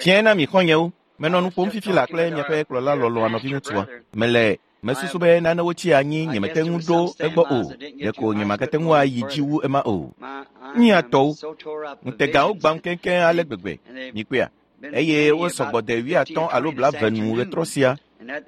Fiae na mi xɔ̃nyewo. Menɔ nu ƒom fifi la kple miaƒe kplɔla lɔlɔ̃a nɔviŋutsua. Mele mesusu be nanewo tsi anyi nyemete ŋu ɖo egbɔ o. Ɖeko nyemagate ŋu ayi dzi wu ema o. Mía tɔwo, ŋutegawo gbam keŋkeŋ ale gbegbe. Mikpɔea? Eye wosɔgbɔ de 50 alo 20 nu ɣetrɔ sia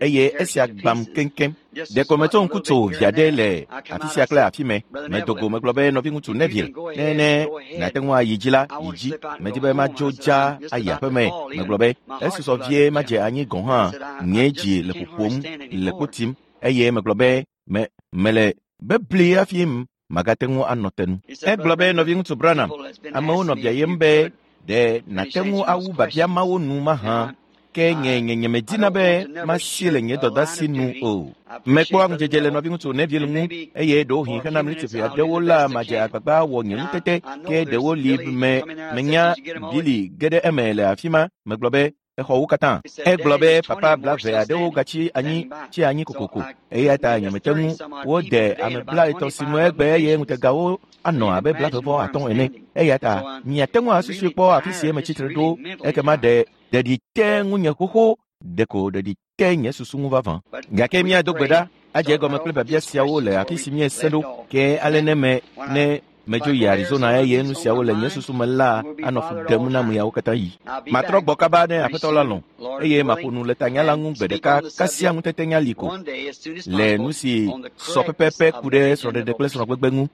eye esia gbam keŋkeŋ. Ɖeko metso ŋku tso via ɖe le afi sia kple afi me. Medo go megblɔ be nɔviŋutsu Neville, ne ne nàte ŋu ayi dzi la, yi dzi. Medi be madzo dza ayi aƒeme. Megblɔ be esusɔ vie madze anyi gɔ̃ hã. Nye dzi le ƒoƒom le kpo tim eye megblɔ be me mele bebli hafi magate ŋu anɔ te nu. Egblɔ be nɔviŋutsu Branham, amewo nɔ biayem be ɖe nàte ŋu awu biabia mawo nu mahã ke nye nye nyemedina be masi le nye dɔdasi nu o. Mekpɔa ŋudzedze le nɔviŋutsu Neville ŋu eye ɖewohĩ hena mliti ʋɛ aɖewo la madze agbagba wɔ nye ŋutete ke ɖewo li me menya Billy ge ɖe eme le afi ma. Megblɔ be exɔ wo katã. Egblɔ be papa 20 aɖewo gatsi anyi tsi anyi kokoko eya ta nyemete ŋu wode ame 30 si nu egbe eye ŋutegawo anɔ abe 25 ene. Eya ta miate ŋu asusui kpɔ afi si metsitre ɖo ekema ɖe ɖeɖi te ŋunye xoxo ɖeko ɖeɖi te nye susu ŋu vavã. Gake míado gbe ɖa adze egɔme kple biabia siawo le afi si míese ɖo ke ale ne me ne medzo yi Arizona eye nu siawo le nye susu me la anɔ fu ɖem na miawo katã yi. Matrɔ gbɔ kaba ne Aƒetɔ la lɔ̃ eye maƒo nu le tanya la ŋu gbe ɖeka kasia ŋutetenya li ko le nu si sɔ pɛpɛpɛ ku ɖe srɔ̃ɖeɖe kple srɔ̃gbegbe ŋu.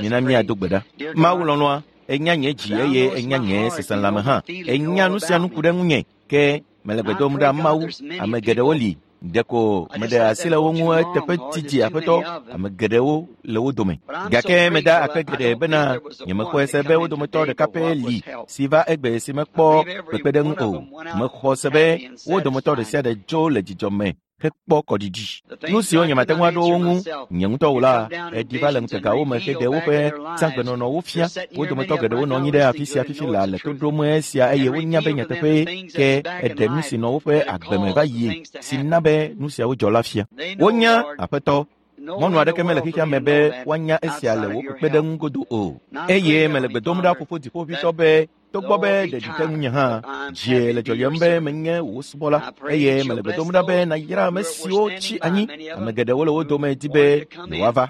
Mina míado gbe ɖa. Mawu lɔlɔ̃a, enya nye dzi eye enya nye seselãme hã. Enya nu sia nu ku ɖe ŋunye ke mele gbe dom ɖa Mawu. Ame geɖewo li ɖeko meɖe asi le wo ŋu eteƒe didi Aƒetɔ. Ame geɖewo le wo dome. Gake meda akpe geɖe bena nyemexɔe se be wo dometɔ ɖeka pɛ li si va egbe si mekpɔ kpekpeɖeŋu o. Mexɔ se be wo dometɔ ɖe sia ɖe dzo le dzidzɔ me hekpɔ kɔɖiɖi. Nu siwo nyemate ŋu aɖo wo ŋu nye ŋutɔ o la, eɖi va le ŋutegawo me heɖe woƒe zãgbenɔnɔwo fia. Wo dometɔ geɖewo nɔ anyi ɖe afi sia fifi la le to ɖom esia eye wonya be nyateƒee ke eɖe nu si nɔ woƒe agbe me va yie si na be nu siawo dzɔ la fia. Wonya Aƒetɔ. Mɔnu aɖeke mele xexea me be woanya esia le wò kpekpeɖeŋu godo o. Eye mele gbe dom ɖa Fofo Dziƒoʋĩtɔ be togbɔ be ɖeɖi te ŋunye hã, dzie le dzɔdzɔm be menye wò subɔla eye mele gbe dom ɖa be nàyra ame siwo tsi anyi. Ame geɖewo le wo dome di be yewoava.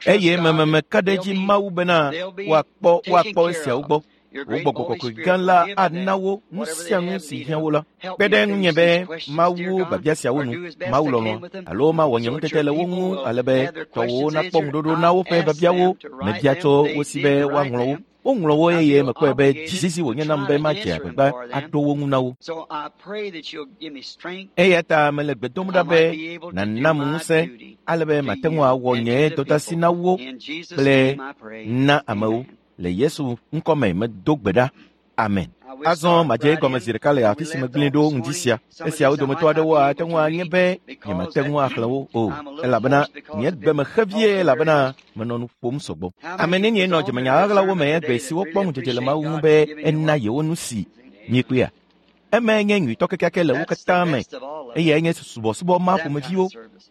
Eye mememeka ɖe edzi Mawu bena woakpɔ woakpɔ esiawo gbɔ. Wò Gbɔgbɔ Kɔkɔe gã la ana wo nu sia nu si hiã wo la. Kpe ɖe ŋunye be mawu biabia siawo nu, Mawu lɔlɔ̃, alo mawɔ nye ŋutete le wo ŋu ale be tɔwòwo nakpɔ ŋuɖoɖo na woƒe biabiawo. Mebia tso wo si be woaŋlɔ wo. Woŋlɔ wo eye mekpɔe be dzizizi wònye nam be madze agbagba aɖo wo ŋu na wo. Eya ta mele gbe dom ɖa be nànam ŋusẽ ale be mate ŋu awɔ nye dɔdeasi na wo kple na amewo. Le Yesu ŋkɔme medo gbe ɖa. Amen. Azɔ madze egɔme zi ɖeka le afi si megblẽe ɖo ŋdi sia. Esiawo dometɔ aɖewo ate ŋu anye be nyemate ŋu axlẽ wo o, elabena nye gbe me xe vie elabena menɔ nu ƒom sɔgbɔ. Ame nenie nɔ dzemenya ɣaɣlawo me egbe siwo kpɔ ŋudzedze le Mawu ŋu be ena yewo nu si miekpɔea? Emae nye nyuitɔ kekeake le wo katã me. Eyae nye subɔsubɔ ma ƒomeviwo.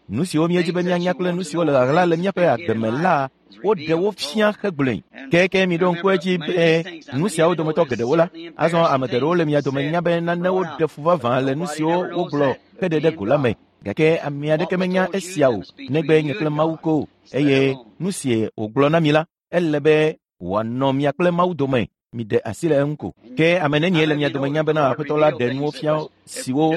Nu siwo míedi be míanya kple nu siwo le ɣaɣla le míaƒe agbe me la, woɖe wo fia hegblɔe. Keke miɖo ŋku edzi be nu siawo dometɔ geɖewo la, azɔ ame geɖewo le mia dome nya be nanewo ɖe fu vavã le nu siwo wogblɔ heɖe ɖe go la me. Gake ame aɖeke menya esia o negbe nye kple Mawu ko. Eye nu si wògblɔ na mi la, ele be wòanɔ mia kple Mawu dome. Miɖe asi le eŋu ko. Ke ame nenie le mia dome nya bena Aƒetɔ la ɖe nuwo fia siwo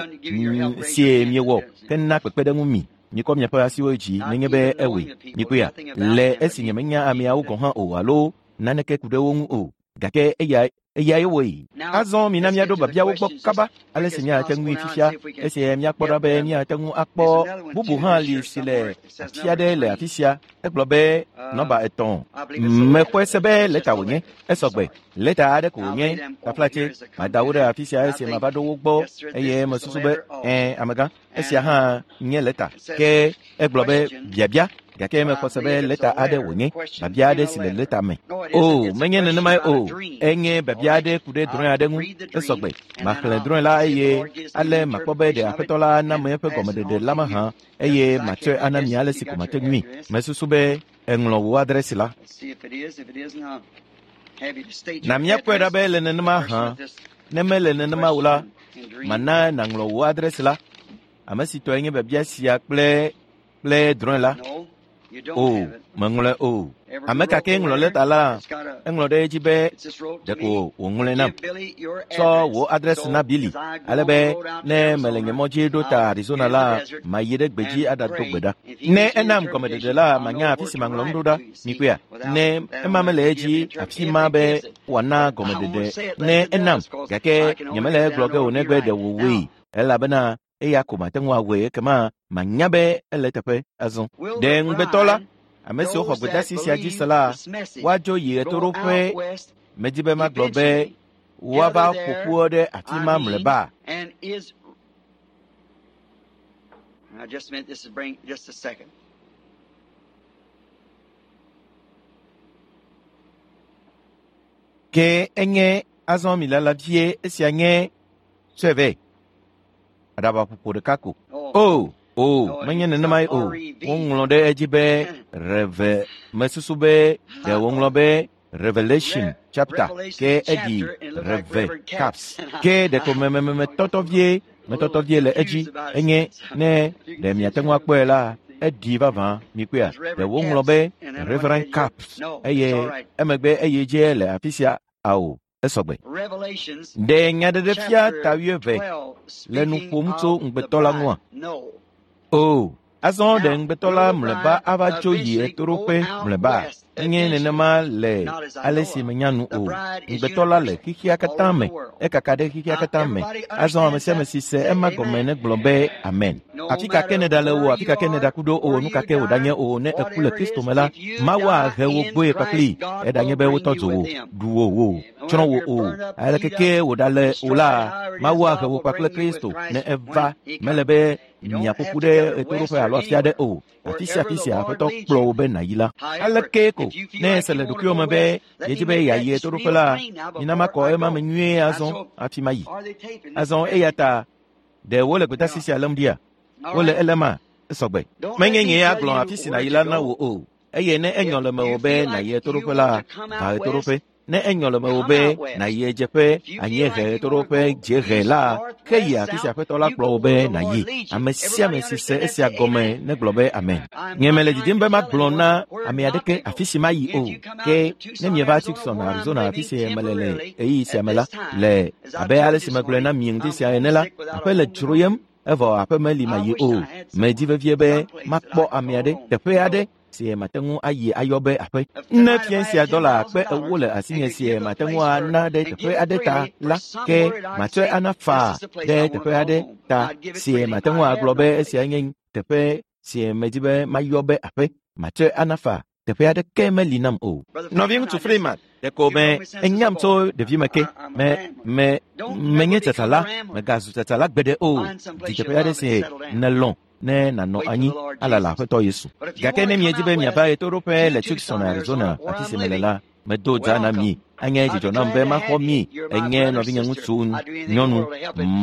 sie miewɔ hena kpekpeɖeŋu mi. Mikɔ miaƒe asiwo dzi nenye be ewɔe. Mikpɔea? Le esi nyemenya ameawo gɔ̃ hã o alo naneke ku ɖe wo ŋu o. Gake eya eyae wɔe. Azɔ mina míaɖo biabiawo gbɔ kaba ale si míate ŋui fifia esi míakpɔ ɖa be míate ŋu akpɔ bubu hã li si le afi aɖe le afi sia. Egblɔ be nɔmba 3. Mexɔe se be lɛta wònye. Esɔgbe. Lɛta aɖe ko wònye. Taflatse, mada wo ɖe afi sia esi mava ɖo wo gbɔ eye mesusu be ɛ̃ amegã, esia hã nye lɛta. Ke egblɔ be biabia gake mexɔ se be lɛta aɖe wònye, biabia aɖe si le lɛta me. O, menye nenemae o. Enye biabia aɖe ku ɖe drɔ̃e aɖe ŋu. Esɔgbe. Maxlẽ drɔ̃e la eye ale makpɔ be ɖe Aƒetɔ la ana me eƒe gɔmeɖeɖe la mahã eye matsɔe ana mi ale si ko mate ŋui. Mesusu be èŋlɔ wò adresi la. Na míakpɔe ɖa be le nenema hã. Ne mele nenema o la, mana nàŋlɔ wò adresi la. Ame si tɔe nye biabia sia kple drɔ̃e la. O, meŋlɔe o. Ame ka kee ŋlɔ lɛta la, eŋlɔ ɖe edzi be ɖeko wòŋlɔe nam. Tsɔ wò adresi na Billy ale be ne mele nye mɔ dzi ɖo ta Arizona la, mayi ɖe gbedzi aɖado gbe ɖa. Ne enam gɔmeɖeɖe la, manya afi si maŋlɔ nu ɖo ɖa. Mikpɔea? Ne ema mele edzi afi ma be wòana gɔmeɖeɖe ne enam, gake nyemele egblɔ ge o negbe ɖe wòwɔe elabena eya ko mate ŋu awɔe ekema manya be ele eteƒe azɔ. Ɖe ŋugbetɔ la, ame siwo xɔ gbedeasi sia dzi se la, woadzo yi ɣetoɖoƒe. Medi be magblɔ be woava ƒo ƒu ɖe afi ma mlɔeba. Ke enye azɔ mi lala vie esia nye tsɔe vɛ. Aɖabaƒoƒo ɖeka ko. O, menye nenemae o. Woŋlɔ ɖe edzi be reve. Mesusu be ɖe woŋlɔ be Revelation chapter ke eɖi reve caps. Ke ɖeko metɔtɔ vie le edzi enye ne ɖe miate ŋu akpɔe la, eɖi vavã mikpɔea. Ɖe woŋlɔ be Reverend Caps eye emegbe eye dze le afi sia ao. Esɔgbe. Ɖe Nyaɖeɖefia ta 12 le nu ƒom tso ŋugbetɔ la ŋua? O, azɔ ɖe ŋugbetɔ la mlɔeba ava tso yi ɣetoɖoƒe mlɔeba? Menye nenema le ale si menya nu o. Ŋugbetɔ la le xexea katã me, ekaka ɖe xexea katã me. Azɔ ame sia ame si se ema gɔme negblɔ be amen. Afi ka ke nèɖale o, afi ka ke nèɖaku ɖo o, nu ka ke wòɖanye o, ne èku le Kristo me la, Mawu ahe wò gbɔe kpakplii, eɖanye be wotɔ dzo wò, ɖu wò o, tsrɔ̃ wò o, aleke ke wòɖale o la, Mawu ahe wò kpakple Kristo ne eva. Mele be miaƒo ƒu ɖe ɣetoɖoƒe alo afi aɖe o. Afi sia afi sia Aƒetɔ kplɔ wò be nàyi la. Aleke ko ne èse le ɖokuiwò me be yedzi be yeayi ɣetoɖoƒe la, mina makɔ ema me nyuie azɔ hafi mayi. Azɔ eya ta ɖe wole gbedeasi sia lém ɖia? Wole elema? Esɔgbe. Menye nyee agblɔ afi si nàyi la na wò o. Eye ne enyɔ le mewò be nàyi ɣetoɖoƒe la, va ɣetoɖoƒe. Ne enyɔ le mewò be nàyi ɣedzeƒe, anyiehe, ɣetoɖoƒe, dziehe la, ke yi afi si Aƒetɔ la kplɔ wò be nàyi. Ame sia ame si se esia gɔme negblɔ be amen. Nye mele didim be magblɔ na ame aɖeke afi si mayi o. Ke ne mieva Tucson, Arizona, afi si mele le ɣeyiɣi sia me la, le abe ale si megblɔe na mi ŋdi sia ene la, aƒe le dzroyem, evɔ aƒe meli mayi o. Medi vevie be makpɔ ame aɖe, teƒe aɖe si mate ŋu ayi ayɔ be aƒe. Ne fia sia dɔla kpe 40 le asinye si mate ŋu ana ɖe teƒe aɖe ta la, ke matsɔe ana faa ɖe teƒe aɖe ta si mate ŋu agblɔ be esia nye teƒe si medi be mayɔ be aƒe. Matsɔe ana faa. Teƒe aɖeke meli nam o. Nɔviŋutsu Freeman, ɖeko me enyam tso ɖevime ke. Menye tsatsala, megazu tsatsala gbeɖe o. Di teƒe aɖe si nèlɔ̃ ne nànɔ anyi alala Aƒetɔ Yesu. Gake ne miedi be miava ɣetoɖoƒe le Tucson, Arizona, afi si mele la, medo dza na mi. Anye dzidzɔ nam be maxɔ mi. Enye nɔvinyeŋutsu, nyɔnu.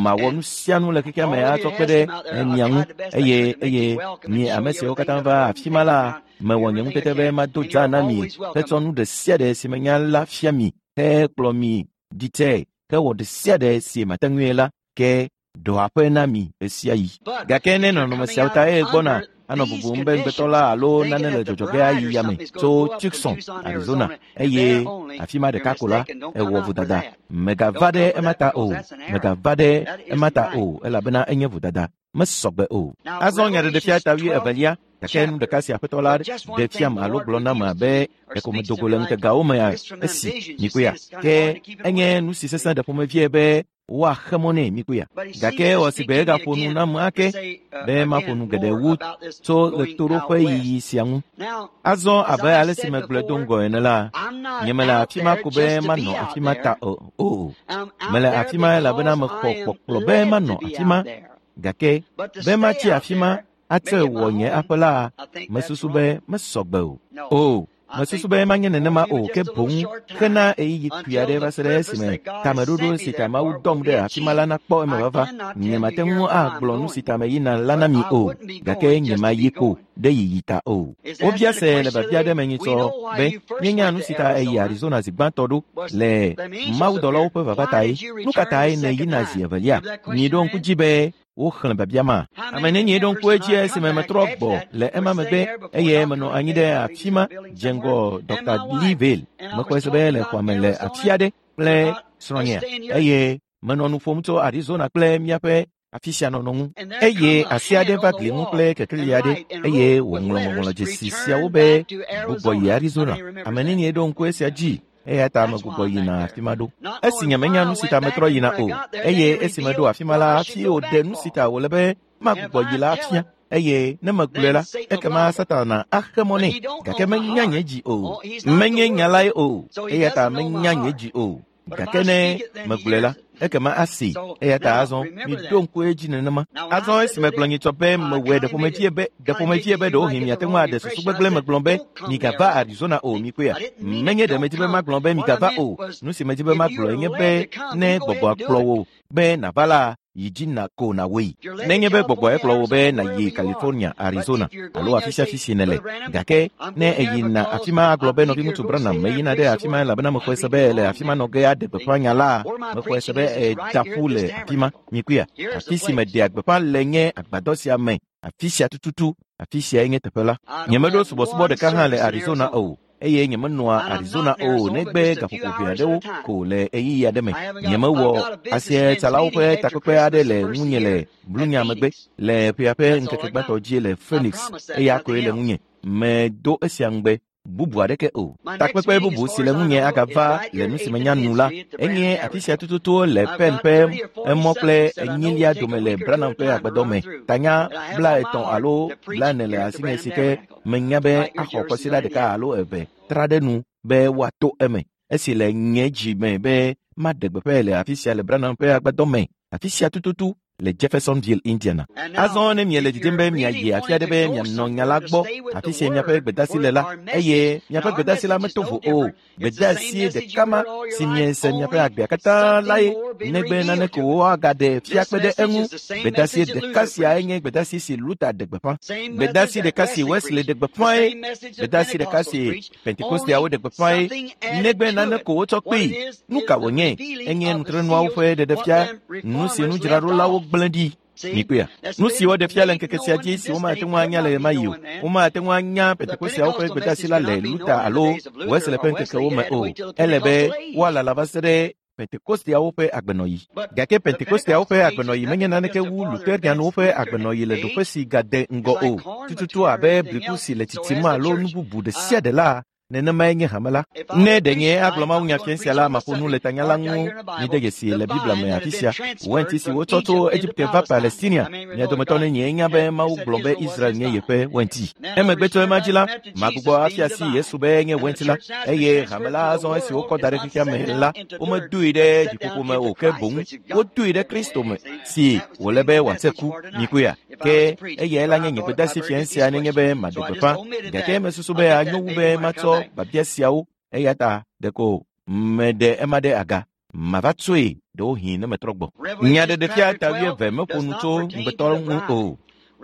Mawɔ nu sia nu le xexea me atsɔ kpe ɖe mia ŋu. Eye mi ame siwo katã va afi ma la, mewɔ nye ŋutete be mado dza na mi hetsɔ nu ɖe sia ɖe si menya la fia mi hekplɔ mi ɖi tse hewɔ ɖe sia ɖe si mate ŋui la ke ɖɔ aƒe na mi ɣesiaɣi. Gake ne nɔnɔme siawo ta eye gbɔna anɔ bubum be ŋugbetɔ la alo nane le dzɔdzɔ ge ayi yame tso Tucson, Arizona, eye afi ma ɖeka ko la, ewɔ vodada. Megava ɖe ema ta o. Megava ɖe ema ta o, elabena enye vodada. Mesɔgbe o. Azɔ Nyaɖeɖefia ta 22, gake nu ɖeka si Aƒetɔ la ɖe fiam alo gblɔ nam abe ɖeko medo go le ŋutegawo me esi mikpɔea. Ke enye nu si sesẽ ɖe ƒomevie be woaxe mɔ nɛ mikpɔea. Gake ewɔ si gbe egaƒo nu nam ake be maƒo nu geɖe wu tso ɣetoɖoƒe yiyi sia ŋu. Azɔ abe ale si megblɔe do ŋgɔ ene la, nyemele afi ma ko be manɔ afi ma ta o. Mele afi ma elabena mexɔ kpɔkplɔ be manɔ afi ma. Gake be matsi afi ma atsɔe wɔ nye aƒe la, mesusu be mesɔgbe o. O, mesusu be manye nenema o, ke boŋ hena ɣeyiɣi kpui aɖe va se ɖe esime tameɖoɖo si ta Mawu dɔm ɖe afi ma la nakpɔ emevava. Nyemate ŋu agblɔ nu si ta meyina la na mi o, gake nyemayi ko ɖe yiyi ta o. Wobia se le biabia aɖe me nyitsɔ be míenya nu si ta eyi Arizona zi gbãtɔ ɖo le mawudɔlawo ƒe vava tae. Nu ka tae nèyina zi evelia? Miɖo ŋku dzi be woxlẽ biabia ma. Ame nenie ɖo ŋku edzi esime metrɔ gbɔ le ema megbe eye menɔ anyi ɖe afi ma dze ŋgɔ Dr. Lee Vayle. Mexɔe se be le xɔa me le afi aɖe kple srɔ̃nyea eye menɔ nu ƒom tso Arizona kple míaƒe afi sia nɔnɔ ŋu. Eye asi aɖe va gli ŋu kple kekeli aɖe eye wòŋlɔ ŋɔŋlɔdzesi siawo be gbugbɔ yi Arizona. Ame nenie ɖo ŋku esia dzi? Eya ta megbugbɔ yina afi ma ɖo. Esi nyemenya nu si ta metrɔ yina o, eye esi meɖo afi ma la hafi wòɖe nu si ta wòle be magbugbɔ yi la fia. Eye ne megblɔe la, ekema Satana axe mɔ nɛ. Gake menya nye dzi o. Menye nya lae o. Eya ta menya nye dzi o. Gake ne megblɔe la, ekema asee. Eya ta azɔ miɖo ŋku edzi nenema. Azɔ esi megblɔ nyitsɔ be mewɔe ɖeƒomevie be ɖeƒomevie be ɖewohĩ miate ŋu aɖe susu gbegblẽ megblɔ be migava Arizona o mikpɔea. Menye ɖe medi be magblɔ be migava o. Nu si medi be magblɔe nye be ne gbɔgbɔa kplɔ wò be nàva la, yi dzi na ko nàwɔe. Nenye be gbɔgbɔe kplɔ wò be nàyi California, Arizona alo afi sia afi si nèle. Gake ne èyina afi ma agblɔ be nɔviŋutsu Branham meyina ɖe afi ma elabena mexɔe se be le afi ma nɔ ge aɖe gbeƒã nya la, mexɔe se be èda ƒu le afi ma. Mikpɔea? Afi si meɖea gbeƒã le nye agbadɔ sia me, afi sia tututu, afi siae nye teƒe la. Nyemeɖo subɔsubɔ ɖeka hã le Arizona o. Eye nyemenɔa Arizona o negbe gaƒoƒo ʋɛ aɖewo ko le ɣeyiɣi aɖe me. Nyemewɔ asietsalawo ƒe takpekpe aɖe le ŋunye le Blunya megbe le ƒea ƒe ŋkeke gbãtɔ dzi le Phoenix, eya koe le ŋunye. Medo esia ŋugbe bubu aɖeke o. Takpekpe bubu si le ŋunye agava le nu si menya nu la, enye afi sia tututu le Penn ƒe emɔ kple enyilia dome le Branham ƒe agbadɔ me. Tanya 50 alo 40 le asinye si ke menya be axɔ kɔsiɖa ɖeka alo eve tra ɖe nu be woato eme. Esi le nye dzi me be maɖe gbeƒãe le afi sia le Branham ƒe agbadɔ me, afi sia tututu le Jeffersonville, Indiana. Azɔ ne miele didim be miayi afi aɖe be mianɔ nya la gbɔ, afi si miaƒe gbedasi le la, eye miaƒe gbedasi la meto vo o. Gbedasi ɖeka ma si miese miaƒe agbea katã lae, negbe nane ko woagaɖe fia kpe ɖe eŋu. Gbedasi ɖeka siae nye gbedasi si Luther ɖe gbeƒã. Gbedasi ɖeka si Wesley ɖe gbeƒãe. Gbedasi ɖeka si Pentekosteawo ɖe gbeƒãe. Negbe nane ko wotsɔ kpee. Nu ka wònye? Enye nutrenuawo ƒe ɖeɖefia, nu si nudzraɖolawo gblẽ ɖi. Mikpɔea? Nu si woɖe fia le ŋkeke sia dzi si womate ŋu anya le ɣemaɣi o. Womate ŋu anya Pentekosteawo ƒe gbedasi la le Luther alo Wesley ƒe ŋkekewo me o. Ele be woalala va se ɖe Pentekosteawo ƒe agbenɔɣi. Gake Pentekosteawo ƒe agbenɔɣi menye naneke wu Lutherianwo ƒe agbenɔɣi le ɖoƒe si gade ŋgɔ o. Tututu abe bliku si le tsitsim alo nu bubu ɖe sia ɖe la, nenemae nye hame la. Ne ɖe nye agblɔ mawunya fia sia la, maƒo nu le tanya la ŋu. Mide dzesi le Biblia me afi sia. Wɛnti si wotsɔ tso Egipte va Palestinia. Mia dometɔ nenye nya be Mawu gblɔ be Israel nye yeƒe wɛnti. Emegbe tso ema dzi la, magbugbɔ afia si Yesu be nye wɛnti la, eye hame la azɔ esi wokɔ da ɖe xexea me la, womedoe ɖe dziƒoƒo me o, ke boŋ wodoe ɖe Kristo me si wòle be wòase ku. Mikpɔea? Ke eyae la nye nye gbedasi fia sia nenye be maɖe gbeƒã. Gake mesusu be anyo wu be matsɔ biabia siawo, eya ta ɖeko meɖe ema ɖe aga. Mava tsoe ɖewohĩ ne metrɔ gbɔ. Nyaɖeɖefia ta 20 meƒo nu tso ŋugbetɔ ŋu o.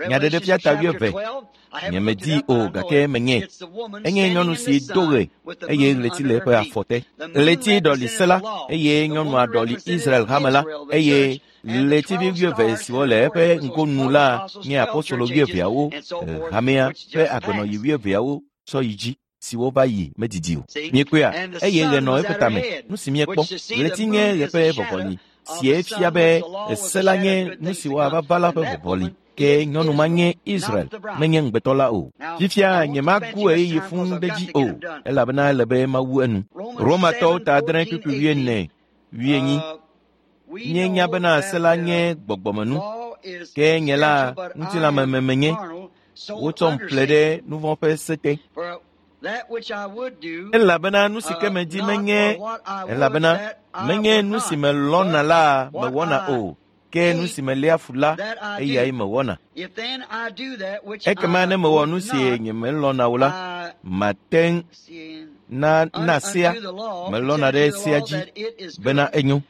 Nyaɖeɖefia ta 20 nyemedii o gake menye. Enye nyɔnu si do ɣe eye ɣleti le eƒe afɔ te. Ɣleti ɖɔli se la eye nyɔnua ɖɔli Israel hame la eye ɣletivi 20 siwo le eƒe ŋgonu la nye apostolo 20awo, hamea ƒe agbenɔɣi 20awo tsɔ yi dzi siwo va yi medidi o. Miekpɔea? Eye ɣe nɔ eƒe tame. Nu si miekpɔ, ɣleti nye ɣe ƒe vɔvɔli, sie fia be se la nye nu si woava va la ƒe vɔvɔli. Ke nyɔnu ma nye Israel, menye ŋugbetɔ la o. Fifia nyemagu ɣeyiɣi fũu ɖe dzi o, elabena ele be mawu enu. Romatɔwo ta 7:44 40. Míenya bena se la nye gbɔgbɔmenu, ke nye la ŋutilãmeme menye. Wotsɔm ƒle ɖe nu vɔ̃ ƒe se te. Elabena nu si ke medi menye, elabena menye nu si melɔ̃na la mewɔna o, ke nu si meléa fu la, eyae mewɔna. Ekema ne mewɔ nu si nyemelɔ̃na o la, mate ŋu na sea melɔ̃na ɖe sea dzi bena enyo.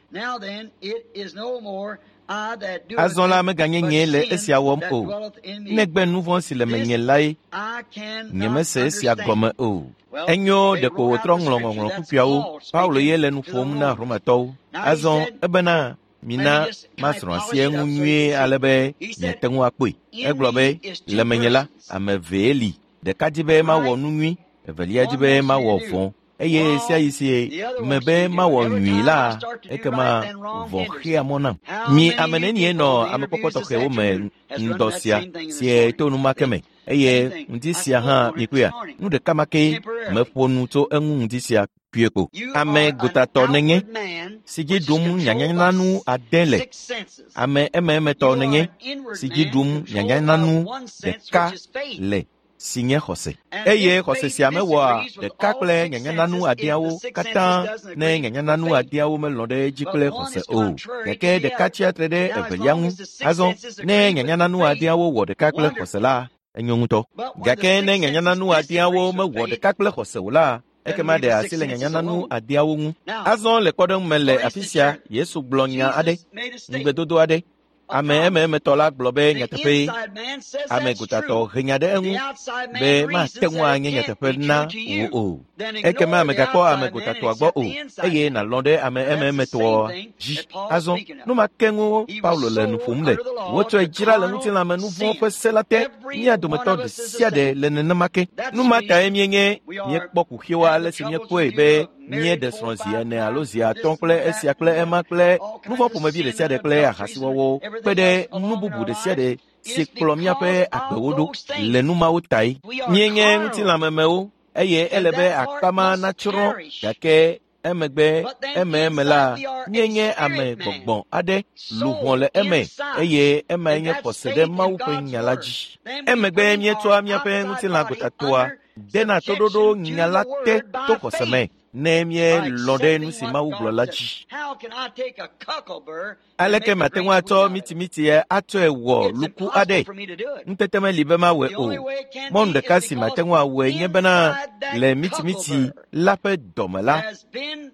Azɔ la meganye nyee le esia wɔm o, negbe nu vɔ̃ si le menye lae. Nyemese esia gɔme o. Enyo ɖeko wòtrɔ ŋlɔ ŋɔŋlɔ kpukpuiawo. Paulo ye le nu ƒom na Romatɔwo. Azɔ ebena mina masrɔ̃ asi eŋu nyuie ale be miate ŋu akpɔe. Egblɔ be, le menye la, ame evee li. Ɖeka di be mawɔ nu nyui, evelia di be mawɔ vɔ̃. Eye sia yi si me be mawɔ nyui la, ekema vɔ̃ xea mɔ nam. Mi ame nenie nɔ amekpɔkpɔ tɔxɛwo me ŋdɔ sia sie to numake me eye ŋdi sia hã mikpɔea nu ɖeka ma ke meƒo nu tso eŋu ŋdi sia kpuie ko. Ame gotatɔ nenye si dzi ɖum nyanyananu ade le. Ame emeemetɔ nenye si dzi ɖum nyanyananu ɖeka le si nye xɔse. Eye xɔse sia mewɔa ɖeka kple nyanyananu adeawo katã ne nyanyananu adeawo melɔ̃ ɖe edzi kple xɔse o. Gake ɖeka tsia tre ɖe evelia ŋu. Azɔ ne nyanyananu adeawo wɔ ɖeka kple xɔse la, enyo ŋutɔ. Gake ne nyanyananu adeawo mewɔ ɖeka kple xɔse o la, ekema ɖe asi le nyanyananu adeawo ŋu. Azɔ le kpɔɖeŋu me le afi sia, Yesu gblɔ nya aɖe, ŋugbedodo aɖe. Ame emeemetɔ la gblɔ be nyateƒee. Ame gotatɔ he nya ɖe eŋu be mate ŋu anye nyateƒe na wò o. Ekema mègakpɔ ame gotatɔa gbɔ o eye nàlɔ̃ ɖe ame emeemetɔa dzi. Azɔ, nu ma ke ŋu Paulo le nu ƒom le. Wotsɔe dzra le ŋutilãme nu vɔ̃ ƒe se la te. Mía dometɔ ɖe sia ɖe le nenema ke. Nu ma tae míenye míekpɔ kuxiwo ale si míekpɔe be míeɖe srɔ̃ zi ene alo zi atɔ̃ kple esia kple ema kple nu vɔ̃ ƒomevi ɖe sia ɖe kple ahasiwɔwɔwo kpe ɖe nu bubu ɖe sia ɖe si kplɔ míaƒe agbewo ɖo le nu mawo tae. Míenye ŋutilãmemewo eye ele be akpa ma natsrɔ̃ gake emegbe emeeme la míenye ame gbɔgbɔ aɖe luʋɔ le eme eye emae nye xɔse ɖe Mawu ƒe nya la dzi. Emegbe míetsɔa míaƒe ŋutilã gotatɔa dena toɖoɖo nya la te to xɔse me ne míelɔ̃ ɖe nu si Mawu gblɔ la dzi. Aleke mate ŋu atsɔ mitimiti atsɔe wɔ luku aɖe? Ŋutete meli be mawɔe o. Mɔnu ɖeka si mate ŋu awɔe nye bena le mitimiti la ƒe dɔme la,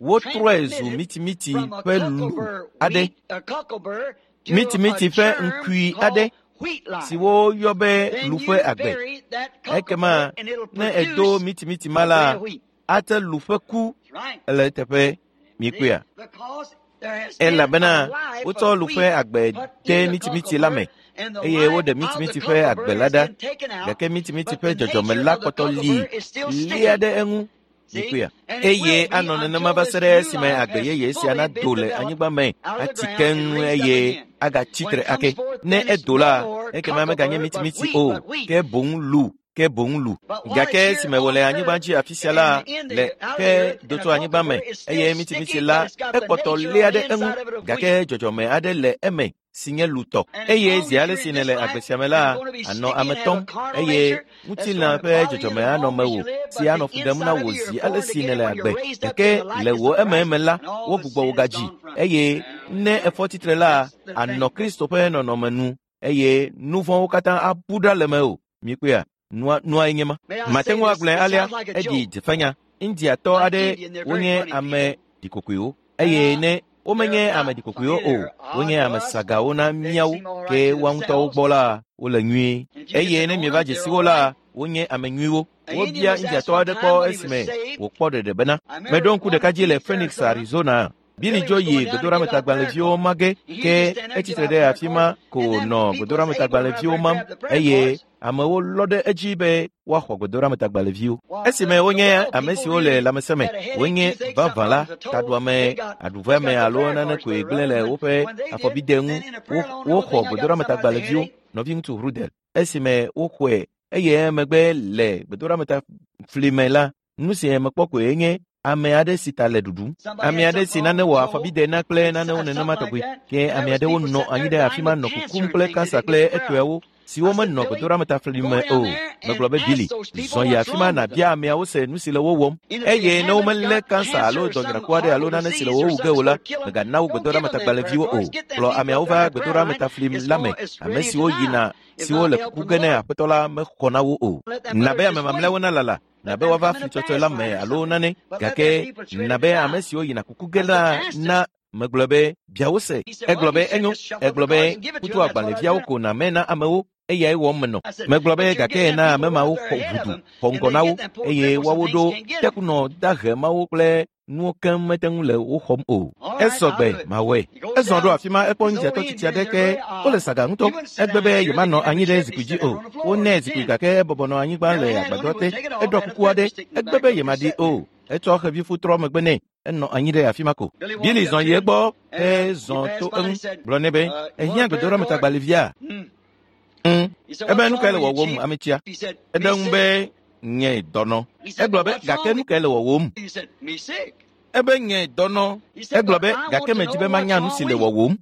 wotrɔe zu mitimiti ƒe lu aɖe, mitimiti ƒe ŋkui aɖe si woyɔ be lu ƒe agbe. Ekema ne èdo mitimiti ma la, ate lu ƒe ku le eteƒe mikpɔea. Elabena wotsɔ lu ƒe agbe de mitimiti la me eye woɖe mitimiti ƒe agbe la ɖa gake mitimiti ƒe dzɔdzɔme la kpɔtɔ li lia ɖe eŋu mikpɔea. Eye anɔ nenema va se ɖe esime agbe yeye sia nado le anyigba me atsi keŋ eye agatsi tre ake. Ne edo la, ekema meganye mitimiti o, ke boŋ lu ke boŋ lu. Gake esime wòle anyigba dzi afi sia la, le ke do tso anyigba me eye mitimiti la ekpɔtɔ lia ɖe eŋu gake dzɔdzɔme aɖe le eme si nye lutɔ. Eye zi ale si nèle agbe sia me la, ànɔ ame tɔm eye ŋutilã ƒe dzɔdzɔme anɔ mewò si anɔ fu ɖem na wò zi ale si nèle agbe. Gake le wò emeeme la, wogbugbɔ wò gadzi eye ne èfɔ tsitre la, ànɔ Kristo ƒe nɔnɔme nu eye nu vɔ̃wo katã abu ɖa le mewò. Mikpɔea? Nua nye ma. Mate ŋu agblɔe alea eɖi dzefenya. Indiatɔ aɖe wonye ame ɖikokoewo eye ne womenye ame ɖikokoewo o, wonye ame sagawo na míawo ke woa ŋutɔwo gbɔ la wole nyuie. Eye ne mieva dze si wo la, wonye ame nyuiwo. Wobia Indiatɔ aɖe kpɔ esime wòkpɔ ɖeɖe bena, meɖo ŋku ɖeka dzi le Phoenix, Arizona. Billy dzo yi gbedoɖametagbalẽviwo ma ge ke etsitre ɖe afi ma ko nɔ gbedoɖametagbalẽviwo mam eye amewo lɔ ɖe edzi be woaxɔ gbedoɖametagbalẽviwo. Esime wonye ame siwo le lãmesẽ me, wonye vavã la, taɖuame, aɖuveame alo nane koe gblẽ le woƒe afɔbide ŋu. Woxɔ gbedoɖametagbalẽviwo, nɔviŋutsu Rudel. Esime woxɔe eye emegbe le gbedoɖametafli me la, nu si mekpɔ koe nye ame aɖe si ta le ɖuɖum, ame aɖe si nane wɔ afɔbide na kple nanewo nenema tɔgbi. Ke ame aɖewo nɔ anyi ɖe afi ma nɔ kukum kple kansa kple etɔewo siwo menɔ gbedoɖametafli me o. Megblɔ be Billy, zɔ yi afi ma nàbia ameawo se nu si le wo wɔm. Eye ne womelé kansa alo dɔnyraku aɖe alo nane si le wo wu ge o la, mègana wo gbedoɖametagbalẽviwo o. Kplɔ ameawo va gbedoɖametafli la me. Ame siwo yina siwo le kuku ge ne aƒetɔ la mexɔ na wo o. Na be ame mamlɛawo nalala na be woava fli tsɔtsɔe la me alo nane gake na be ame siwo yina kuku ge la na Megblɔ be, bia wo se. Egblɔ be, enyo. Egblɔ be, kutu agbalẽviawo ko nàme na amewo, eyae wɔm menɔ. Megblɔ be, gake na ame mawo xɔ ʋudu, xɔ ŋgɔ na wo, eye woawo ɖo tekunɔ dahe mawo kple nuwo keŋ mete ŋu le wo xɔm o. Esɔ gbe, mawɔe. Ezɔ ɖo afi ma ekpɔ ŋudzatɔ tsitsi aɖe ke wole saga ŋutɔ. Egbe be yemanɔ anyi ɖe zikpui dzi o. Wonɛ zikpui gake ebɔbɔ nɔ anyigba le agbadɔ te. Eɖɔ kuku aɖe. Egbe be yemaɖi o. Etsɔ xevifu trɔ megbe nɛ. Enɔ anyi ɖe afi ma ko. Billy zɔ yi egbɔ hezɔ to eŋu gblɔ nɛ be, ehiã gbedoɖametagbalẽvia? Ebe nu kae le wɔwɔm ametsia? Eɖe ŋu be, nye dɔnɔ. Egblɔ be, gake nu kae le wɔwɔm? Ebe nye dɔnɔ. Egblɔ be, gake medzi be manya nu si le wɔwɔm.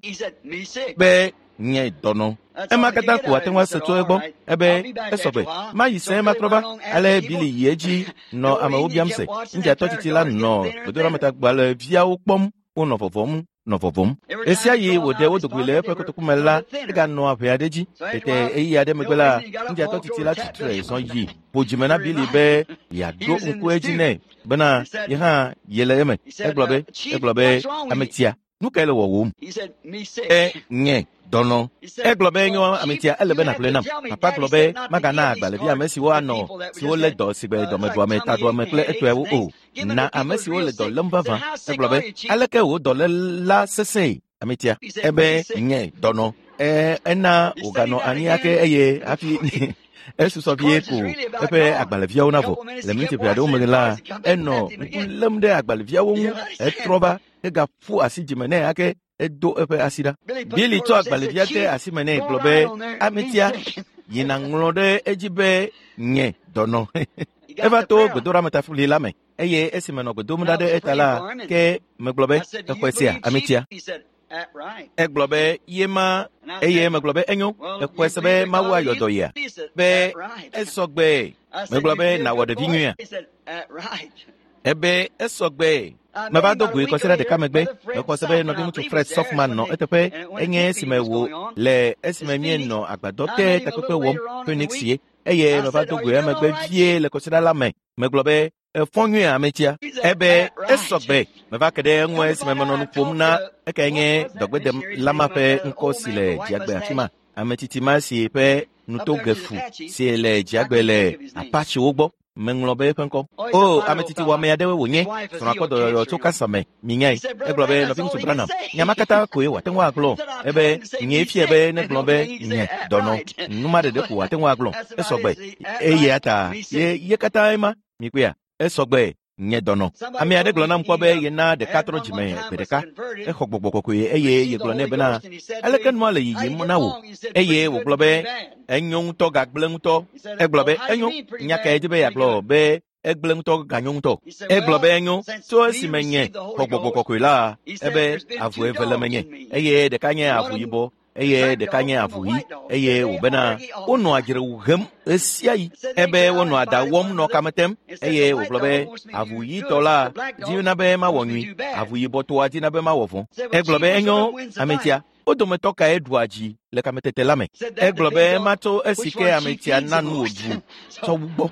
Be nye dɔnɔ. Ema katã ko ate ŋu ase tso egbɔ. Ebe esɔ gbe. Mayi sẽe matrɔ va. Ale Billy yi edzi nɔ amewo biam se. Ŋudzatɔ tsitsi la nɔ gbedoɖametagbalẽviawo kpɔm wonɔ vɔvɔm. Nɔ vɔvɔm. Ɣesia ɣi wòɖe wo dogoe le eƒe kotoku me la, eganɔa ʋe aɖe dzi. Tete ɣeyiɣi aɖe megbe la, ŋudzatɔ tsitsi la tsitre zɔ yi ƒo dzime na Billy be yeaɖo ŋku edzi nɛ bena ye hã yele eme. Egblɔ be, egblɔ be, ametsia, nu kae le wɔwòm? E nye dɔnɔ. Egblɔ be, nyo ametsia, ele be nàgblɔe nam. Papa gblɔ be, magana agbalẽvi ame siwo anɔ, siwo lé dɔ sigbe dɔmeɖuame, taɖuame kple etɔewo o. Na ame siwo le dɔ lém vavã. Egblɔ be, aleke wò dɔléla sesẽe, ametsia? Ebe, nye dɔnɔ. Ena wòganɔ anyi ake eye hafi esusɔ vie ko eƒe agbalẽviawo navɔ. Le miniti ʋɛ aɖewo megbe la, enɔ ŋku lém ɖe agbalẽviawo ŋu. Etrɔ va hegaƒu asi dzime nɛ ake edo eƒe asi ɖa. Billy tsɔ agbalẽvia de asi me nɛ gblɔ be, ametsia, yina ŋlɔ ɖe edzi be nye dɔnɔ. Eva to gbedoɖametafuli la me eye esime nɔ gbe dom ɖa ɖe eta la, ke megblɔ be, exɔe sia, ametsia. Egblɔ be, ye ma, eye megblɔ be, enyo, exɔe se be Mawu ayɔ dɔ yia? Be, esɔ gbe. Megblɔ be, nàwɔ ɖevi nyuia? Ebe, esɔ gbe. Meva do goe kɔsiɖa ɖeka megbe. Mexɔ se be nɔviŋutsu Fred Softman nɔ eteƒe. Enye esime wò le esime míenɔ agbadɔ te takpekpe wɔm Phoenix ye. Eye meva do goe emegbe vie le kɔsiɖa la me. Megblɔ be, efɔ nyuie ametsia. Ebe, esɔ gbe. Meva ke ɖe eŋu esime menɔ nu ƒom na ekae nye dɔgbedelama ƒe ŋkɔ si le dziagbe afi ma. Ametsitsi ma si ƒe nutogefu si le dziagbe le Apachewo gbɔ. Meŋlɔ be eƒe ŋkɔ. O, ametsitsi wɔame aɖewoe wònye. Srɔ̃a kpɔ dɔyɔyɔ tso kansa me. Minyae. Egblɔ be, nɔviŋutsu Branham, nya ma katã koe wòate ŋu agblɔ. Ebe, nyee fia be negblɔ be nye dɔnɔ. Nu ma ɖeɖe ko wòate ŋu agblɔ. Esɔ gbe. Eya ta ye ye katã ema. Mikpɔea? Esɔ gbe. Nye dɔnɔ. Ame aɖe gblɔ nam kpɔ be yena ɖeka trɔ dzime gbe ɖeka. Exɔ gbɔgbɔ kɔkɔe eye yegblɔ nɛ bena, aleke nua le yiyim na wò? Eye wògblɔ be, enyo ŋutɔ gagblẽ ŋutɔ. Egblɔ be, enyo, nya kae di be yeagblɔ be egblẽ ŋutɔ ganyo ŋutɔ? Egblɔ be enyo, tso esime nye xɔ gbɔgbɔ kɔkɔe la, ebe avu eve le menye, eye ɖeka nye avu yibɔ, eye ɖeka nye avu ɣi, eye wòbena wonɔa dzrewu hem ɣesiaɣi. Ebe wonɔa da wɔm nɔ kame tem, eye wògblɔ be avu ɣitɔ la dina be mawɔ nyui, avu yibɔtɔa dina be mawɔ vɔ̃. Egblɔ be enyo, ametsia, wo dometɔ kae ɖua dzi le kametete la me? Egblɔ be matso esi ke ametsia na nu wòɖu tsɔ wu gbɔ.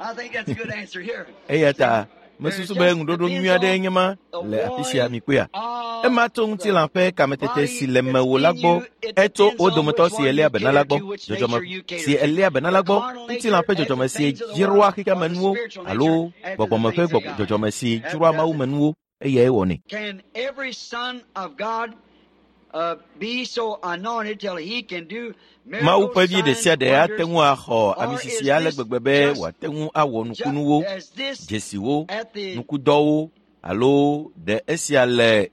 Eya ta mesusu be ŋuɖoɖo nyui aɖee nye ma le afi sia mikpɔea. Ema tso ŋutilã ƒe kametete si le mewò la gbɔ. Etso wo dometɔ si eléa be na la gbɔ. Dzɔdzɔme si eléa be na la gbɔ. Ŋutilã ƒe dzɔdzɔme si dzroa xexeamenuwo alo gbɔgbɔme ƒe dzɔdzɔme si dzroa mawumenuwo. Eyae wɔnɛ. Can every son of God be so anointed till he can do Mawu ƒe miracles, vi ɖe sia signs, ɖe ate wonders, ŋu axɔ or amisisi is ale this gbegbe be just wòate ŋu awɔ nukunuwo, is this dzesiwo, at the nukudɔwo alo ɖe esia le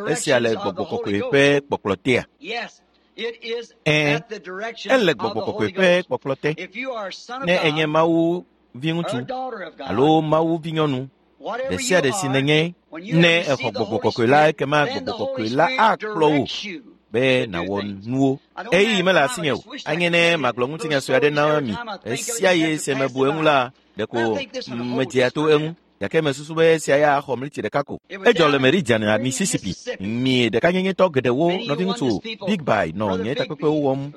esia le directions of gbɔgbɔ the Holy kɔkɔe Ghost? ƒe kpɔkplɔ tea? Yes, it is Ɛ̃, at the direction ele of the gbɔgbɔ kɔkɔe Holy ƒe Ghost. kpɔkplɔ te. If you are a son of Ne enye God Mawu or viŋutsu a daughter of God, alo Mawu vinyɔnu, whatever ɖe sia you ɖe si are, nènye, when you have ne exɔ received the gbɔgbɔ Holy kɔkɔe la, Spirit, ekema then the gbɔgbɔ Holy kɔkɔe la Spirit akplɔ wò directs you be to do nàwɔ things. nuwo. I don't Ɣeyiɣi have mele time. I asinye o. just wish I Anye could ne tell you magblɔ little ŋutinya sue aɖe stories na every mi. time I think of it, Ɣesiaɣi just have si to pass mebu it eŋu by. la, But I ɖeko think this one will hold medzea just to for a eŋu. minute. Gake mesusu be esia ya axɔ mliti ɖeka ko. Edzɔ le Meridian, Mississippi. Mi ɖekanyenyetɔ geɖewo, nɔviŋutsu Bigby nɔ nye takpekpewo wɔm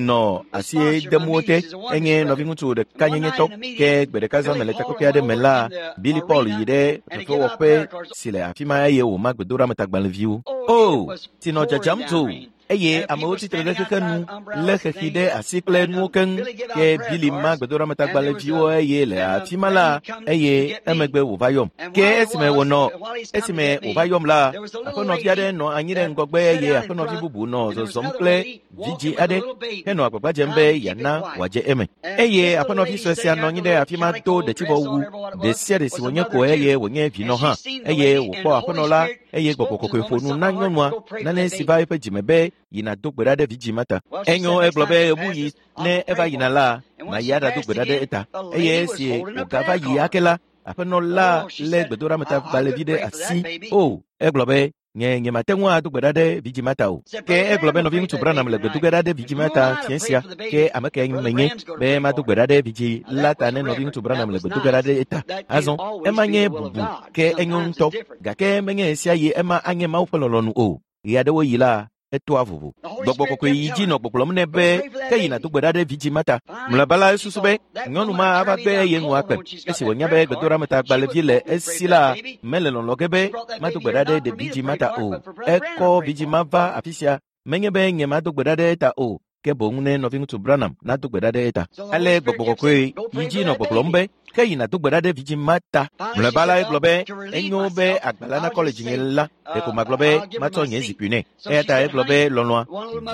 nɔ asie dem wo te. Enye nɔviŋutsu ɖekanyenyetɔ. Ke gbe ɖeka zã me le takpekpe aɖe me la, Billy Paul yi ɖe fefewɔƒe si le afi ma eye wòma gbedoɖametagbalẽviwo. O, tsi nɔ dzadzam tso eye amewo tsitre ɖe xexe nu lé xexi ɖe asi kple nuwo keŋ. Ke Billy ma gbedoɖametagbalẽviwo eye le afi ma la, eye emegbe wòva yɔm. Ke esime wònɔ esime wòva yɔm la, aƒenɔvi aɖe nɔ anyi ɖe ŋgɔgbe eye aƒenɔvi bubu nɔ zɔzɔm kple vidzĩ aɖe henɔ agbagba dzem be yeana wòadze eme. Eye aƒenɔvi sue sia nɔ anyi ɖe afi ma do ɖetivɔwu ɖe sia ɖe si wònye ko eye wònye vinɔ hã. Eye wòkpɔ aƒenɔ la eye gbɔgbɔ kɔkɔe ƒo nu na nyɔnua nane si va eƒe dzime be yina do gbe ɖa ɖe vidzĩ ma ta. Enyo egblɔ be ɣebuɣi ne eva yina la, mayi aɖado gbe ɖa ɖe eta. Eye esi wògava yi ake la, aƒenɔ la lé gbedoɖametagbalẽvi ɖe asi. O, egblɔ be nye nyemate ŋu ado gbe ɖa ɖe vidzĩ ma ta o. Ke egblɔ be nɔviŋutsu Branham le gbedo ge ɖa ɖe vidzĩ ma ta fiẽ sia. Ke ame kae menye be mado gbe ɖa ɖe vidzĩ la ta ne nɔviŋutsu Branham le gbedo ge ɖa ɖe eta? Azɔ, ema nye bubu, ke enyo ŋutɔ. Gake menye ɣesiaɣi ema anye Mawu ƒe lɔlɔ̃nu o. Ɣeaɖewoɣi la, etoa vovo. Gbɔgbɔ kɔkɔe yi dzi nɔ gbɔgblɔm nɛ be ke yina do gbe ɖa ɖe vidzĩ ma ta. Mlɔeba la esusu be nyɔnu ma ava gbe eye nu akpem. Esi wònya be gbedoɖametagbalẽvi le esi la, mele lɔlɔ̃ ge be mado gbe ɖa ɖe vidzĩ ma ta o. Ekɔ vidzĩ ma va afi sia. Menye be nye mado gbe ɖa ɖe eta o, ke boŋ ne nɔviŋutsu Branham nado gbe ɖa ɖe eta. Ale gbɔgbɔ kɔkɔe yi dzi nɔ gbɔgblɔm be ke yina do gbe ɖa ɖe vidzĩ ma ta. Mlɔeba la egblɔ be enyo be agbalẽ nakɔ le dzinye la, ɖeko magblɔ be matsɔ nye zikpui nɛ. Eya ta egblɔ be lɔlɔ̃a,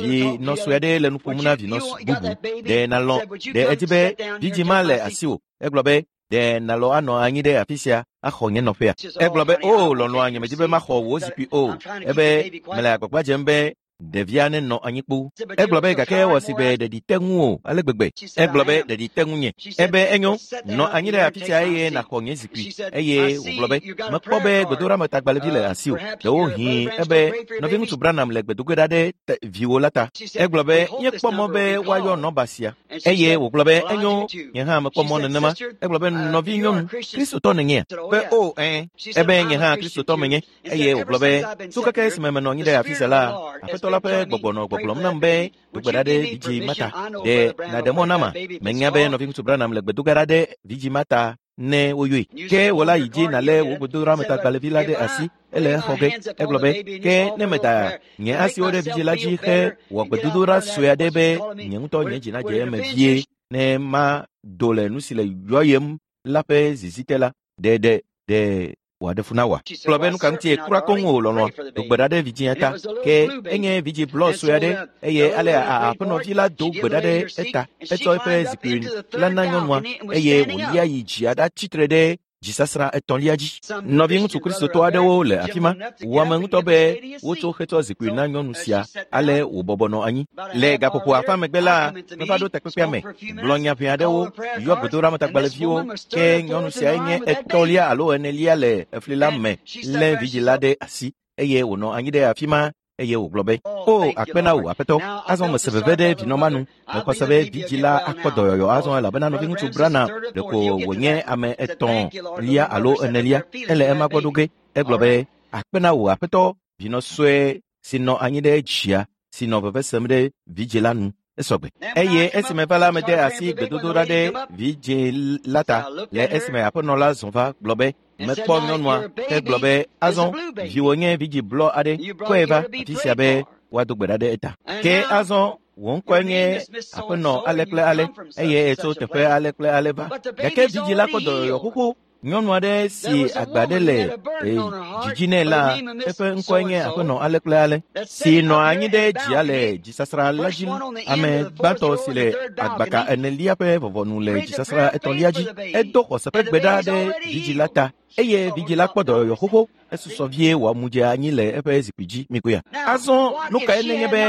vinɔ sue aɖe le nu ƒom na vinɔ bubu. Ɖe nalɔ̃, ɖe edzi be vidzĩ ma le asiwò. Egblɔ be ɖe nalɔ anɔ anyi ɖe afi sia axɔ nye nɔƒea. Egblɔ be o lɔlɔ̃a, nyemedi be maxɔ wò zikpui o. Ebe mele agbagba dzem be ɖevia nenɔ anyi kpoo. Egblɔ be gake ewɔ si be ɖeɖi te ŋu o ale gbegbe. Egblɔ be ɖeɖi te ŋunye. Ebe enyo, nɔ anyi ɖe afi sia eye nàxɔ nye zikpui. Eye wògblɔ be mekpɔ be gbedoɖametagbalẽvi le asiwò. Ɖewohĩ ebe nɔviŋutsu Branham le gbedoge ɖa ɖe viwò la ta. Egblɔ be míekpɔ mɔ be woayɔ nɔba sia. Eye wògblɔ be enyo, nye hã mekpɔ mɔ nenema. Egblɔ be nɔvinyɔnu, Kristotɔ nènyea? Be o ɛ̃. Ebe nye hã Kristotɔ menye. Eye wògblɔ be tso keke esime menɔ anyi ɖe afi sia la, aƒetɔ la ƒe gbɔgbɔ nɔ gbɔgblɔm nam be do gbe ɖa ɖe vidzĩ ma ta. Ɖe nàɖe mɔ nama? Menya be nɔviŋutsu Branham le gbedoge ɖa ɖe vidzĩ ma ta ne woyɔe. Ke wò la yi dzi nàlé wò gbedoɖametagbalẽvi la ɖe asi ele exɔ ge. Egblɔ be ke ne meda nye asiwo ɖe vidzĩ la dzi he wɔ gbedodoɖa sue aɖe be nye ŋutɔ nye dzi nadze eme vie ne mado le nu si le yɔyem la ƒe zizi te la, ɖe ɖe ɖe wòaɖe fu na wòa? Gblɔ be nu ka ŋutie kura koŋ o lɔlɔ̃a, do gbe ɖa ɖe vidzĩa ta. Ke enye vidzĩ blɔ sue aɖe eye ale aƒenɔvi la do gbe ɖa ɖe eta. Etsɔ eƒe zikpui la na nyɔnua eye wòlia yi dzia ɖatsitre ɖe dzisasrã etɔ̃lia dzi. Nɔviŋutsu Kristotɔ aɖewo le afi ma. Wɔ ame ŋutɔ be wotsɔ xetsɔ zikpui na nyɔnu sia ale wòbɔbɔ nɔ anyi. Le gaƒoƒo afã megbe la, meva ɖo takpekpea me, gblɔ nya ʋɛ aɖewo, yɔ gbedoɖametagbalẽviwo. Ke nyɔnu siae nye etɔ̃lia alo enelia le efli la me lé vidzĩ la ɖe asi eye wònɔ anyi ɖe afi ma eye wògblɔ be, O, akpe na wò, aƒetɔ. Azɔ mese veve ɖe vinɔ ma nu. Mexɔ se be vidzĩ la akpɔ dɔyɔyɔ azɔ elabena nɔviŋutsu Branham ɖeko wònye ame etɔ̃lia alo enelia. Ele ema gbɔ ɖo ge. Egblɔ be, akpe na wò, aƒetɔ, vinɔ sue si nɔ anyi ɖe dzia si nɔ veve sem ɖe vidzĩ la nu. Esɔgbe. Eye esime va la mede asi gbedodoɖa ɖe vidzĩ la ta le esime aƒenɔ la zɔ va gblɔ be mekpɔ nyɔnua hegblɔ be azɔ viwò nye vidzĩ blɔ aɖe kɔe va afi sia be woado gbe ɖa ɖe eta. Ke azɔ wò ŋkɔe nye aƒenɔ ale kple ale eye etso teƒe ale kple ale va. Gake vidzĩ la kpɔ dɔyɔyɔ xoxo. Nyɔnu aɖe si agba ɖe le dzidzi nɛ la, eƒe ŋkɔe nye aƒenɔ ale kple ale, si nɔ anyi ɖe dzia le dzisasrã la dzi. Ame gbãtɔ si le agbaka enelia ƒe vɔvɔnu le dzisasrã etɔ̃lia dzi. Edo xɔse ƒe gbe ɖa ɖe vidzĩ la ta eye vidzĩ la kpɔ dɔyɔyɔ xoxo. Esusɔ vie wòamu dze anyi le eƒe zikpui dzi. Mikoya. Azɔ nu kae nenye be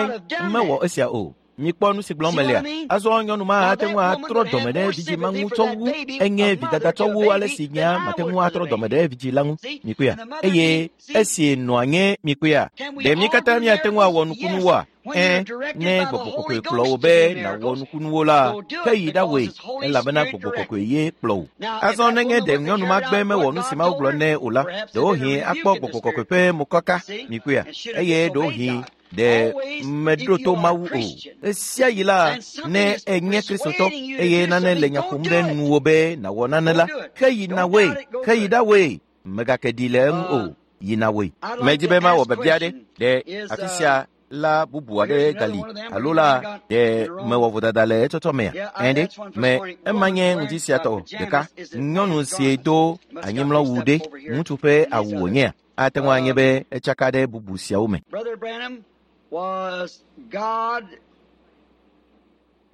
mewɔ esia o? Mikpɔ nu si gblɔm melea. Azɔ nyɔnu ma ate ŋu atrɔ dɔme ɖe vidzĩ ma ŋu tsɔ wu enye vidada tsɔ wu ale si nyea mate ŋu atrɔ dɔme ɖe vidzĩ la ŋu. Mikpɔea? Eye esi nɔa nye mikpɔea? Ɖe mí katã míate ŋu awɔ nukunuwoa? Ẽ, ne gbɔgbɔ kɔkɔe kplɔ wò be nàwɔ nukunuwo la, ke yi ɖawɔe, elabena gbɔgbɔ kɔkɔe ye kplɔ wò. Azɔ nenye ɖe nyɔnu ma gbe mewɔ nu si Mawu gblɔ nɛ o la, ɖewohĩ akpɔ gbɔgbɔ kɔkɔe ƒe mokaka, mikpɔea, eye ɖewohĩ ɖe meɖo to Mawu o. Ɣesia ɣi la, ne ènye Kristotɔ eye nane le nya ƒom ɖe nuwò be nàwɔ nane la, ke yi nawɔe, ke yi ɖawɔe, mègake ɖi le eŋu o, yi nawɔe. Medi be mawɔ biabia aɖe ɖe afi sia la bubu aɖe gali alo la ɖe mewɔ vodada le etsɔtsɔ mea? Ẽ ɖe, me ema nye ŋdi sia tɔ ɖeka. Nyɔnu si do anyimlɔwu ɖe, ŋutsu ƒe awu wònyea? Ate ŋu anye be etsaka ɖe bubu siawo me.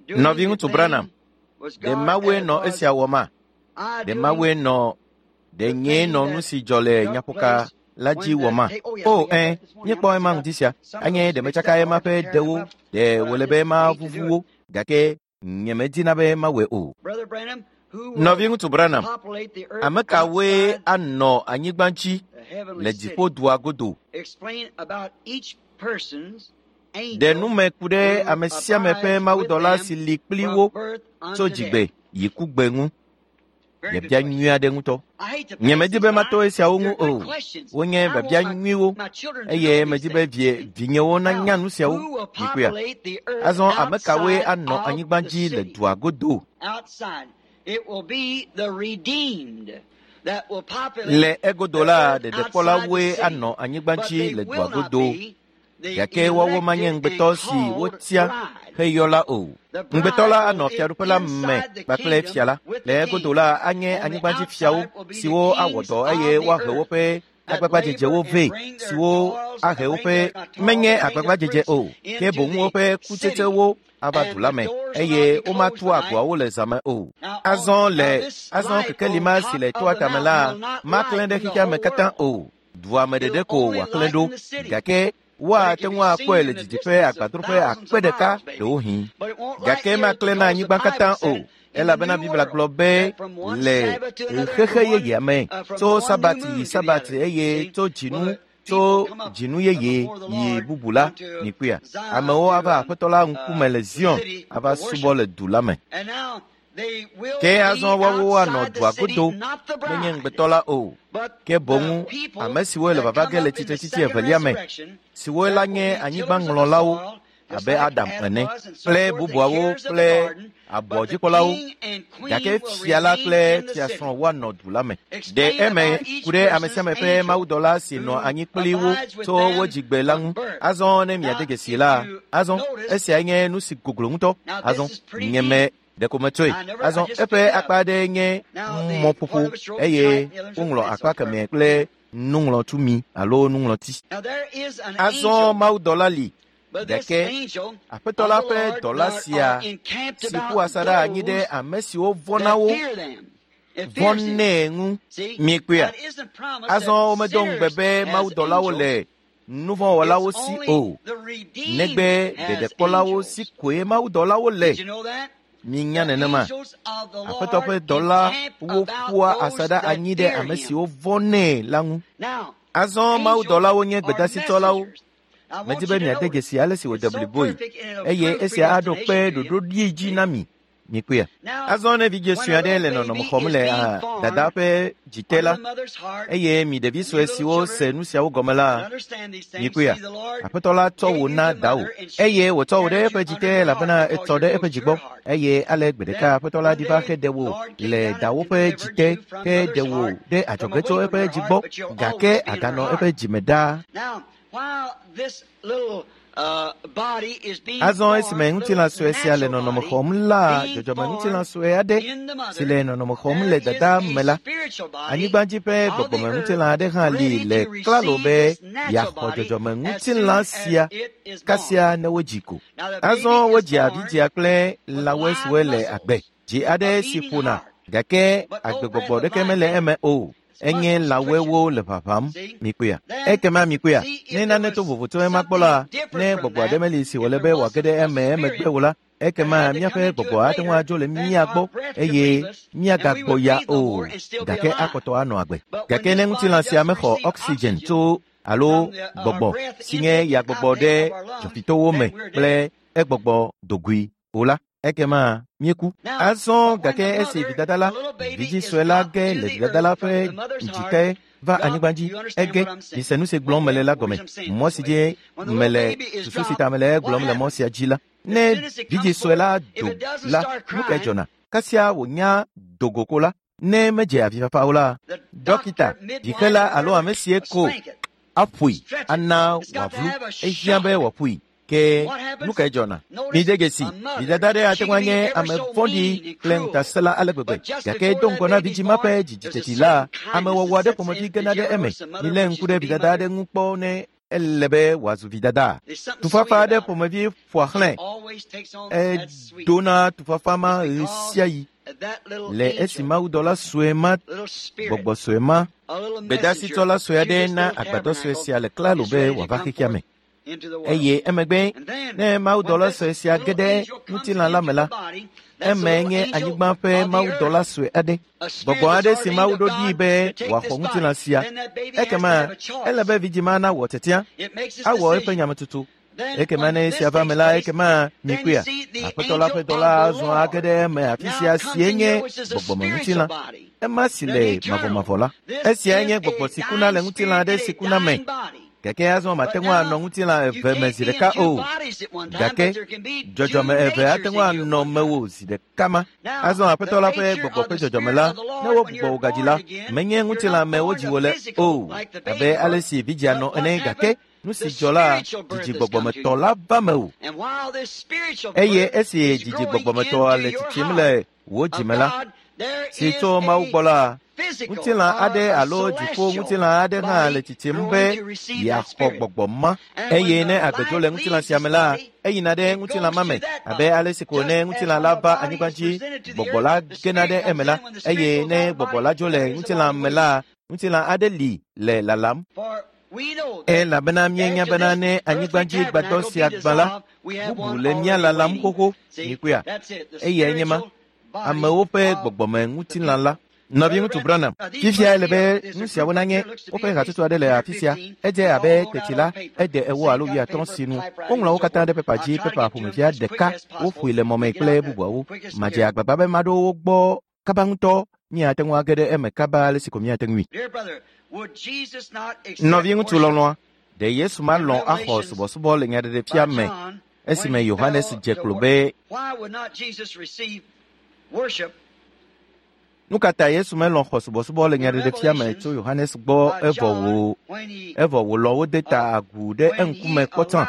Nɔviŋutsu Branham, ɖe Mawue nɔ esia wɔma? Ɖe Mawue nɔ ɖe nyee nɔ nu si dzɔ le nyaƒoka la dzi wɔma? O, ẽ, míekpɔ ema ŋdi sia. Anye ɖe metsaka ema ƒe ɖewo, ɖe wòle be mavuvu wo, gake nyemedina be mawɔe o. Nɔviŋutsu Branham, ame kawoe anɔ anyigba dzi le dziƒodua godo? Ɖe nume ku ɖe ame sia ame ƒe mawudɔla si li kpli wo tso dzigbe yi kugbe ŋu. Biabia nyui aɖe ŋutɔ. Nyemedi be mato esiawo ŋu o. Wonye biabia nyuiwo eye medi be vinyewo nanya nu siawo. Mikpɔea? Azɔ ame kawoe anɔ anyigba dzi le dua godo? Le egodo la, ɖeɖekpɔlawoe anɔ anyigba dzi le dua godo. Gake woawo manye ŋugbetɔ si wotia heyɔ la o. Ŋugbetɔ la anɔ fiaɖuƒe la me kpakple fia la. Le egodo la anye anyigbadzifiawo siwo awɔ dɔ eye woahe woƒe agbagbadzedzewo vɛ, siwo ahe woƒe menye agbagbadzedze o, ke boŋ woƒe kutsetsewo ava du la me eye womatu agboawo le zãme o. Azɔ le azɔ kekeli ma si le toa tame la maklẽ ɖe xexea me katã o. Dua me ɖeɖe ko wòaklẽ ɖo, gake woate ŋu akpɔe le didiƒe agbadroƒe akpe ɖeka ɖewohĩ. Gake maklẽ na anyigba katã o, elabena Biblia gblɔ be le xexe yeyea me, tso Sabati yi Sabati eye tso dzinu tso dzinu yeye yi bubu la, mikpɔea, amewo ava Aƒetɔ la ŋkume le Zion ava subɔ le du la me. Ke azɔ woawo anɔ dua godo, menye ŋugbetɔ la o, ke boŋ ame siwo le vava ge le tsitretsitsi evelia me, siwo la nye anyigbaŋlɔlawo abe Adam ene, kple bubuawo kple abɔdzikpɔlawo, gake fia la kple fiasrɔ̃ woanɔ du la me. Ɖe eme ku ɖe ame sia ame ƒe mawudɔla si nɔ anyi kpli wo tso wo dzigbe la ŋu. Azɔ ne miade dzesi la, azɔ esiae nye nu si goglo ŋutɔ. Azɔ nyeme ɖeko metsɔe. Azɔ eƒe akpa aɖe nye mɔƒoƒo eye woŋlɔ akpa kemɛ kple nuŋlɔtumi alo nuŋlɔti. Azɔ mawudɔla li, gake Aƒetɔ la ƒe dɔla sia si ƒu asaɖa anyi ɖe ame siwo vɔ̃na wo vɔ̃nɛ ŋu. Mikpɔea? Azɔ womedo ŋugbe be mawudɔlawo le nuvɔ̃wɔlawo si o, negbe ɖeɖekpɔlawo si koe mawudɔlawo le. Minya nenema. Aƒetɔ ƒe dɔlawo ƒua asaɖa anyi ɖe ame siwo vɔ̃nɛ la ŋu. Azɔ mawudɔlawo nye gbedasitsɔlawo. Medi be miade dzesi ale si wòde bliboe, eye esia aɖo kpe ɖoɖoɖi dzi na mi. Mikpɔea? Azɔ ne vidzĩ sue aɖe le nɔnɔme xɔm le dada ƒe dzite la, eye mi ɖevi sue siwo se nu siawo gɔme la, mikpɔea? Aƒetɔ la tsɔ wò na dawò, eye wòtsɔ wò ɖe eƒe dzite elabena etsɔ ɖe eƒe dzi gbɔ. Eye ale gbe ɖeka Aƒetɔ la ɖi va heɖe wò le dawò ƒe dzite, heɖe wò ɖe adzɔge tso eƒe dzi gbɔ, gake aganɔ eƒe dzime ɖaa. Azɔ esime ŋutilã sue sia le nɔnɔme xɔm la, dzɔdzɔmeŋutilã sue aɖe si le nɔnɔme xɔm le dada me la, anyigbadzi ƒe gbɔgbɔmeŋutilã aɖe hã li le klalo be yeaxɔ dzɔdzɔmeŋutilã sia kasia ne wodzi ko. Azɔ wodzia vidzĩa kple lãwoe siwo le agbe, dzi aɖe si ƒona, gake agbegbɔgbɔ ɖeke mele eme o. Enye lãwoewo le ʋaʋãm. Mikpɔea? Ekema mikpɔea? Ne nane to vovo tso ema gbɔ la, ne gbɔgbɔ aɖe meli si wòle be wòage ɖe eme emegbe o la, ekema míaƒe gbɔgbɔ ate ŋu adzo le mía gbɔ eye míagagbɔ ya o, gake akpɔtɔ anɔ agbe. Gake ne ŋutilã sia mexɔ oxygen tso alo gbɔgbɔ si nye yagbɔgbɔ ɖe dzɔfitowo me kple egbɔgbɔ dogoe o la, ekema míeku. Azɔ gake esi vidada la, vidzĩ sue la ge le vidada la ƒe dzike va anyigba dzi, ege. Mise nu si gblɔm mele la gɔme. Mɔ si dzi mele susu si ta mele egblɔm le mɔ sia dzi la, ne vidzĩ sue la do la, nu kae dzɔna? Kasia wònya do go ko la, ne medze avifafa o la, dɔkita, vixela alo ame sie ko aƒoe ana wòavlu. Ehiã be wòaƒoe. Ke nu kae dzɔna? Mide dzesi, vidada aɖe ate ŋu anye ame vɔ̃ɖi kple ŋutasẽla ale gbegbe, gake do ŋgɔ na vidzĩ ma ƒe dzidziteti la, amewɔwɔ aɖe ƒomevi gena ɖe eme. Milé ŋku ɖe vidada aɖe ŋu kpɔ ne ele be wòazu vidada. Tufafa aɖe ƒomevi ƒoa xlãe. Edona tufafa ma ɣe sia ɣi le esi mawudɔla sue ma, gbɔgbɔ sue ma, gbedasitsɔla sue aɖe na agbadɔ sue sia le klalo be wòava xexea me. Eye emegbe ne mawudɔla sue sia ge ɖe ŋutilã la me la, eme nye anyigba ƒe mawudɔla sue aɖe, gbɔgbɔ aɖe si Mawu ɖo ɖii be wòaxɔ ŋutilã sia. Ekema ele be vidzĩ ma nawɔ tiatia, awɔ eƒe nyametsotso. Ekema ne esia va me la, ekema mikpɔea, Aƒetɔ la ƒe dɔla azɔ age ɖe eme afi sia sie nye gbɔgbɔmeŋutilã, ema si le mavɔmavɔ la. Esiae nye gbɔgbɔ si kuna le ŋutilã aɖe si kuna me. Gake azɔ mate ŋu anɔ ŋutilã eve me zi ɖeka o. Gake dzɔdzɔme eve ate ŋu anɔ mewò zi ɖeka ma. Azɔ Aƒetɔ la ƒe gbɔgbɔ ƒe dzɔdzɔme la, ne wogbugbɔ wò gadzi la, menye ŋutilã me wodzi wò le o, abe ale si vidzĩa nɔ ene, gake nu si dzɔ la, dzidzi gbɔgbɔmetɔ la va mewò. Eye esi dzidzi gbɔgbɔmetɔa le tsitsim le wò dzime la, si tso Mawu gbɔ la, ŋutilã aɖe alo dziƒo ŋutilã aɖe hã le tsitsim be yeaxɔ gbɔgbɔ ma. Eye ne agbe dzo le ŋutilã sia me la, eyina ɖe ŋutilã ma me, abe ale si ko ne ŋutilã la va anyigba dzi, gbɔgbɔ la gena ɖe eme la. Eye ne gbɔgbɔ la dzo le ŋutilã me la, ŋutilã aɖe li le lalam. Elabena míenya bena ne anyigba dzi gbadɔ sia gbã la, bubu le mía lalam xoxo. Mikpɔea? Eyae nye ma, amewo ƒe gbɔgbɔme ŋutilã la. Nɔviŋutsu Branham, fifia ele be nu siawo nanye woƒe hatsotso aɖe le afi sia. Edze abe teti la, ede 40 alo 50 si nu. Woŋlɔ wo katã ɖe pepa dzi, pepa ƒomevia ɖeka, woƒoe le mɔme kple bubuawo. Madze agbagba be maɖo wo gbɔ kaba ŋutɔ. Míate ŋu age ɖe eme kaba ale si ko míate ŋui. Nɔviŋutsu lɔlɔ̃a, ɖe Yesu malɔ̃ axɔ subɔsubɔ le nyaɖeɖefia me esime Yohanes dze klo be Nu ka ta Yesu melɔ̃ xɔ subɔsubɔ le nyaɖeɖefia me tso Yohanes gbɔ evɔ wòlɔ̃ wo de ta agu ɖe eŋkume kpɔtsã?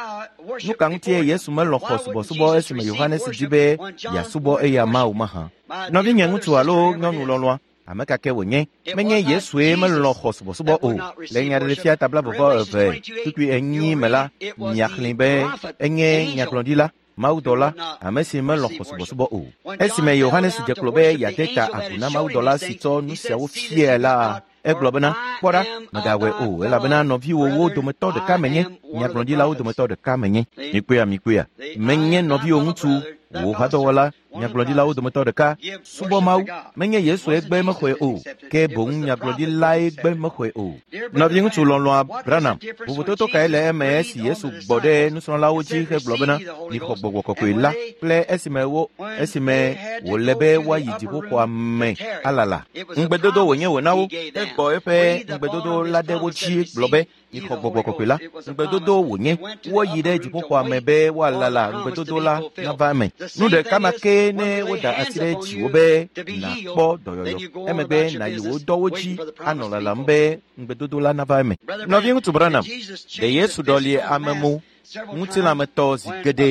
Nu ka ŋutie Yesu melɔ̃ xɔ subɔsubɔ esime Yohanes di be yeasubɔ eya Mawu mahã? Nɔvinye ŋutsu alo nyɔnu lɔlɔ̃a, ame ka ke wònye, menye Yesue melɔ̃ xɔ subɔsubɔ o. Le nyaɖeɖefia ta 20:24 me la, miaxlẽe be enye nyagblɔɖila, mawudɔla, ame si melɔ̃ xɔ subɔsubɔ o. Esime Yohanes dze klo be yeade ta agu na mawudɔla si tsɔ nu siawo fiae la, egblɔ bena, kpɔ ɖa, mègawɔe o, elabena nɔviwòwo dometɔ ɖeka menye, nyagblɔɖilawo dometɔ ɖeka menye. Mikpɔea, mikpɔea, menye nɔviwò ŋutsu, wò hadɔwɔla, nyagblɔɖilawo dometɔ ɖeka, subɔ Mawu. Menye Yesue gbe mexɔe o, ke boŋ nyagblɔɖilae gbe mexɔe o. Nɔviŋutsu lɔlɔ̃a Branham, vovototo kae le eme esi Yesu gbɔ ɖe nusrɔ̃lawo dzi hegblɔ bena, mixɔ gbɔgbɔ kɔkɔe la, kple esime wòle be woayi dziƒoxɔa me alala. Ŋugbedodo wònye wòna wo, egbɔ eƒe ŋugbedodo la ɖe wo dzi gblɔ be, mixɔ gbɔgbɔ kɔkɔe la. Ŋugbedodo wònye, woayi ɖe dziƒoxɔa me be woalala ŋugbedodo la nava eme. Nu ɖeka ma ke ne woda asi ɖe dziwò be nàkpɔ dɔyɔyɔ, emegbe nàyi wò dɔwo dzi anɔ lalam be ŋugbedodo la nava eme. Nɔviŋutsu Branham, ɖe Yesu ɖɔli ame mo ŋutilãmetɔ zi geɖe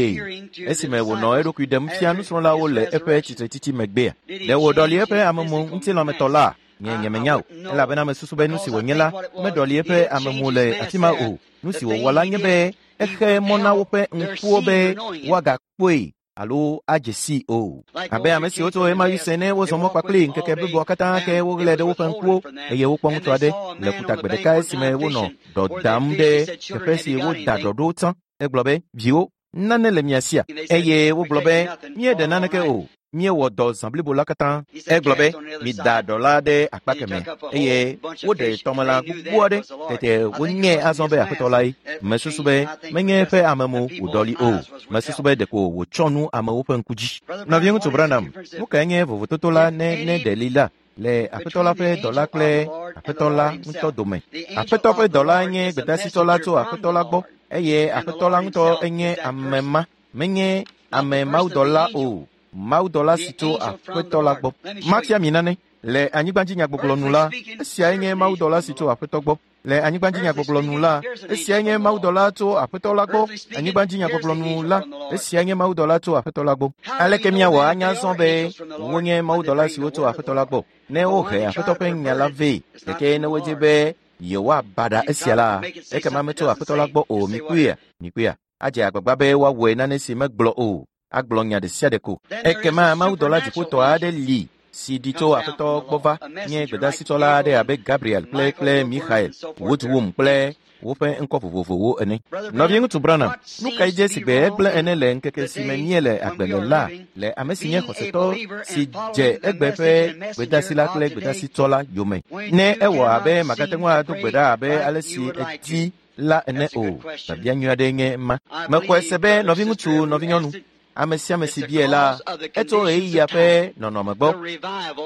esime wònɔ eɖokui ɖem fia nusrɔ̃lawo le eƒe tsitretsitsi megbea? Ɖe wòɖɔli eƒe amemo ŋutilãmetɔ la? Nye nyemenya o, elabena mesusu be nu si wònye la meɖɔli eƒe amemo le afi ma o. Nu si wòwɔ la nye be exe mɔ na woƒe ŋkuwo be woagakpɔe. alo adze sii o. Abe ame siwo tso ɣemaɣi se ne wozɔ mɔ kpakpli ŋkeke bliboa katã ke woɣlae ɖe woƒe ŋkuwo eye wokpɔ ŋutsu aɖe le ƒutagbe ɖeka esime wonɔ ɖɔ dam ɖe teƒe si woda ɖɔ ɖo tsã. Egblɔ be, viwo, nane le mia sia? Eye wogblɔ be, míeɖe naneke o. Míewɔ dɔ zã blibo la katã. Egblɔ be, mida ɖɔ la ɖe akpa kemɛ eye woɖe tɔmelã gbogbo aɖe. Tete wonyae azɔ be Aƒetɔ lae. Mesusu be menye eƒe amemo wòɖɔli o. Mesusu be ɖeko wòtsɔ nu amewo ƒe ŋku dzi. Nɔviŋutsu Branham, nu kae nye vovototo la ne ne ɖe li la le Aƒetɔ la ƒe dɔla kple Aƒetɔ la ŋutɔ dome? Aƒetɔ ƒe dɔla nye gbedasitsɔla tso Aƒetɔ la gbɔ eye Aƒetɔ la ŋutɔ enye ame ma. Menye ame mawudɔla o. Mawudɔla si tso Aƒetɔ la gbɔ. Mafia mi nane. Le anyigbadzinyagbɔgblɔ nu la, esiae nye mawudɔla si tso Aƒetɔ gbɔ. Le anyigbadzinyagbɔgblɔ nu la, esiae nye mawudɔla tso Aƒetɔ la gbɔ. Anyigbadzinyagbɔgblɔ nu la, esiae nye mawudɔla tso Aƒetɔ la gbɔ. Aleke míawɔ anya zɔ be wonye mawudɔla siwo tso Aƒetɔ la gbɔ? Ne wohe Aƒetɔ ƒe nya la vɛ, gake ne wodzi be yewoabaɖa esia la, ekema metso Aƒetɔ la gbɔ o. Mikpɔea? Mikpɔea? Adze agbagba be woawɔe nane si megblɔ o. Agblɔ nya ɖe sia ɖe ko. Ekema mawudɔla dziƒotɔ aɖe li si ɖi tso Aƒetɔ gbɔ va nye gbedasitsɔla aɖe abe Gabriel kple Michael, Woodwum kple woƒe ŋkɔ vovovowo ene. Nɔviŋutsu Branham, nu kae dze si gbe egblẽ ene le ŋkeke si me míele agbe le la le ame si nye xɔsetɔ si dze egbe ƒe gbedasi la kple gbedasitsɔla yome? Ne ewɔ abe magate ŋu ado gbe ɖa abe ale si edi la ene o. Biabia nyui aɖee nye ma. Mexɔe se be nɔviŋutsu, nɔvinyɔnu, ame sia ame si biae la, etso ɣeyiɣia ƒe nɔnɔme gbɔ.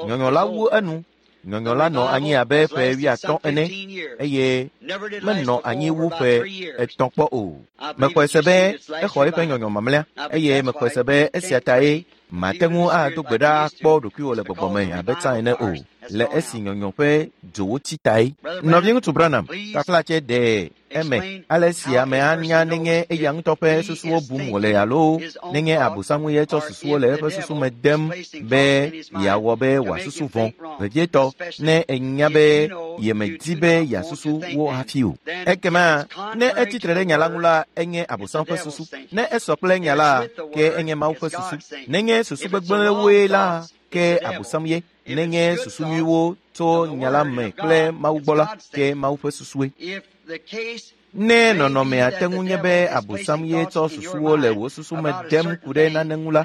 Nyɔnyɔ la wu enu. Nyɔnyɔ la nɔ anyi abe ƒe 50 ene eye menɔ anyi wu ƒe 3 kpɔ o. Mexɔe se be exɔ eƒe nyɔnyɔ mamlɛa eye mexɔe se be esia tae mate ŋu ado gbe ɖa akpɔ ɖokuiwò le gbɔgbɔ me abe tsã ene o, le esi nyɔnyɔ ƒe dzowo tsi tae. Nɔviŋutsu Branham, taflatse ɖe eme ale si ame anya nenye eya ŋutɔ ƒe susuwo bum wòle alo nenye Abosam ye tsɔ susuwo le eƒe susu me dem be yeawɔ be wòasusu vɔ̃, vevietɔ ne enya be yemedi be yeasusu wo hafi o. Ekema ne etsi tre ɖe nya la ŋu la, enye Abosam ƒe susu. Ne esɔ kple nya la, ke enye Mawu ƒe susu. Nenye susu gbegblẽwoe la, ke Abosam ye. Nenye susu nyuiwo tso nya la me kple Mawu gbɔ la, ke Mawu ƒe susue. Ne nɔnɔmea te ŋu nye be Abosam ye tsɔ susuwo le wò susu me dem ku ɖe nane ŋu la,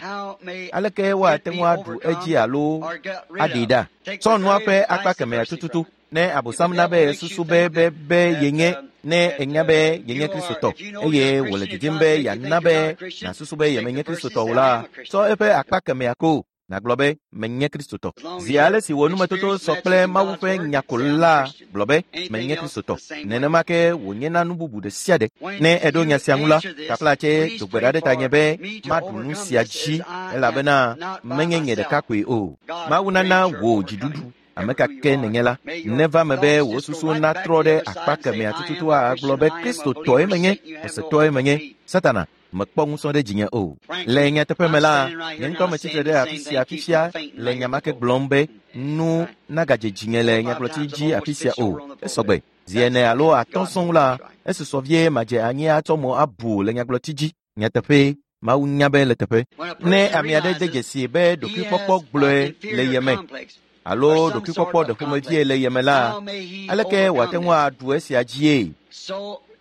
aleke woate ŋu aɖu edzi alo aɖee ɖa? Tsɔ nua ƒe akpa kemɛa tututu. Ne Abosam na be susu be yenye, ne enya be yenye Kristotɔ eye wòle didim be yeana be nàsusu be yemenye Kristotɔ o la, tsɔ eƒe akpa kemɛa ko. Nàgblɔ be menye Kristotɔ. Zi ale si wò numetoto sɔ kple Mawu ƒe nya ko la, gblɔ be menye Kristotɔ. Nenema ke wònyena nu bubu ɖe sia ɖe. Ne eɖo nya sia ŋu la, taflatse do gbe ɖa ɖe tanye be maɖu nu sia dzi elabena menye nye ɖeka koe o. Mawu nana wò dziɖuɖu. Ame ka ke nenye la, neva me be wò susu natrɔ ɖe akpa kemɛa tututu agblɔ be Kristotɔe menye, xɔsetɔe menye. Satana mekpɔ ŋusẽ ɖe dzinye o. Le nyateƒe me la, nye ŋutɔ metsitre ɖe afi sia fifia le nya ma ke gblɔm be nu nagadze dzinye le nyagblɔtsi dzi afi sia o. Esɔgbe. Zi 4 alo 5 sɔŋ la, esusɔ vie madze anyi atsɔ mo abu le nyagblɔtsi dzi. Nyateƒee, Mawu nya be le teƒe. Ne ame aɖe de dzesi be ɖokuikpɔkpɔ gblɔe le ye me alo ɖokuikpɔkpɔ ɖe ƒomevie le ye me la, aleke wòate ŋu aɖu esia dzie?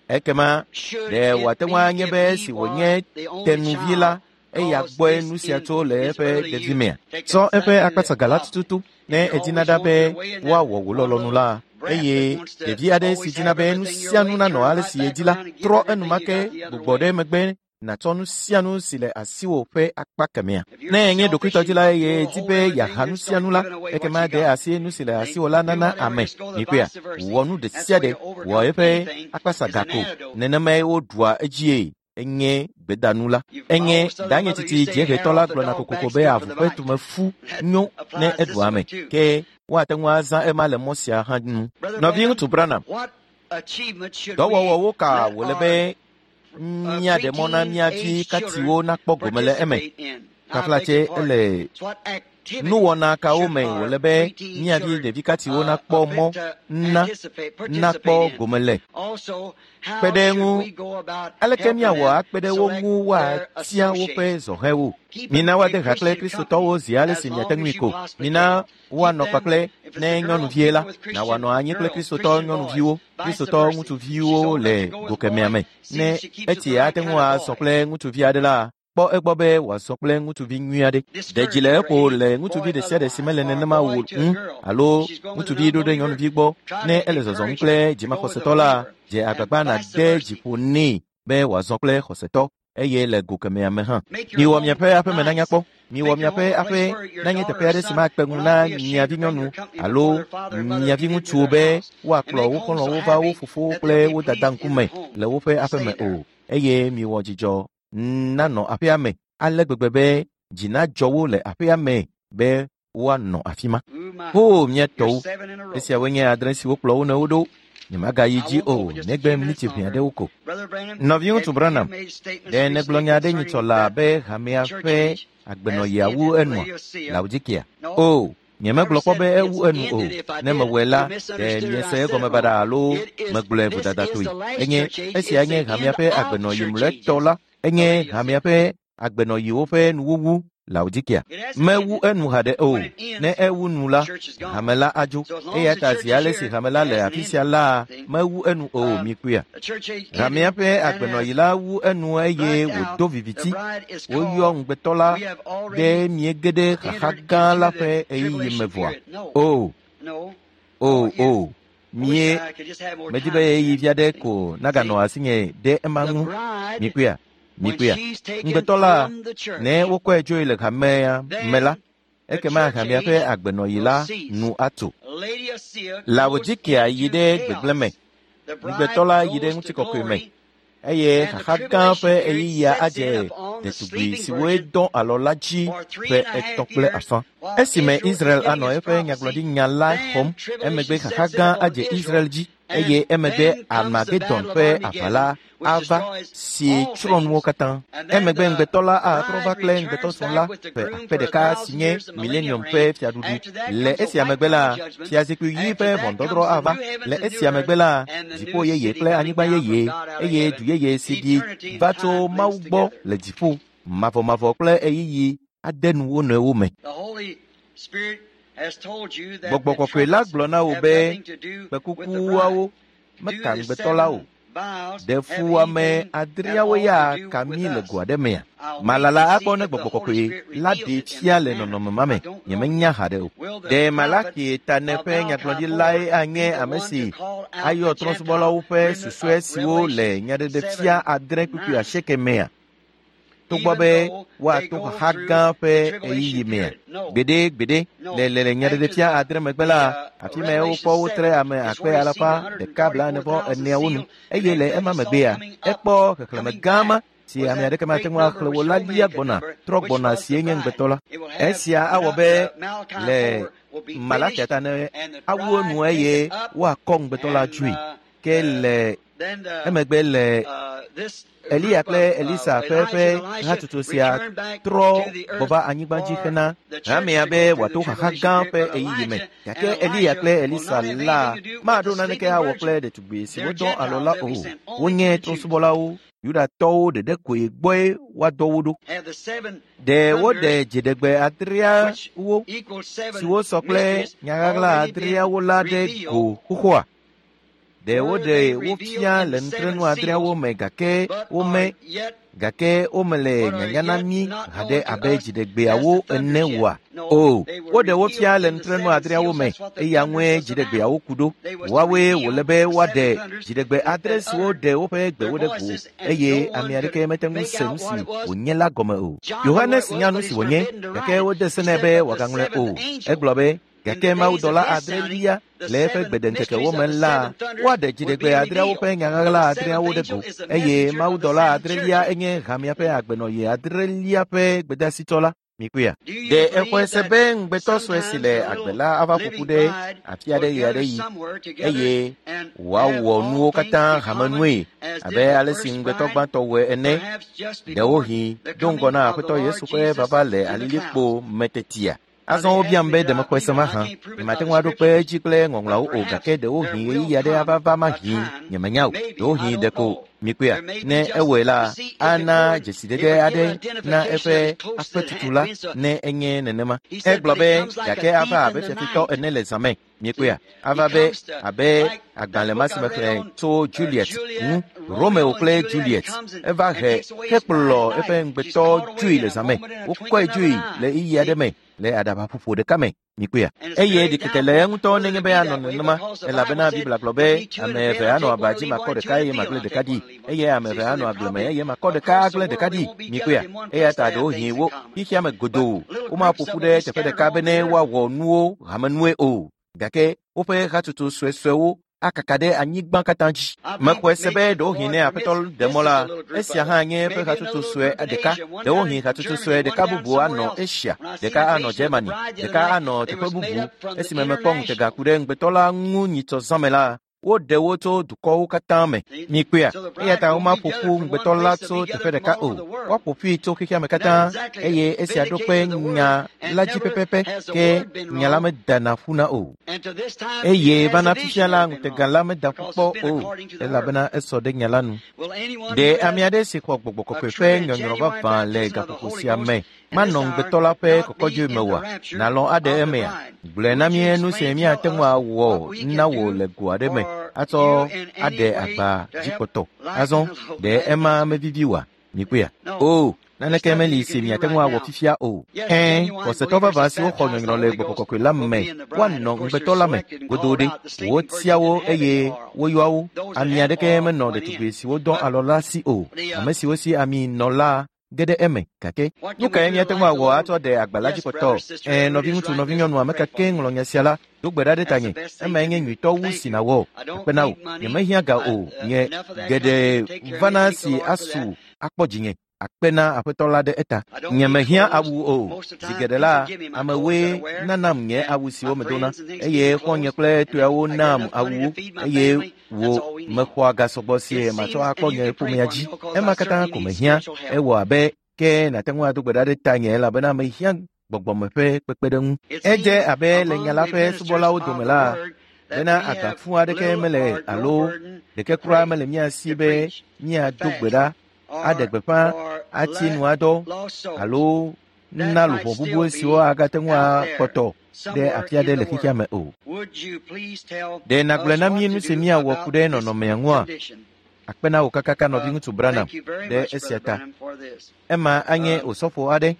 Ekema ɖe wòate ŋu anye be esi wònye tenuvi la, eya gbɔe nu sia tso le eƒe ɖevimea? Tsɔ eƒe akpasaga la tututu ne edina ɖa be woawɔ wò lɔlɔ̃nu la, eye ɖevi aɖe si dina be nu sia nu nanɔ ale si yedi la, trɔ enumake gbugbɔ ɖe megbe nàtsɔ nu sia nu si le asiwò ƒe akpa kemɛa. Ne enye ɖokuitɔdzila eye di be yeaha nu sia nu la, ekema de asi nu si le asiwò la nana ame. Mikpɔea? Wɔ nu ɖe sia ɖe, wɔ eƒe akpasaga ko. Nenemae woɖua edzie. Enye gbedanu la. Enye danye tsitsi dziehetɔ la gblɔna kokoko be avu ƒe tumefu nyo ne eɖu ame. Ke woate ŋu azã ema le mɔ sia hã nu. Nɔviŋutsu Branham, dɔwɔwɔwo ka wòle be míaɖe mɔ na mía vi katiwo nakpɔ gome le eme? Kaflatse ele nuwɔna kawo me wòle be mía vi ɖevi katiwo nakpɔ mɔ na nakpɔ gome le. Kpe ɖe ŋu, aleke míawɔ akpe ɖe wo ŋu woatia woƒe zɔhɛwo? Mina woade ha kple Kristotɔwo zi ale si miate ŋui ko. Mina woanɔ kpakple ne nyɔnuvie la, na wòanɔ anyi kple Kristotɔ nyɔnuviwo, Kristotɔ ŋutsuviwo le go kemɛa me. Ne etsi ate ŋu asɔ kple ŋutsuvi aɖe la, kpɔ egbɔ be wòazɔ kple ŋutsuvi nyui aɖe. Ɖe dzi le eƒo le ŋutsuvi ɖe sia ɖe si mele nenema o ŋu alo ŋutsuvi ɖo ɖe nyɔnuvi gbɔ. Ne ele zɔzɔm kple dzimaxɔsetɔ la, dze agbagba nàde dzi ƒo nɛ be wòazɔ kple xɔsetɔ eye le go kemɛa me hã. Miwɔ miaƒe aƒeme nanya kpɔ. Miwɔ miaƒe aƒe nanye teƒe aɖe si makpe ŋu na mia vinyɔnu alo mia viŋutsuwo be woakplɔ wo xɔlɔ̃wo va wo fofowo kple wo dada ŋkume le woƒe aƒeme o. Eye miwɔ dzidzɔ nanɔ aƒea me ale gbegbe be dzi nadzɔ wo le aƒea me be woanɔ afi ma. O mía tɔwo, esiawoe nye adre siwo kplɔ wo nɔewo ɖo. Nyemagayi dzi o, negbe miniti ʋɛ aɖewo ko. Nɔviŋutsu Branham, ɖe nègblɔ nya aɖe nyitsɔ laa be hamea ƒe agbenɔɣia wu enua? Laodikea. O, nyemegblɔ kpɔ be ewu enu o. Ne mewɔe la, ɖe miese egɔme baɖa alo megblɔe vodadatɔe. Enye esia nye hamea ƒe agbenɔɣi mlɔetɔ la. Enye hamea ƒe agbenɔɣiwo ƒe nuwuwu. Laodikea. Mewu enu haɖe o. Ne ewu nu la, hame la adzo. Eya ta zi ale si hame la le afi sia la, mewu enu o, mikpɔea. Hamea ƒe agbenɔɣi la wu enu eye wòdo viviti. Woyɔ ŋugbetɔ la ɖe miege ɖe xaxa gã la ƒe ɣeyiɣi me vɔa? O, o, o, mie medi be ɣeyiɣi vi aɖe ko naganɔ asinye ɖe ema ŋu. Mikpɔea? Mikpɔea? Ŋugbetɔ la, ne wokɔe dzoe le hamea me la, ekema hamea ƒe agbenɔɣi la nu atso. Laodikea yi ɖe gbegblẽ me. Ŋugbetɔ la yi ɖe ŋutikɔkɔe me. Eye xaxa gã ƒe ɣeyiɣia adze ɖetugbi siwoe dɔ alɔ la dzi ƒe 3.5. Esime Israel anɔ eƒe nyagblɔɖinya la xɔm, emegbe xaxa gã adze Israel dzi eye emegbe Armagedon ƒe aʋa la ava si tsrɔ̃ nuwo katã. Emegbe ŋugbetɔ la atrɔ va kple ŋugbetɔsrɔ̃ la ƒe aƒe ɖeka si nye Millennium ƒe fiaɖuɖu. Le esia megbe la, fiazikpui ɣi ƒe ʋɔnudɔdrɔ̃ ava. Le esia megbe la, dziƒo yeye kple anyigba yeye eye du yeye si ɖi va tso Mawu gbɔ le dziƒo, mavɔmavɔ kple ɣeyiɣi ade nu wo nɔewo me. Gbɔgbɔ kɔkɔe la gblɔ na wò be kpẽkukuawo meka ŋugbetɔ la o. Ɖe fuwɔame adreawo ya ka mí le go aɖe mea? Malala akpɔ ne gbɔgbɔ kɔkɔe la ɖee fia le nɔnɔme ma me. Nyemenya haɖe o. Ɖe Malaki Tane ƒe nyagblɔɖilae anye ame si ayɔ trɔ̃subɔlawo ƒe susɔe siwo le nyaɖeɖefia 8:8 mea? Togbɔ be woato xaxa gã ƒe ɣeyiɣi mea? Gbeɖe gbeɖe le nyaɖeɖefia 8 megbe la, afi mae wokpɔ wotre ame 144,000 nu eye le ema megbea, ekpɔ xexlẽme gã ma si ame aɖeke mate ŋu axlẽ o la lia gbɔna trɔ gbɔna sie nye ŋugbetɔ la. Esia awɔ be le Malakia ta ne awu enu eye woakɔ ŋugbetɔ la dzoe. Ke le emegbe le Eliya kple Elisa ƒe ƒe hatutu sia trɔ gbɔ va anyigba dzi hena hamea be wòato xaxa gã ƒe ɣeyiɣi me. Gake Eliya kple Elisa la maɖo naneke awɔ kple ɖetugbi siwo dɔ alɔ la o. Wonye trɔ̃subɔlawo, Yudatɔwo ɖeɖe koe gbɔe woadɔ wo ɖo. Ɖe woɖe dziɖegbe 8 siwo sɔ kple nyaɣaɣla 8 la ɖe go xoxoa? Ɖe woɖe wo fia le nutrenu 8 me gake wome gake womele nyanya na mí haɖe abe dziɖegbeawo ene oa? O, woɖe wo fia le nutrenu 8 me eya ŋue dziɖegbeawo ku ɖo. Woawoe wòle be woaɖe dziɖegbe 8 siwo ɖe woƒe gbewo ɖe go eye ame aɖeke mete ŋu se nu si wònye la gɔme o. Yohanes nya nu si wònye gake wode se nɛ be wòagaŋlɔe o. Egblɔ be gake mawudɔla 8 le eƒe gbedeŋkekewo me la, woaɖe dziɖegbe 8 ƒe nyaɣaɣla 8 ɖe go eye mawudɔla 8 enye hamea ƒe agbenɔɣi 8 ƒe gbedeasitɔ la. Mikpɔea? Ɖe exɔe se be ŋugbetɔ sue si le agbe la ava ƒo ƒu ɖe afi aɖe ɣeaɖeɣi eye wòawɔ nuwo katã hamenue abe ale si ŋugbetɔ gbãtɔ wɔe ene, ɖewohĩ do ŋgɔ na Aƒetɔ Yesu ƒe vava le alilikpo me tetia? Azɔ wobiam be ɖe mexɔe se mahã. Nyemate ŋu aɖo kpe edzi kple ŋɔŋlɔawo o gake ɖewohĩ ɣeyiɣi aɖe ava va mahĩ, nyemenya o. Ɖewohĩ ɖeko mikpɔea, ne ewɔe la, ana dzesidede aɖe na eƒe aƒetutu la ne enye nenema. Egblɔ be gake ava abe fiafitɔ ene le zã me. Miekpɔea, ava be abe agbalẽ ma si mexlẽ tso Juliet ŋu, Romeo kple Juliet. Eva he hekplɔ eƒe ŋugbetɔ dzoe le zã me. Wokɔe dzoe le ɣeyiɣi aɖe me le aɖabaƒoƒo ɖeka me. Mikpɔea, eye ɖikeke le eŋutɔ nenye be anɔ nenema, elabena Biblia gblɔ be ame eve anɔ aba dzi makɔ ɖeka eye magblẽ ɖeka ɖi, eye ame eve anɔ agble me eye makɔ ɖeka agblẽ ɖeka ɖi. Mikpɔea, eya ta ɖewohĩ wo xexea me godoo womaƒo ƒu ɖe teƒe ɖeka bene woawɔ nuwo hamenue o, gake woƒe hatsotso suesuewo akaka ɖe anyigba katã dzi. Mexɔe se be ɖewohĩ ne Aƒetɔ ɖe mɔ la, esia hã nye eƒe hatsotso sue ɖeka. Ɖewohĩ hatsotso sue ɖeka bubu anɔ Asia, ɖeka anɔ Germany, ɖeka anɔ teƒe bubu. Esime mekpɔ ŋutega ku ɖe ŋugbetɔ la ŋu nyitsɔ zã me la, woɖe wo tso dukɔwo katã me. Mikpɔea, eya ta womaƒo ƒu ŋugbetɔ la tso teƒe ɖeka o. Woaƒo ƒui tso xexea me katã eye esia ɖo kpe nya la dzi pɛpɛpɛ ke nya la medana ƒuna o. Eye vana fifia la ŋutega la meda ƒu kpɔ o elabena esɔ ɖe nya la nu. Ɖe ame aɖe si xɔ gbɔgbɔ kɔkɔe ƒe nyɔnyrɔ vavã le gaƒoƒo sia me manɔ ŋugbetɔ la ƒe kɔkɔdzoe me oa? Nàlɔ̃ aɖe emea? Gblɔe na mí nu si míate ŋu awɔ na wò le go aɖe me atsɔ aɖe agba dzi kpɔtɔ. Azɔ, ɖe ema mevivi oa? Mikpɔea? O, naneke meli si miate ŋu awɔ fifia o. Ɛ̃, xɔsetɔ vavã siwo xɔ nyɔnyrɔ le gbɔgbɔ kɔkɔe la me woanɔ ŋugbetɔ la me godoo ɖe. Wotia wo eye woyɔa wo. Ami aɖeke menɔ ɖetugbi siwo dɔ alɔ la si o. Ame siwo si ami nɔ la ge ɖe eme gake nu kae míate ŋu awɔ atsɔ ɖe agba la dzi kpɔtɔ? Ɛ̃, nɔviŋutsu, nɔvinyɔnu, ame ka ke ŋlɔ nya sia la, do gbe ɖa ɖe tanye. Emae nye nyuitɔ wu si nàwɔ. Akpe na wò. Nyemehiã ga o. Nye geɖe vana si asu akpɔ dzinye. Akpe na Aƒetɔ la ɖe eta. Nyemehiã awu o. Zi geɖe la, amewoe nanam nye awu siwo medona eye xɔ̃nye kple tɔeawo nam awuwo eye wò mexɔa ga sɔgbɔ si matsɔ akpɔ nye ƒomea dzi. Ema katã ko mehiã. Ewɔ abe ke nàte ŋu ado gbe ɖa ɖe tanye elabena mehiã gbɔgbɔme ƒe kpekpeɖeŋu. Edze abe le nya la ƒe subɔlawo dome la, bena agba fũ aɖeke mele alo ɖeke kura mele mía si be míado gbe ɖa, aɖe gbeƒã, atsi nu adɔ alo na luʋɔ bubu siwo agate ŋu akpɔtɔ ɖe afi aɖe le xexea me o. Ɖe nàgblɔe na mí nu si míawɔ ku ɖe nɔnɔmea ŋua? Akpe na wò kakaka nɔviŋutsu Branham ɖe esia ta. Ema anye osɔfo aɖe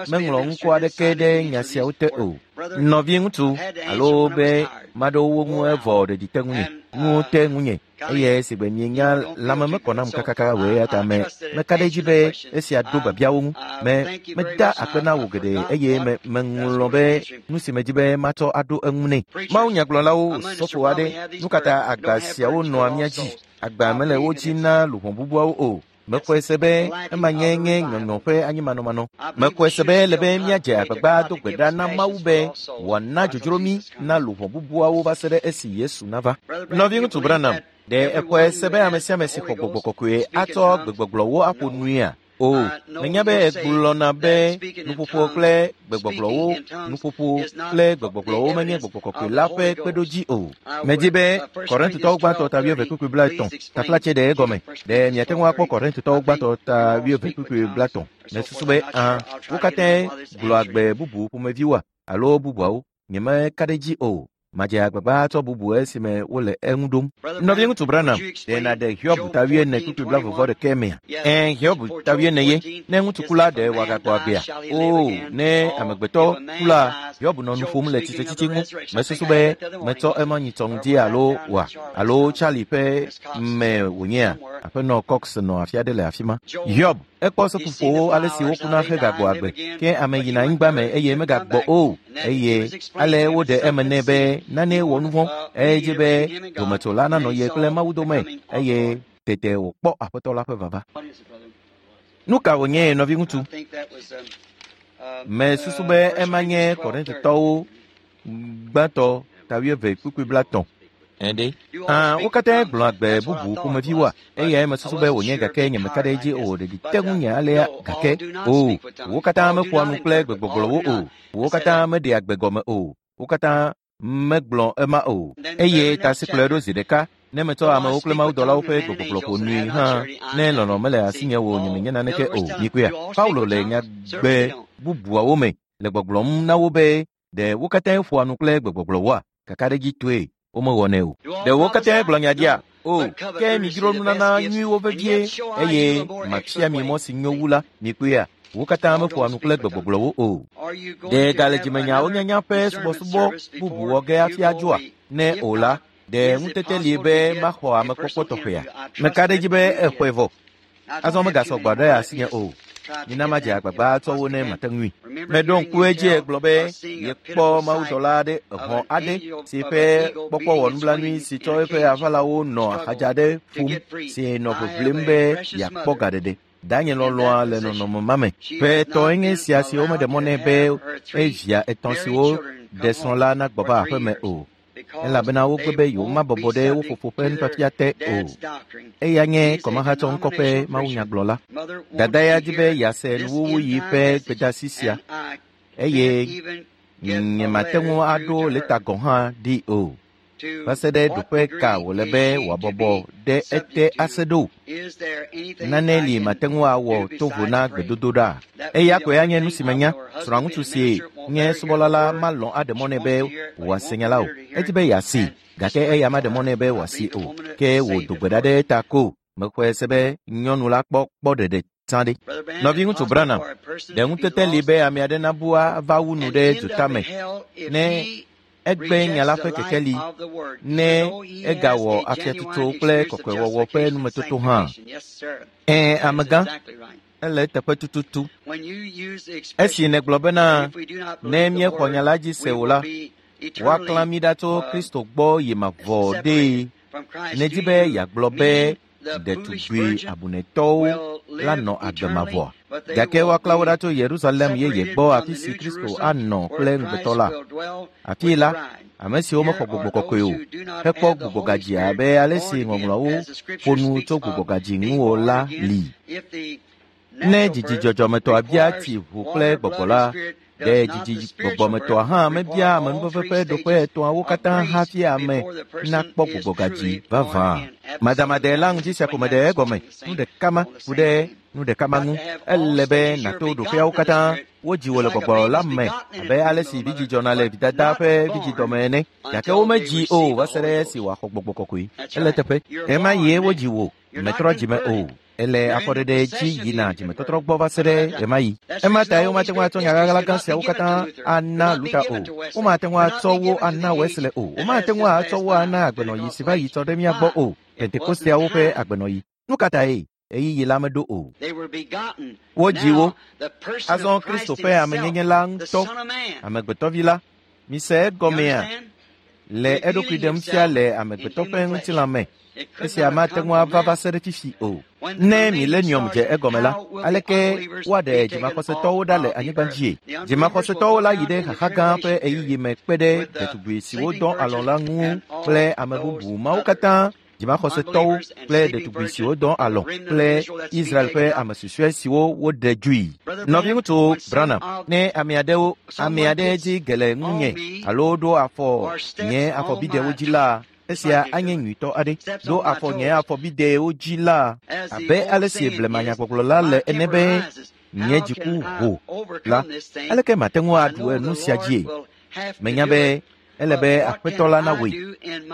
meŋlɔ ŋkɔ aɖeke ɖe nya siawo te o. Nɔviŋutsu alo be maɖo wo ŋu evɔ ɖeɖi te ŋunye, nuwo te ŋunye eye si gbe mienya lãme mekɔ nam kakaka o eya ta me meka ɖe edzi be esia ɖo biabiawo ŋu. Me meda akpe na wò geɖe eye me meŋlɔ be nu si medzi be matsɔ aɖo eŋu nɛ. Mawunyagblɔlawo osɔfo aɖe, nu ka ta agba siawo nɔa mía dzi? Agba mele wo dzi na luʋɔ bubuawo o. Mexɔe se be ema nye nye nyɔnyɔ ƒe anyimanɔmanɔ. Mexɔe se be le be míadze agbagba do gbe ɖa na Mawu be wòana dzodzro mí na luʋɔ bubuawo va se ɖe esi Yesu nava. Nɔviŋutsu Branham, ɖe exɔe se be ame sia ame si xɔ gbɔgbɔ kɔkɔe atsɔ gbegbɔgblɔwo aƒo nuia? O, menya be egblɔna be nuƒoƒo kple gbegbɔgblɔwo nuƒoƒo kple gbegbɔgblɔwo menye gbɔgbɔ kɔkɔe la ƒe kpeɖodzi o. Medzi be Korintotɔwo gbãtɔ ta wuieve kpukpui blaetɔ̃ taflatse ɖe egɔme. Ɖe miate ŋu akpɔ Korintotɔwo gbãtɔ ta wuieve kpukpui blaetɔ̃? Mesusu be ã, wo katãe gblɔa gbe bubu ƒomeviwoa alo bubuawo. Nyemeka ɖe edzi o. Madze agbagba atsɔ bubu esime wole eŋu ɖom. Nɔviŋutsu Branham, ɖe nàɖe Hiob ta wuiene kpukpui blaeve-vɔ-ɖekɛ mea? Ɛ̃, Hiob ta wuiene ye. Ne ŋutsu ku la, ɖe wòagagbɔ agbea? Oo, ne amegbetɔ ku la, Hiob nɔ nu ƒom le tsitretsitsi ŋu. Mesusu be metsɔ ema nyitsɔ ŋdi alo oa? Alo Charlie ƒe me wònyea? Aƒenɔ Cox nɔ afi aɖe le afi ma. Hiob, ekpɔ seƒoƒowo ale si wokuna hegagbɔ agbe, ke ame yina anyigba me eye megagbɔ o. Eye ale woɖe eme nɛ be nane wɔ nu vɔ̃, edzi be dometsola nanɔ ye kple Mawu dome eye tete wòkpɔ Aƒetɔ la ƒe vava. Nu ka wònye nɔviŋutsu? Mesusu be ema nye Korintotɔwo gbãtɔ ta wuieve kpukpui blaetɔ̃. Ɛɖe. Ã, wo katã gblɔa gbe bubu ƒomeviwoa? Eyae mesusu be wònye gake nyemeka ɖe edzi o. Ɖeɖi te ŋunye alea gake. O, wo katã meƒoa nu kple gbegbɔgblɔwo o. Wo katã meɖea gbe gɔme o. Wo katã megblɔ ema o. Eye ta si kplɔe ɖo zi ɖeka. Ne metsɔ amewo kple mawudɔlawo ƒe gbegbɔgblɔ ƒo nui hã, ne lɔlɔ̃ mele asinye o, nyemenye naneke o. Mikpɔea? Paulo le nyagbe bubuawo me le gbɔgblɔm na wo be ɖe wo katã ƒoa nu kple gbegbɔgblɔwoa? Kakaɖedzitɔe womewɔnɛ o. Ɖe wo katã gblɔ nya ɖia? O, ke midzro nunana nyuiwo vevie eye mafia mi mɔ si nyo wu la. Mikpɔea? Wo katã meƒoa nu kple gbegbɔgblɔwo o. Ɖe gale dzimenyawo nyanya ƒe subɔsubɔ bubu wɔ ge hafi adzoa? Ne o la, ɖe ŋutete li be maxɔ amekpɔkpɔ tɔxɛa? Meka ɖe edzi be exɔe vɔ. Azɔ megasɔ gbɔ ɖe asinye o. Mina madze agbagba atsɔ wo ne mate ŋui. Meɖo ŋku edzi egblɔ be yekpɔ mawudɔla aɖe hɔ̃ aɖe si ƒe kpɔkpɔ wɔ nublanui si tsɔ eƒe aʋalawo nɔ axadza aɖe ƒom si nɔ ʋiʋlim be yeakpɔ gaɖeɖe. Danye lɔlɔ̃a le nɔnɔme ma me. Ƒe etɔ̃e nye sia si womeɖe mɔ nɛ be evia etɔ̃ siwo ɖe srɔ̃ la nagbɔ va aƒeme o. Elabena wogbe be yewomabɔbɔ ɖe wo fofo ƒe nufiafia te o. Eya nye kɔmahatsɔŋkɔ ƒe mawunyagblɔla. Dada ya di be yease nuwuwuyi ƒe gbedeasi sia eye nyemate ŋu aɖo lɛta gɔ̃ hã ɖi o. Va se ɖe ɖoƒe ka wòle be wòabɔbɔ ɖe ete ase ɖo? Nane li mate ŋu awɔ to vo na gbedodoɖa. Eya koe anye nu si menya. Srɔ̃aŋutsu si nye subɔla la malɔ̃ aɖe mɔ nɛ be wòase nya la o. Edi be yeasee, gake eya maɖe mɔ nɛ be wòasee o. Ke wòdo gbe ɖa ɖe eta ko. Mexɔe se be nyɔnu la kpɔ kpɔ ɖeɖe tsã ɖe. Nɔviŋutsu Branham, ɖe ŋutete li be ame aɖe nabu ava wu nu ɖe dzota me ne egbe nya la ƒe kekeli ne egawɔ afiatsotso kple kɔkɔewɔwɔ ƒe numetoto hã. Ɛ̃, amegã, ele eteƒe tututu. Esi nègblɔ bena ne míexɔ nya la dzi se o la, woaklã mí ɖa tso Kristo gbɔ yi mavɔ ɖee. Nedi be yeagblɔ be ɖetugbi abunetɔwo la nɔ agbe mavɔa? Gake woaklã wo ɖa tso Yerusalem yeye gbɔ afi si Kristo anɔ kple ŋugbetɔ la. Afii la, ame siwo mexɔ gbɔgbɔ kɔkɔe o hekpɔ gbugbɔgadzi abe ale si ŋɔŋlɔawo ƒo nu tso gbugbɔgadzi ŋu o la li. Ne dzidzi dzɔdzɔmetɔa bia tsi ʋu kple gbɔgbɔ la, ɖe dzidzi gbɔgbɔmetɔa hã mebia amenuveve ƒe ɖoƒe etɔ̃awo katã hafi ame nakpɔ gbugbɔgadzi vavã. Madamade la ŋuti sia ko meɖe egɔme. Nu ɖeka ma ku ɖe nu ɖeka ma ŋu. Ele be nàto ɖoƒeawo katã. Wodzi wò le gbɔgbɔ la me abe ale si vidzĩ dzɔna le vidada ƒe vidzidɔme ene. Gake womedzii o va se ɖe esi wòaxɔ gbɔgbɔ kɔkɔe. Ele eteƒe. Ɣemaɣie wodzi wò. Mètrɔ dzime o. Ele afɔɖeɖe dzi yina dzimetɔtrɔ gbɔ va se ɖe ɣemaɣi. Ema tae womate ŋu atsɔ nya ɣaɣla gã siawo katã ana Luta o. Womate ŋu atsɔ wo ana Wesley o. Womate ŋu atsɔ wo ana agbenɔɣi si va yi tsɔ ɖe mía gbɔ o. Pentekosteawo ƒe agbenɔɣi. Nu ka tae? Ɣeyiɣi la meɖo o. Wodzi wo. Azɔ Kristo ƒe amenyenye la ŋutɔ, amegbetɔvi la, mise egɔmea, le eɖokui ɖem fia le amegbetɔ ƒe ŋutilã me. Esia mate ŋu ava va se ɖe fifi o. Ne milenium dze egɔme la, aleke woaɖe dzimaxɔsetɔwo ɖa le anyigba dzie? Dzimaxɔsetɔwo la yi ɖe xaxa gã ƒe ɣeyiɣi me kpe ɖe ɖetugbi siwo dɔ alɔ̃ la ŋu kple ame bubu mawo katã dzimaxɔsetɔwo kple ɖetugbi siwo dɔ alɔ̃ kple Israel ƒe ame susɔe siwo woɖe dzoe. Nɔviŋutsu Branham, ne ame aɖewo ame aɖe dzi ge le ŋunye alo ɖo afɔ nye afɔbidewo dzi la, esia anye nyuitɔ aɖe. Ɖo afɔ nye afɔbidewo dzi la, abe ale si blemanyagbɔgblɔ la le ene be nye dziku ho la, aleke mate ŋu aɖu nu sia dzie? Menya be ele be aƒetɔ la nawɔe,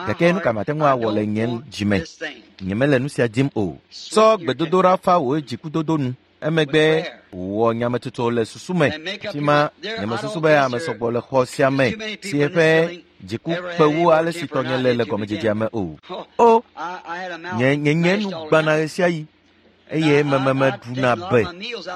gake nu ka mate ŋu awɔ le nye dzime? Nyemele nu sia dim o. Tsɔ gbedodoɖa fa wò dzikudodo nu. Emegbe wɔ nyametsotso le susu me. Afi ma nyemesusu be ame sɔgbɔ le xɔ sia me si eƒe dziku kpe wu ale si tɔnye le le gɔmedzedzea me o. O, nye nye nye nu gbãna ɣesiaɣi eye mememeɖuna be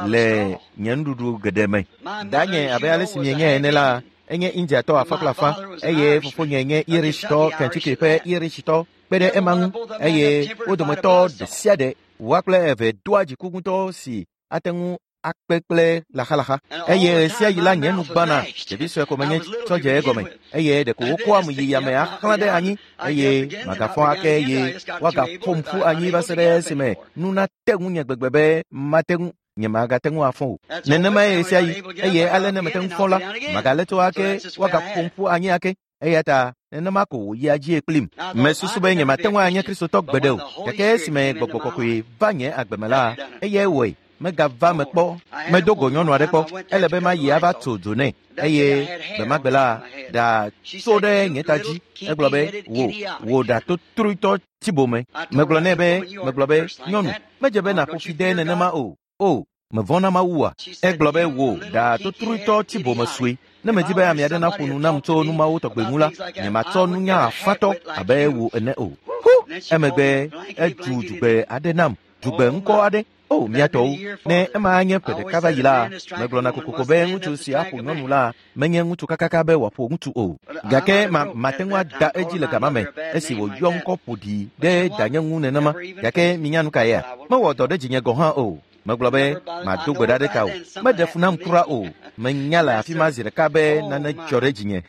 le nye nuɖuɖu geɖe me. Danye abe ale si mienyae ene la, enye Indiatɔ afã kple afã eye fofonye nye Irishtɔ, Kentucky ƒe Irishtɔ kpe ɖe ema ŋu eye wo dometɔ ɖe sia ɖe woa kple eve doa dziku ŋutɔ si ate ŋu akpe kple laxalaxa. Eye ɣesiaɣi la nye nu gbãna, ɖevi sue ko menye tsɔ dze egɔme, eye ɖeko wokɔam yi yame axlã ɖe anyi, eye magafɔ ake eye woagaƒom ƒu anyi va se ɖe esime nu nate ŋunye gbegbe be mate ŋu nyemagate ŋu afɔ o. Nenemae ɣesiaɣi, eye ale ne mete ŋu fɔ la, magalé to ake, woagaƒom ƒu anyi ake. Eya ta nenema ko wòyia dzie kplim. Mesusu be nyemate ŋu anye Kristotɔ gbeɖe o, gake esime Gbɔgbɔ Kɔkɔe va nye agbe me la, eyae wɔe. Megava me kpɔ. Medo go nyɔnu aɖe kpɔ. Ele be mayi ava tso dzo nɛ. Eye gbe ma gbe la, ɖa tso ɖe nye ta dzi. Egblɔ be, wò, wò ɖa totroetɔ tibome. Megblɔ nɛ be, megblɔ be, nyɔnu, medze be nàƒo fi de nenema o. O, mevɔ̃ na Mawua. Egblɔ be, wò, ɖa totroetɔ tibome sue. Ne medi be ame aɖe naƒo nu nam tso nu mawo tɔgbe ŋu la, nyematsɔ nunya afatɔ abe wò ene o. Hu! Emegbe edu dzugbe aɖe nam, dzugbe ŋkɔ aɖe. O, mía tɔwo, ne ema anye ƒe ɖeka va yi la, megblɔna kokoko be ŋutsu si aƒo nyɔnu la menye ŋutsu kakaka be wòaƒo ŋutsu o. Gake ma mate ŋu ada edzi le gama me esi wòyɔ ŋkɔ ƒo ɖi ɖe danye ŋu nenema. Gake minya nu kaea? Mewɔ dɔ ɖe dzinye gɔ̃ hã o. Megblɔ be mado gbe ɖa ɖe ta o. Meɖe fu nam kura o. Menya le afi ma zi ɖeka be nane dzɔ ɖe dzinye.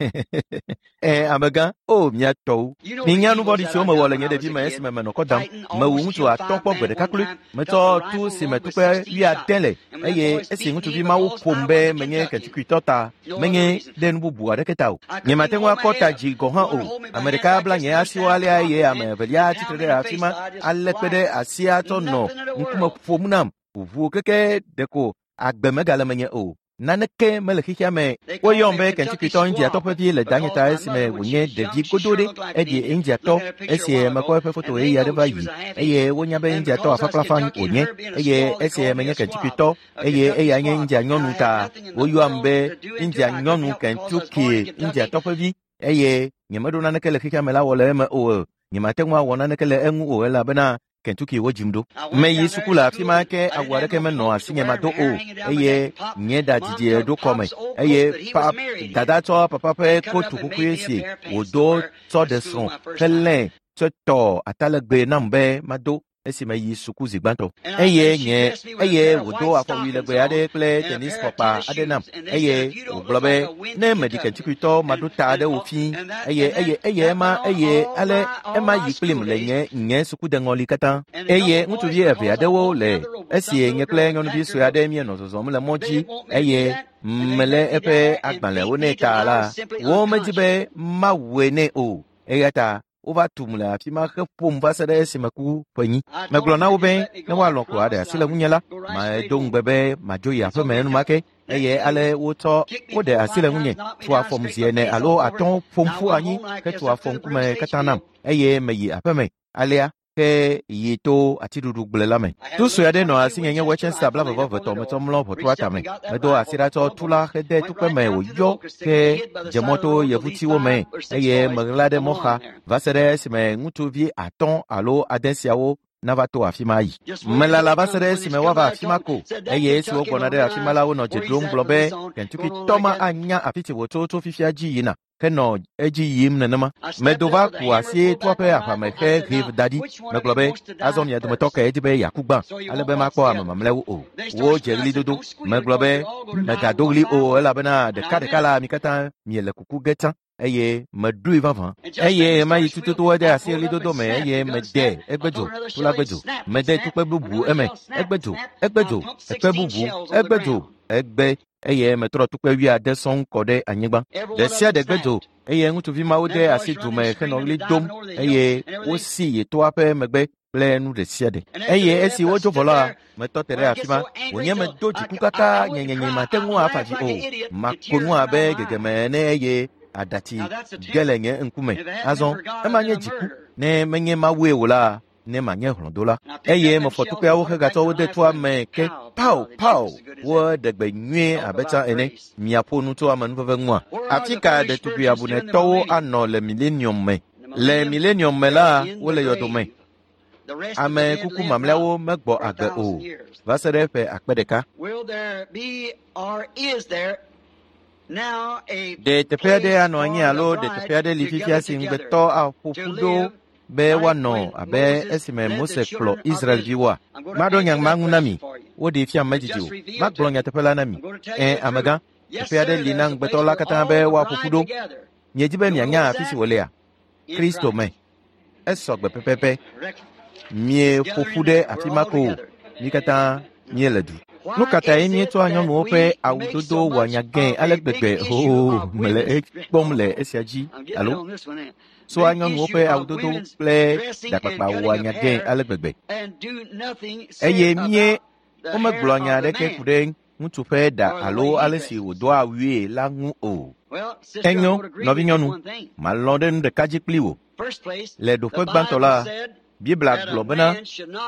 Amegã, o mía tɔwo. Minya nu vɔ̃ɖi siwo mewɔ le nye ɖevime esime menɔ kɔ dam. Mewu ŋutsu atɔ̃ kpɔ gbe ɖeka kloe. Metsɔ tu si me tukpe wuiade le eye esi ŋutsuvi mawo ƒom be menye Kentuckytɔ ta, menye ɖe nu bubu aɖeke ta o. Nyemate ŋu akɔ ta dzi gɔ̃ hã o. Ame ɖeka bla nye asiwo alea eye ame evelia tsitre ɖe afi ma alé kpe ɖe asia tsɔ nɔ ŋkume ƒom nam. Ʋuʋu keke ɖeko agbe megale menye o. Naneke mele xexea me. Woyɔm be Kentuckytɔ Indiatɔ ƒe vi le danye ta esime wònye ɖevi godo ɖe. Eɖi Indiatɔ esi mekpɔ eƒe foto ɣeyiɣi aɖe va yi eye wonya be Indiatɔ afakplafa wònye eye esi menye Kentuckytɔ eye eya nye India nyɔnu ta woyɔam be India nyɔnu Kentucky Indiatɔ ƒe vi eye nyemeɖo naneke le xexea me la wɔ le eme o. Nyemate ŋu awɔ naneke le eŋu o elabena Kentucky wodzim ɖo. Meyi suku le afi ma ke awu aɖeke menɔ asinye mado o eye nye ɖa didi ɖo kɔme eye pa dada tsɔ papa ƒe kotu kuku si wòdo tsɔ ɖe srɔ̃ helẽ tsɔ tɔ atalegbe nam be mado esi meyi suku zi gbãtɔ. Eye nye eye wòdo afɔwui legbe aɖe kple tenis fɔkpa aɖe nam eye wògblɔ be ne meɖi Kentuckytɔ maɖo ta aɖe wò fii eye eye eye ema eye ale ema yi kplim le nye nye sukudeŋɔli katã. Eye ŋutsuvi eve aɖewo le esi nye kple nyɔnuvi sue aɖe míenɔ zɔzɔm le mɔ dzi eye melé eƒe agbalẽwo nɛ ta la, womedi be mawɔe nɛ o. Eya ta wova tum le afi ma heƒom va se ɖe esime ku ƒenyi. Megblɔ na wo be ne woalɔ̃ ko aɖe asi le ŋunye la, medo ŋugbe be madzo yi aƒeme enumake eye ale wotsɔ woɖe asi le ŋunye, tu afɔm zi ene alo atɔ̃ ƒom ƒu anyi hetu afɔ ŋkume katã nam eye meyi aƒeme. Alea ke yi to atiɖuɖu gble la me. Tu sue aɖe nɔ asinye nye Worcester 22 metsɔ mlɔ ʋɔtrua tame. Medo asi ɖa tsɔ tu la hede tukpe me wòyɔ ke dze mɔ to yevutiwo me eye meɣla ɖe mɔxa va se ɖe esime ŋutsuvi 5 alo 6 siawo nava to afi ma yi. Melala va se ɖe esime woava afi ma ko eye esi wogbɔna ɖe afi ma la wonɔ dze ɖom gblɔ be Kentuckytɔ ma anya afi si wòtso tso fifia dzi yina henɔ edzi yim nenema. Medo va ku asi toa ƒe aʋame he ʋe da ɖi. Megblɔ be azɔ mia dometɔ kae di be yeaku gbã ale be makpɔ ame mamlɛawo o. Wodze ɣlidodo. Megblɔ be megado ɣli o elabena ɖekaɖeka la mi katã miele kuku ge tsã eye meɖoe vavã. Eye ɣemaɣi tututu ede asi ɣlidodo me eye mede egbe dzo, tu la gbe dzo. Mede tukpe bubu eme, egbe dzo, egbe dzo, ekpe bubu, egbe dzo, egbe eye metrɔ tukpe 70 sɔŋ kɔ ɖe anyigba. Ɖe sia ɖe gbe dzo eye ŋutsuvi mawo de asi du me henɔ ɣli dom eye wosi yi toa ƒe megbe kple nu ɖe sia ɖe. Eye esi wodzo vɔ la, metɔ te ɖe afi ma. Wònye medo dziku kaka nyenyenye mate ŋu afa dzi o. Mako nu abe gegeme ene eye aɖatsi ge le nye ŋkume. Azɔ ema nye dziku. Ne menye Mawue o la, ne manye hlɔ̃dola. Eye mefɔ tukpeawo hegatsɔ wo de toa me ke pao pao woɖe gbe nyuie abe tsã ene. Miaƒo nu tso amenuveve ŋua? Afi ka ɖetugbi abunetɔwo anɔ le milenium me? Le milenium me la, wole yɔdome. Ame kuku mamlɛawo megbɔ agbe o va se ɖe ƒe 1000. Ɖe teƒe aɖe anɔ anyi alo ɖe teƒe aɖe li fifia si ŋugbetɔ aƒo ƒu ɖo be woanɔ abe esime Mose kplɔ Israelviwoa? Maɖo nya ma ŋu na mi. Woɖee fia medzidzi o. Magblɔ nyateƒe la na mi. Ẽ, amegã, teƒe aɖe li na ŋugbetɔ la katã be woaƒo ƒu ɖo. Miedi be mianya afi si wòlea? Kristo me. Esɔ gbe pɛpɛpɛ. Mieƒo ƒu ɖe afi ma ko o. Mi katã míele du. Nu ka tae míetsɔa nyɔnuwo ƒe awudodo wɔa nya gãe ale gbegbe? Oo, mele ekpɔm le esia dzi alo tsɔa nyɔnuwo ƒe awudodo kple ɖakpakpa wɔa nya gãe ale gbegbe. Eye mie womegblɔa nya aɖeke ku ɖe ŋutsu ƒe ɖa alo ale si wòdoa awue la ŋu o. Enyo, nɔvinyɔnu, malɔ̃ ɖe nu ɖeka dzi kpli wò. Le ɖoƒe gbãtɔ la, Biblia gblɔ bena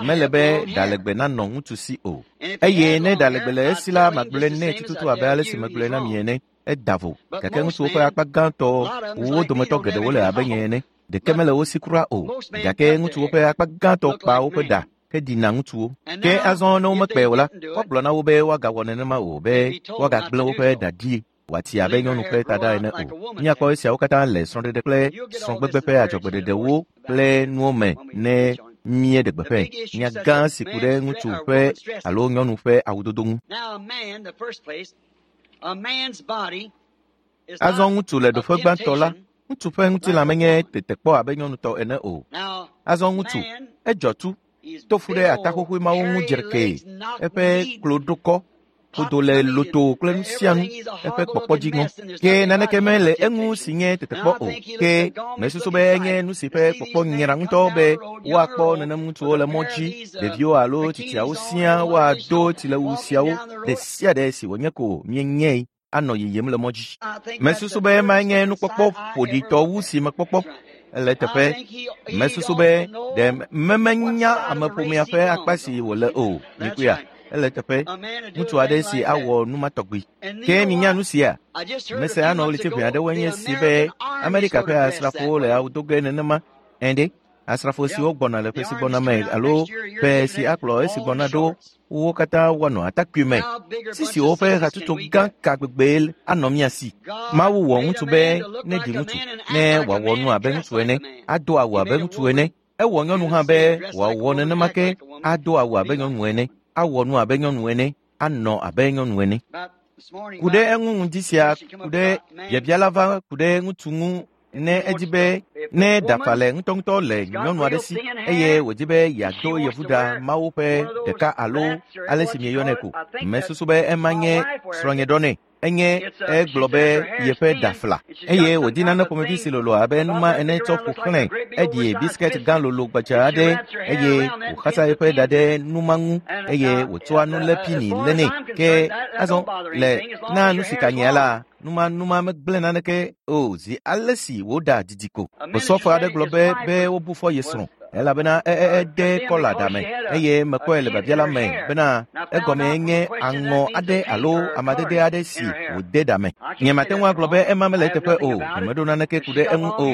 mele be ɖalegbe nanɔ ŋutsu si o. Eye ne ɖalegbe le esi la, magblɔe nɛ tututu abe ale si megblɔe na mi ene. Eda vo. Gake ŋutsuwo ƒe akpa gãtɔ, wo dometɔ geɖewo le abe nye ene. Ɖeke mele wo si kura o. Gake ŋutsuwo ƒe akpa gãtɔ kpa woƒe ɖa heɖina ŋutsuwo. Ke azɔ ne womekpɛ o la, woagblɔ na wo be woagawɔ nenema o, be woagagblẽ woƒe ɖa ɖi wòati abe nyɔnu ƒe taɖa ene o. Míakpɔ esiawo katã le srɔ̃ɖeɖe kple srɔ̃gbegbe ƒe adzɔgbeɖeɖewo kple nuwo me ne míeɖe gbeƒãe. Nya gã si ku ɖe ŋutsu ƒe alo nyɔnu ƒe awudodo ŋu. Azɔ ŋutsu le ɖoƒe gbãtɔ la, ŋutsu ƒe ŋutilã menye tetekpɔ abe nyɔnu tɔ ene o. Azɔ ŋutsu, edzɔ tu, to fu ɖe ataxoxoe mawo ŋu dzrekee, eƒe kloɖokɔ ƒodo le loto kple nu sia nu, eƒe kpɔkpɔ dzi ŋɔ. Ke naneke mele eŋu si nye tetekpɔ o. Ke mesusu be enye nu si ƒe kpɔkpɔ nyra ŋutɔ be woakpɔ nenem ŋutsuwo le mɔ dzi, ɖeviwo alo tsitsiawo siaa woado tsilewu siawo ɖe sia ɖe si wònye ko míenyae anɔ yiyim le mɔ dzi. Mesusu be emae nye nukpɔkpɔ ƒoɖitɔ wu si mekpɔkpɔ. Ele teƒe. Mesusu be ɖe memenya ameƒomea ƒe akpa si wòle o. Mikpɔea? Ele teƒe. Ŋutsu aɖe si awɔ nu ma tɔgbi. Ke minya nu sia? Mese anɔ ɣleti ʋɛ aɖewoe nye si be Amerika ƒe asrafowo le awu do ge nenema. Ẽ ɖe, asrafo siwo gbɔna le ƒe si gbɔna me alo ƒe si akplɔ esi gbɔna ɖo, wo katã woanɔ atakpui me. Sisiwo ƒe hatsotso gã ka gbegbee anɔ mía si. Mawu wɔ ŋutsu be neɖi ŋutsu, ne wòawɔ nu abe ŋutsu ene, ado awu abe ŋutsu ene. Ewɔ nyɔnu hã be wòawɔ nenema ke, ado awu abe nyɔnu ene, awɔ nu abe nyɔnu ene, anɔ abe nyɔnu ene. Ku ɖe eŋu ŋdi sia, ku ɖe biabia la va ku ɖe ŋutsu ŋu ne edi be ne ɖafa le ŋutɔŋutɔ le nyɔnu aɖe si eye wòdi be yeado yevuɖa mawo ƒe ɖeka alo ale si mieyɔnɛ ko. Mesusu be ema nye srɔ̃nye ɖɔ nɛ. Enye egblɔ be yeƒe ɖa fla eye wòdi nane ƒomevi si lolo abe numa ene tsɔ ƒo xlãe. Eɖi bisikɛti gã lolo gbadza aɖe eye wòxasa eƒe ɖa ɖe numa ŋu eye wòtsɔa nulepini lénɛ. Ke azɔ le na nu si ka nyea la, numa megblẽ naneke o zi ale si wòɖa didi ko. Osɔfo aɖe gblɔ be wobu fɔ ye srɔ̃ elabena ede kɔla ɖa me eye mekpɔe le biabia la me bena egɔmee nye aŋɔ aɖe alo amadede aɖe si wòde ɖa me. Nyemate ŋu agblɔ be ema mele eteƒe o, nyemeɖo naneke ku ɖe eŋu o.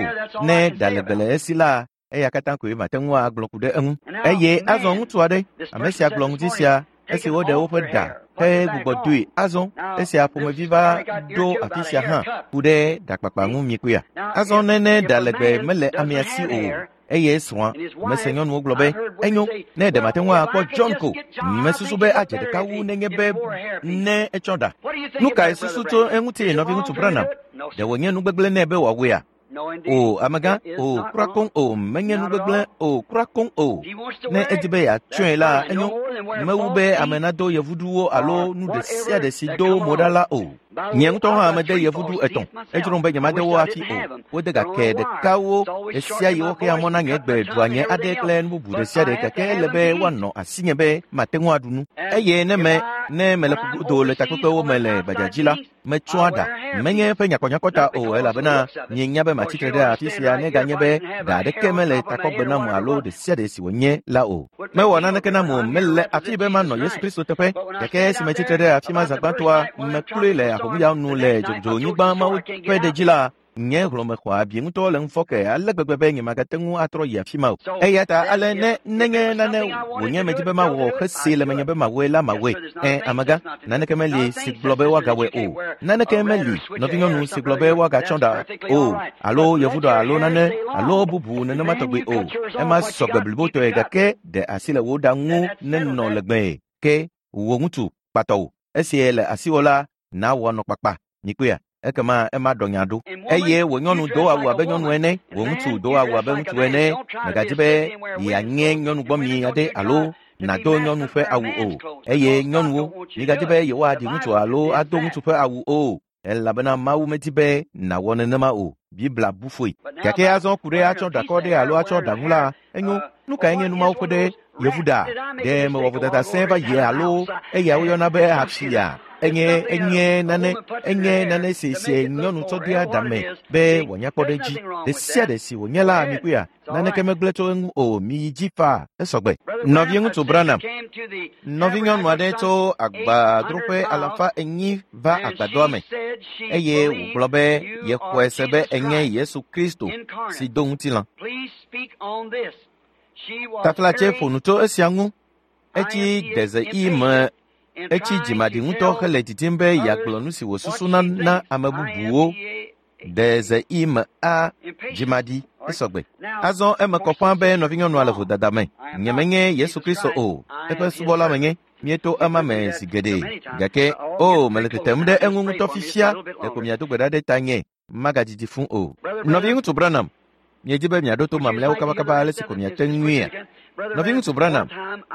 Ne ɖa legbe le esi la, eya katã koe mate ŋu agblɔ ku ɖe eŋu. Eye azɔ ŋutsu aɖe, ame sia gblɔ ŋdi sia esi woɖe woƒe ɖa hegbugbɔ doe. Azɔ esia ƒomevi va ɖo afi sia hã ku ɖe ɖakpakpa ŋu mikpɔea. Azɔ ne ne ɖa legbe mele amea si o eye srɔ̃a, mese nyɔnuwo gblɔ be enyo ne ɖe mate ŋu akpɔ John ko. Mesusu be adze ɖeka wu nenye be ne etsɔ ɖa. Nu kae susu tso eŋuti nɔviŋutsu Branham? Ɖe wònye nu gbegblẽ nɛ be wòawɔea? O, amegã, o, kura koŋ o, menye nu gbegblẽ o, kura koŋ o. Ne edi be yeatsɔe la, enyo. Mewu be ame nado yevuɖuwo alo nu ɖe sia ɖe si do mo ɖa la o. Nye ŋutɔ hã mede yevuɖu etɔ̃. Edzrom be nyemade wo hafi o. Wode gake ɖekawo ɖe sia yi woxea mɔ na nye gbe ɖua nye aɖe kple nu bubu ɖe sia ɖe gake ele be woanɔ asinye be mate ŋu aɖu nu. Eye ne me ne mele ƒugodo le takpekpewo me le gbadzadzi la, metsɔa ɖa. Menye eƒe nyakɔnyakɔ ta o elabena mienya be matsitre ɖe afi sia neganye be ɖa aɖeke mele takɔgbe nam alo ɖe sia ɖe si wònye la o. Mewɔ naneke nam o, mele afi be manɔ Yesu Kristo teƒe. Gake esi metsitre ɖe afi ma zã gbãtɔa, mekloe le ahomuya nu le dzodzonyigba mawo ƒe ɖe dzi la, Nye hlɔ̃me xɔ abi ŋutɔ le ŋufɔke ale gbegbe be nyemagate ŋu atrɔ yi afi ma o. Eya ta ale ne nenye nane wònye medzi be mawɔ hesee le menye be mawɔe la mawɔe. Ẽ, amegã, naneke meli si gblɔ be woagawɔe o. Naneke meli, nɔvinyɔnu si gblɔ be woagatsɔ ɖa o, alo yevuɖɔ alo nane alo bubu nenema tɔgbi o. Ema sɔgbe blibotɔe gake ɖe asi le wò ɖa ŋu nenɔ legbee ke wò ŋutsu kpatɔwò. Esie le asiwò la, nawɔ nɔ kpakpa. Mikpɔea? Ekema ema ɖɔ nya ɖo. Eye wò nyɔnu do awu abe nyɔnu ene, wò ŋutsu do awu abe ŋutsu ene. Mègadzi be yeanye nyɔnugbɔmi aɖe alo nàdo nyɔnu ƒe awu o. Eye nyɔnuwo, migadzi be yewoaɖi ŋutsu alo ado ŋutsu ƒe awu o, elabena Mawu medi be nàwɔ nenema o. Biblia bu fɔe. Gake azɔ ku ɖe atsɔ ɖakɔ ɖe alo atsɔ ɖaŋu la, enyo. Nu kae nye numawo ƒe ɖe yevu ɖa? Ɖe mewɔ vodada sẽe va yi alo eya woyɔna be afia? Enye enye nane enye nane si si nyɔnu tsɔ dea ɖame be wòanya kpɔ ɖe edzi. Ɖe sia ɖe si wònye la, mikpɔea, naneke megblẽ tso eŋu o. Miyi dzi faa, esɔgbe. Nɔviŋutsu Branham, nɔvinyɔnu aɖe tso agbadroƒe 400 va agbadɔa me eye wògblɔ be yexɔe se be enye Yesu Kristo si do ŋutilã. Taflatse ƒo nu tso esia ŋu. Etsi dezeɣi me etsi dzimaɖi ŋutɔ hele didim be yeagblɔ nu si wòsusuna na ame bubuwo. Dezeɣi me a dzimaɖi esɔgbe. Azɔ eme kɔ ƒãa be nɔvinyɔnua le vodada me. Nyemenye Yesu Kristo o. Eƒe subɔla menye. Míeto ema me zi geɖe. Gake o mele tetem ɖe eŋu ŋutɔ fifia. Ɖeko miado gbe ɖa ɖe tanye. Magadidi fũ o. Nɔviŋutsu Branham, miedi be miaɖo to mamlɛawo kabakaba ale si ko miate ŋuia? Nɔviŋutsu Branham,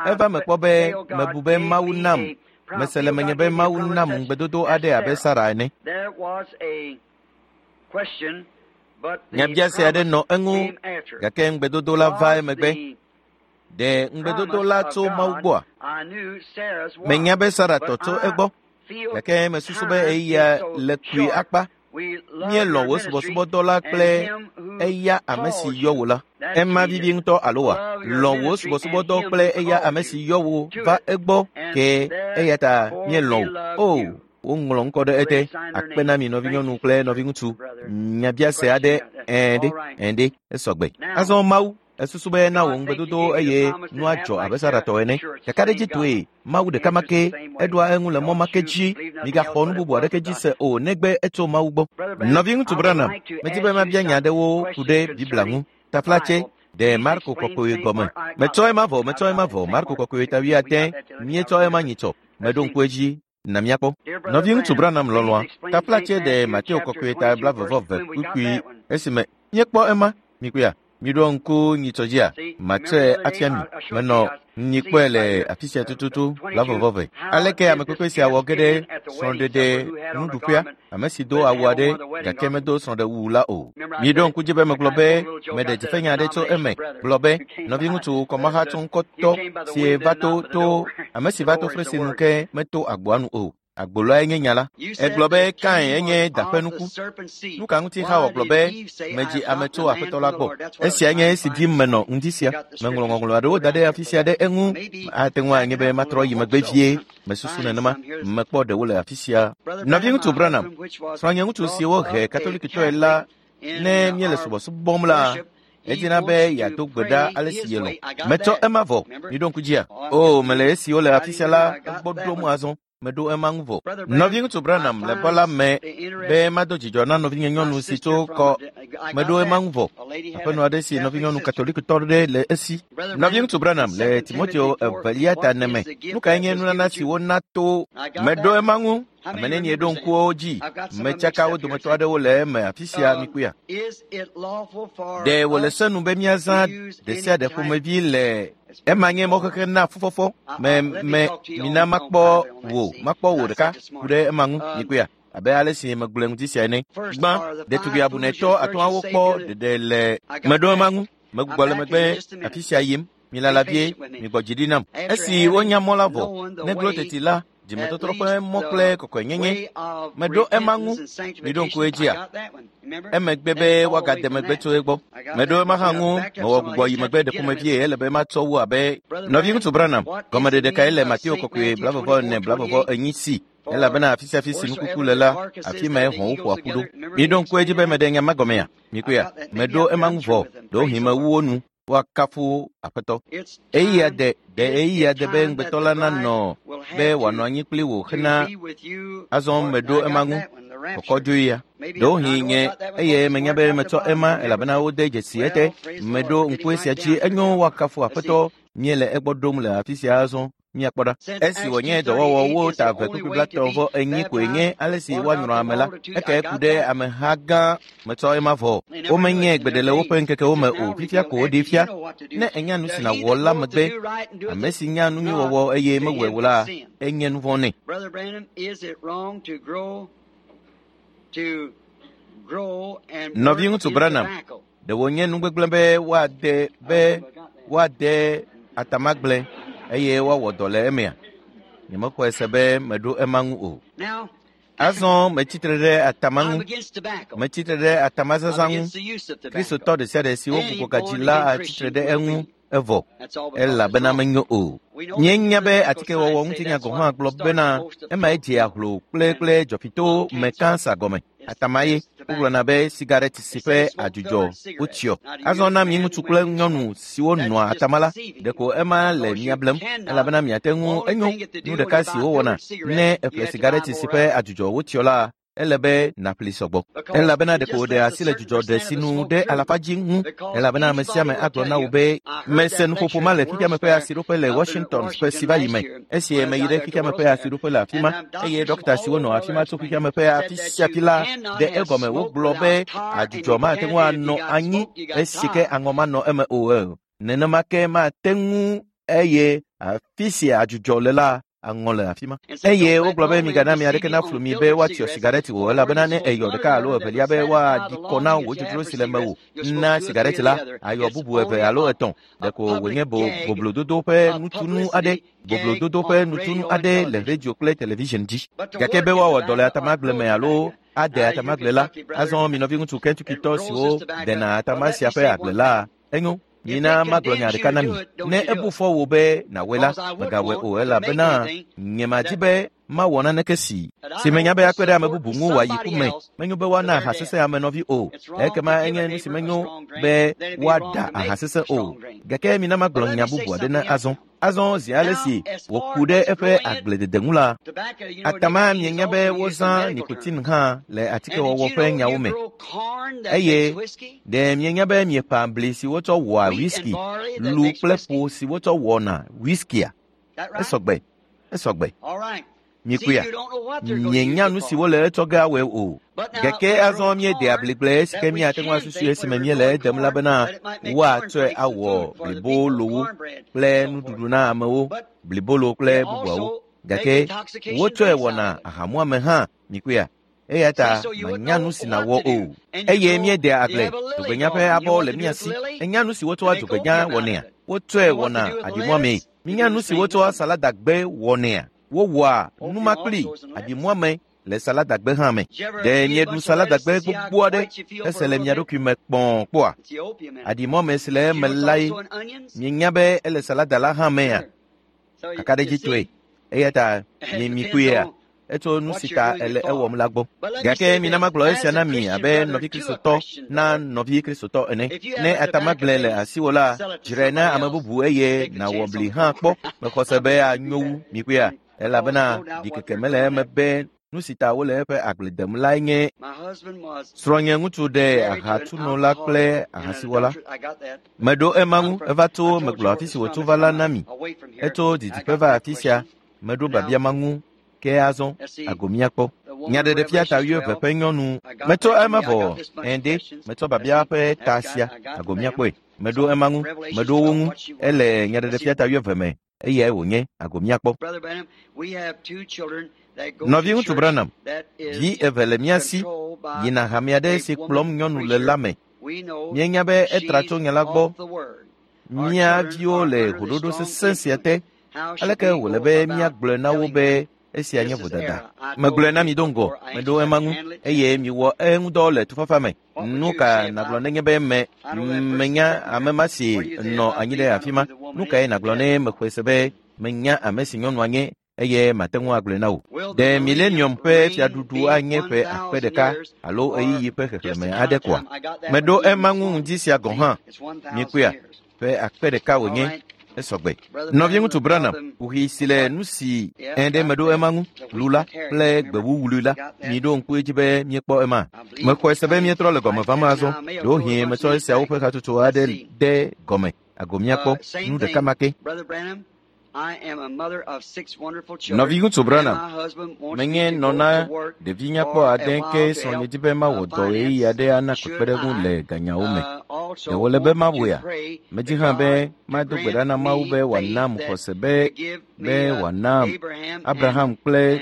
eva me kpɔ be mebu be Mawu nam. Mese le menye be Mawu nam ŋugbedodo aɖe abe Sara ene. Nyabiase aɖe nɔ eŋu gake ŋugbedodo la va emegbe. Ɖe ŋugbedodo la tso Mawu gbɔa? Menya be Sara tɔ tso egbɔ gake mesusu be eya le kpui akpa. Míelɔ̃ wò subɔsubɔdɔ la kple eya ame si yɔ wò la. Ema vivi ŋutɔ alo wa? Lɔ̃ wò subɔsubɔdɔ kple eya ame si yɔ wò va egbɔ ke eya ta míelɔ̃ wò. O, woŋlɔ ŋkɔ ɖe ete. Akpe na mi nɔvinyɔnu kple nɔviŋutsu. Nyabiase aɖe ɛ̃ ɖe ɛ̃ ɖe esɔgbe. Azɔ Mawu esusu be na wò ŋugbedodo eye nua dzɔ abe Sara tɔ ene. Kakaɖedzitɔe Mawu ɖeka ma ke eɖoa eŋu le mɔ ma ke dzi. Migaxɔ nu bubu aɖeke dzi se o negbe etso Mawu gbɔ. Nɔviŋutsu Branham, medi be mabia nya aɖewo ku ɖe Biblia ŋu. Taflatse, ɖe Marko kɔkɔe gɔme. Metsɔ ema vɔ, metsɔ ema vɔ. Marko kɔkɔe ta 8, míetsɔ ema nyitsɔ. Meɖo ŋku edzi na míakpɔ. Nɔviŋutsu Branham lɔlɔ̃a, taflatse ɖe Mateo kɔkɔe ta 22 kpukpui esime míekpɔ ema. Mikpɔea? Miɖo ŋku nyitsɔ dzia? Matsɔe afia mi. Menɔ nyikpɔe le afi sia tututu 22. Aleke ame kpekpe sia wɔ ge ɖe srɔ̃ɖeɖe nuɖuƒea? Ame si do awu aɖe gake medo srɔ̃ɖewu la o. Miɖo ŋku dzi be megblɔ be meɖe dzifenya aɖe tso eme. Gblɔ be nɔviŋutsu kɔmahatsɔŋkɔtɔ si va to to ame si va to fresi nu ke meto agboa nu o. Agboloae nye nya la. Egblɔ be Kain enye da ƒe nuku. Nu ka ŋuti Xawa gblɔ be medzi ame tso Aƒetɔ la gbɔ? Esia nye esi dim menɔ ŋdi sia. Meŋlɔ ŋɔŋlɔ aɖewo da ɖe afi sia ɖe eŋu. Ate ŋu anye be matrɔ yi megbe vie. Mesusu nenema. Mekpɔ ɖewo le afi sia. Nɔviŋutsu Branham, srɔ̃nye ŋutsu si wohe Katolikitɔe la, ne míele subɔsubɔm la, edina be yeado gbe ɖa ale si yelɔ̃. Metsɔ ema vɔ. Miɖo ŋku dzia? O, mele esiwo le afi sia la egbɔ ɖom azɔ. Meɖo ema ŋu vɔ. Nɔviŋutsu Branham le bɔ la me be mado dzidzɔ na nɔvinye nyɔnu si tso kɔ. Meɖo ema ŋu vɔ. Aƒenɔ aɖe si nɔvinyɔnu katolikitɔ ɖe le esi. Nɔviŋutsu Branham le Timoteo evelia ta ene me. Nu kae nye nunana si wona to? Meɖo ema ŋu. Ame nenie ɖo ŋkuwo dzi? Metsaka wo dometɔ aɖewo le eme afi sia mikpɔea? Ɖe wòle se nu be míazã ɖe sia ɖe ƒomevi le ema nye mɔxexe na fufɔfɔ me me mina makpɔ wò makpɔ wò ɖeka ku ɖe ema ŋu mikpɔea? Abe ale si megblɔe ŋuti sia ene. Gbã, ɖetugbi abunɛtɔ atɔ̃awo kpɔ ɖeɖe le meɖo ema ŋu. Megbugbɔ le megbe afi sia yim. Milala vie, migbɔ dzi ɖi nam. Esi wonya mɔ la vɔ, neglo teti la, dzimetɔtrɔ ƒe mɔ kple kɔkɔenyenye. Meɖo ema ŋu. Miɖo ŋku edzia? Emegbe be woagade megbe tso egbɔ. Meɖo ema hã ŋu. Mewɔ gbugbɔ yi megbe ɖe ƒomevie ele be matsɔ wu abe nɔviŋutsu Branham. Gɔmeɖeɖe kae le Mateo kɔkɔe 24 44 si? Elabena afi sia afi si nukuku le la, afi mae hɔ̃wo ƒoa ƒu ɖo. Miɖo ŋku edzi be meɖe nya ma gɔmea? Mikpɔea? Meɖo ema ŋu vɔ, ɖewohĩ mewu wo nu. Woakafu Aƒetɔ. Ɣeyiɣia de, ɖe ɣeyiɣia de be ŋugbetɔ la nanɔ be wòanɔ anyi kpli wò hena azɔ meɖo ema ŋu. Kɔkɔdzoyia. Ɖewohĩ nye eye menya be metsɔ ema elabena wode dzesi ete. Meɖo ŋku esia dzi enyo woakafu Aƒetɔ. Míele egbɔ ɖom le afi sia azɔ. Míakpɔ ɖa. Esi wònye dɔwɔwɔ wo ta eve kpukpui blatɔ̃ vɔ enyi koe nye ale si woanyrɔ ame la, ekae ku ɖe ameha gã metsɔ ema vɔ. Womenye gbeɖe le woƒe ŋkekewo me o, fifia ko woɖee fia. Ne ènya nu si nàwɔ la megbe, ame si nya nu nyui wɔwɔ eye mewɔe o la, enye nu vɔ̃ nɛ. Nɔviŋutsu Branham, ɖe wònye nu gbegblẽ be woade be woade atamagble eye woawɔ dɔ le emea? Nyemexɔe se be meɖo ema ŋu o. Azɔ metsitre ɖe atama ŋu. Metsitre ɖe atamazazã ŋu. Kristotɔ ɖe sia ɖe si wogbugbɔ gadzi la atsitre ɖe eŋu evɔ elabena menyo o. Míenya be atikewɔwɔ ŋutinya gɔ̃ hã gblɔ bena emae dzea hlo kple kple dzɔfitowo me kansa gɔme. Atama ye wogblɔna be sigaret si ƒe adzudzɔ wotsyɔ. Azɔ na mi ŋutsu kple nyɔnu siwo nɔa atama la, ɖeko ema le mia blem elabena miate ŋu enyo nu ɖeka si wowɔna ne èƒle sigaret si ƒe adzudzɔ wotsyɔ la ele be nàƒli sɔgbɔ. Elabena ɖeko wòɖe asi le dzudzɔ ɖe sinu ɖe alafa dzi ŋu elabena ame sia ame agblɔ na wò be mese nuƒoƒo ma le xexeame ƒe asiɖoƒe le Washington ƒe si va yi me. Esi meyi ɖe xexeame ƒe asiɖoƒe le afi ma eye ɖɔkta siwo nɔ afi ma tso xexeame ƒe afi sia afi la ɖe egɔme wogblɔ be adzudzɔ mate ŋu anɔ anyi esi ke aŋɔ manɔ eme o. Nenema ke mate ŋu eye afi si adzudzɔ le la aŋɔ le afi ma. Eye wogblɔ be migana ame aɖeke naflu mi be woatsyɔ sigareti o elabena ne èyɔ ɖeka alo evelia be woaɖi kɔ na wò dzodzro si le mewò na sigareti la, ayɔ bubu eve alo etɔ̃. Ɖeko wònye bo boblododo ƒe nutunu aɖe, boblododo ƒe nutunu aɖe le radio kple television dzi. Gake be woawɔ dɔ le atamagble me alo ade atamagble la, azɔ mi nɔviŋutsu Kentuckitɔ siwo dena atama sia ƒe agble la, enyo. Mina magblɔ nya ɖeka na mi. Ne ebu fɔ wò be nàwɔe la, mègawɔe o elabena nyemadi be mawɔ naneke si si menya be akpe ɖe ame bubu ŋu wòayi ku me. Menyo be woana aha sesẽ ame nɔvi o. Ekema enye nu si menyo be woaɖa aha sesẽ o. Gake mina magblɔ nya bubu aɖe na azɔ. Azɔ zi ale si wòku ɖe eƒe agbledede ŋu la, atama mienya be wozã nikotin hã le atikewɔwɔ ƒe nyawo me. Eye ɖe mienya be mieƒã bli si wotsɔ wɔa whisky, lu kple ƒo si wotsɔ wɔna whiskia? Esɔgbe, esɔgbe. Mikpɔea? Mienya nu si wole etsɔ ge awɔe o. Gake azɔ míede abligble esi ke míate ŋu asusui esime míele edem la bena woatsɔe awɔ blibolowo kple nuɖuɖu na amewo, blibolo kple bubuawo. Gake wotsɔe wɔna ahamuame hã, mikpɔea? Eya ta mànya nu si nàwɔ o. Eye míedea agble, dzogbenya ƒe abɔ le mía si. Ènya nu si wotsɔa dzogbenya wɔnɛa? Wotsɔe wɔna aɖimuamee. Minya nu si wotsɔa saladagbe wɔnɛa? Wowɔa numa kpli aɖimuame le saladagbe hã me. Ɖe mieɖu saladagbe gbogbo aɖe hese le mia ɖokui me kpɔ̃ kpɔa? Aɖimuame si le eme lae. Mienya be ele salada la hã mea? Kakaɖedzitɔe. Eya ta mi mikpɔea? Etso nu si ta ele ewɔm la gbɔ. Gake mina magblɔ esia na mi abe nɔvi Kristotɔ na nɔvi Kristotɔ ene. Ne atamagble le asiwò la, dzrae na ame bubu eye nàwɔ bli hã kpɔ. Mexɔ se be anyo wu mikpɔea? Elabena ɖikeke mele eme be nu si ta wole eƒe agble dem lae nye srɔ̃nye ŋutsu ɖe ahatsunola kple ahasiwɔla. Meɖo ema ŋu eva tso megblɔ afi si wòtso va la na mi. Etso didiƒe va afi sia. Meɖo biabia ma ŋu ke azɔ ago míakpɔ. Nyaɖeɖefia ta wuieve ƒe nyɔnu. Metsɔ ema vɔ ende metsɔ biabia ƒe ta sia ago míakpɔe. Meɖo ema ŋu, meɖo wo ŋu. Ele nyaɖeɖefia ta wuieve me eyae wònye ago míakpɔ. Nɔviŋutsu Branham, vi eve le mía si yina hame aɖe si kplɔm nyɔnu le la me. Míenya be etra tso nya la gbɔ. Mía viwo le ʋuɖoɖo sesẽ sia te. Aleke wòle be míagblɔe na wo be esia nye vodada? Megblɔe na mi do ŋgɔ, meɖo ema ŋu eye miwɔ eŋudɔ le tufafa me. Nu ka nàgblɔ nenye be me menya ame ma si nɔ anyi ɖe afi ma? Nu kae nàgblɔ ne mexɔe se be menya ame si nyɔnua nye? eye mate ŋu agblɔe na wò. Ɖe milenium ƒe fiaɖuɖu anye ƒe 1000 alo ɣeyiɣi ƒe xexlẽme aɖe koa? Meɖo ema ŋu ŋdi sia gɔ̃ hã. Mikpɔea, ƒe 1000 wònye. Esɔgbe. Nɔviŋutsu Branham, kuxi si le nu si ɖe meɖo ema ŋu, lu la kple gbewuwului la, miɖo ŋku edzi be míekpɔ ema. Mexɔe se be míetrɔ le gɔme vam azɔ. Ɖewohĩ metsɔ esiawo ƒe hatsotso aɖe de gɔme ago míakpɔ nu ɖeka ma ke. Nɔviŋutsu Branham, menye nɔ na ɖevi nyakpɔ ade ke srɔ̃nye dzi be mawɔ dɔ ɣeyiɣi aɖe ana kpekpeɖeŋu le ganyawo me. Ɖe wòle be mawɔea? Medzi hã be mado gbe ɖa na Mawu be wòanam xɔse be wòanam Abraham kple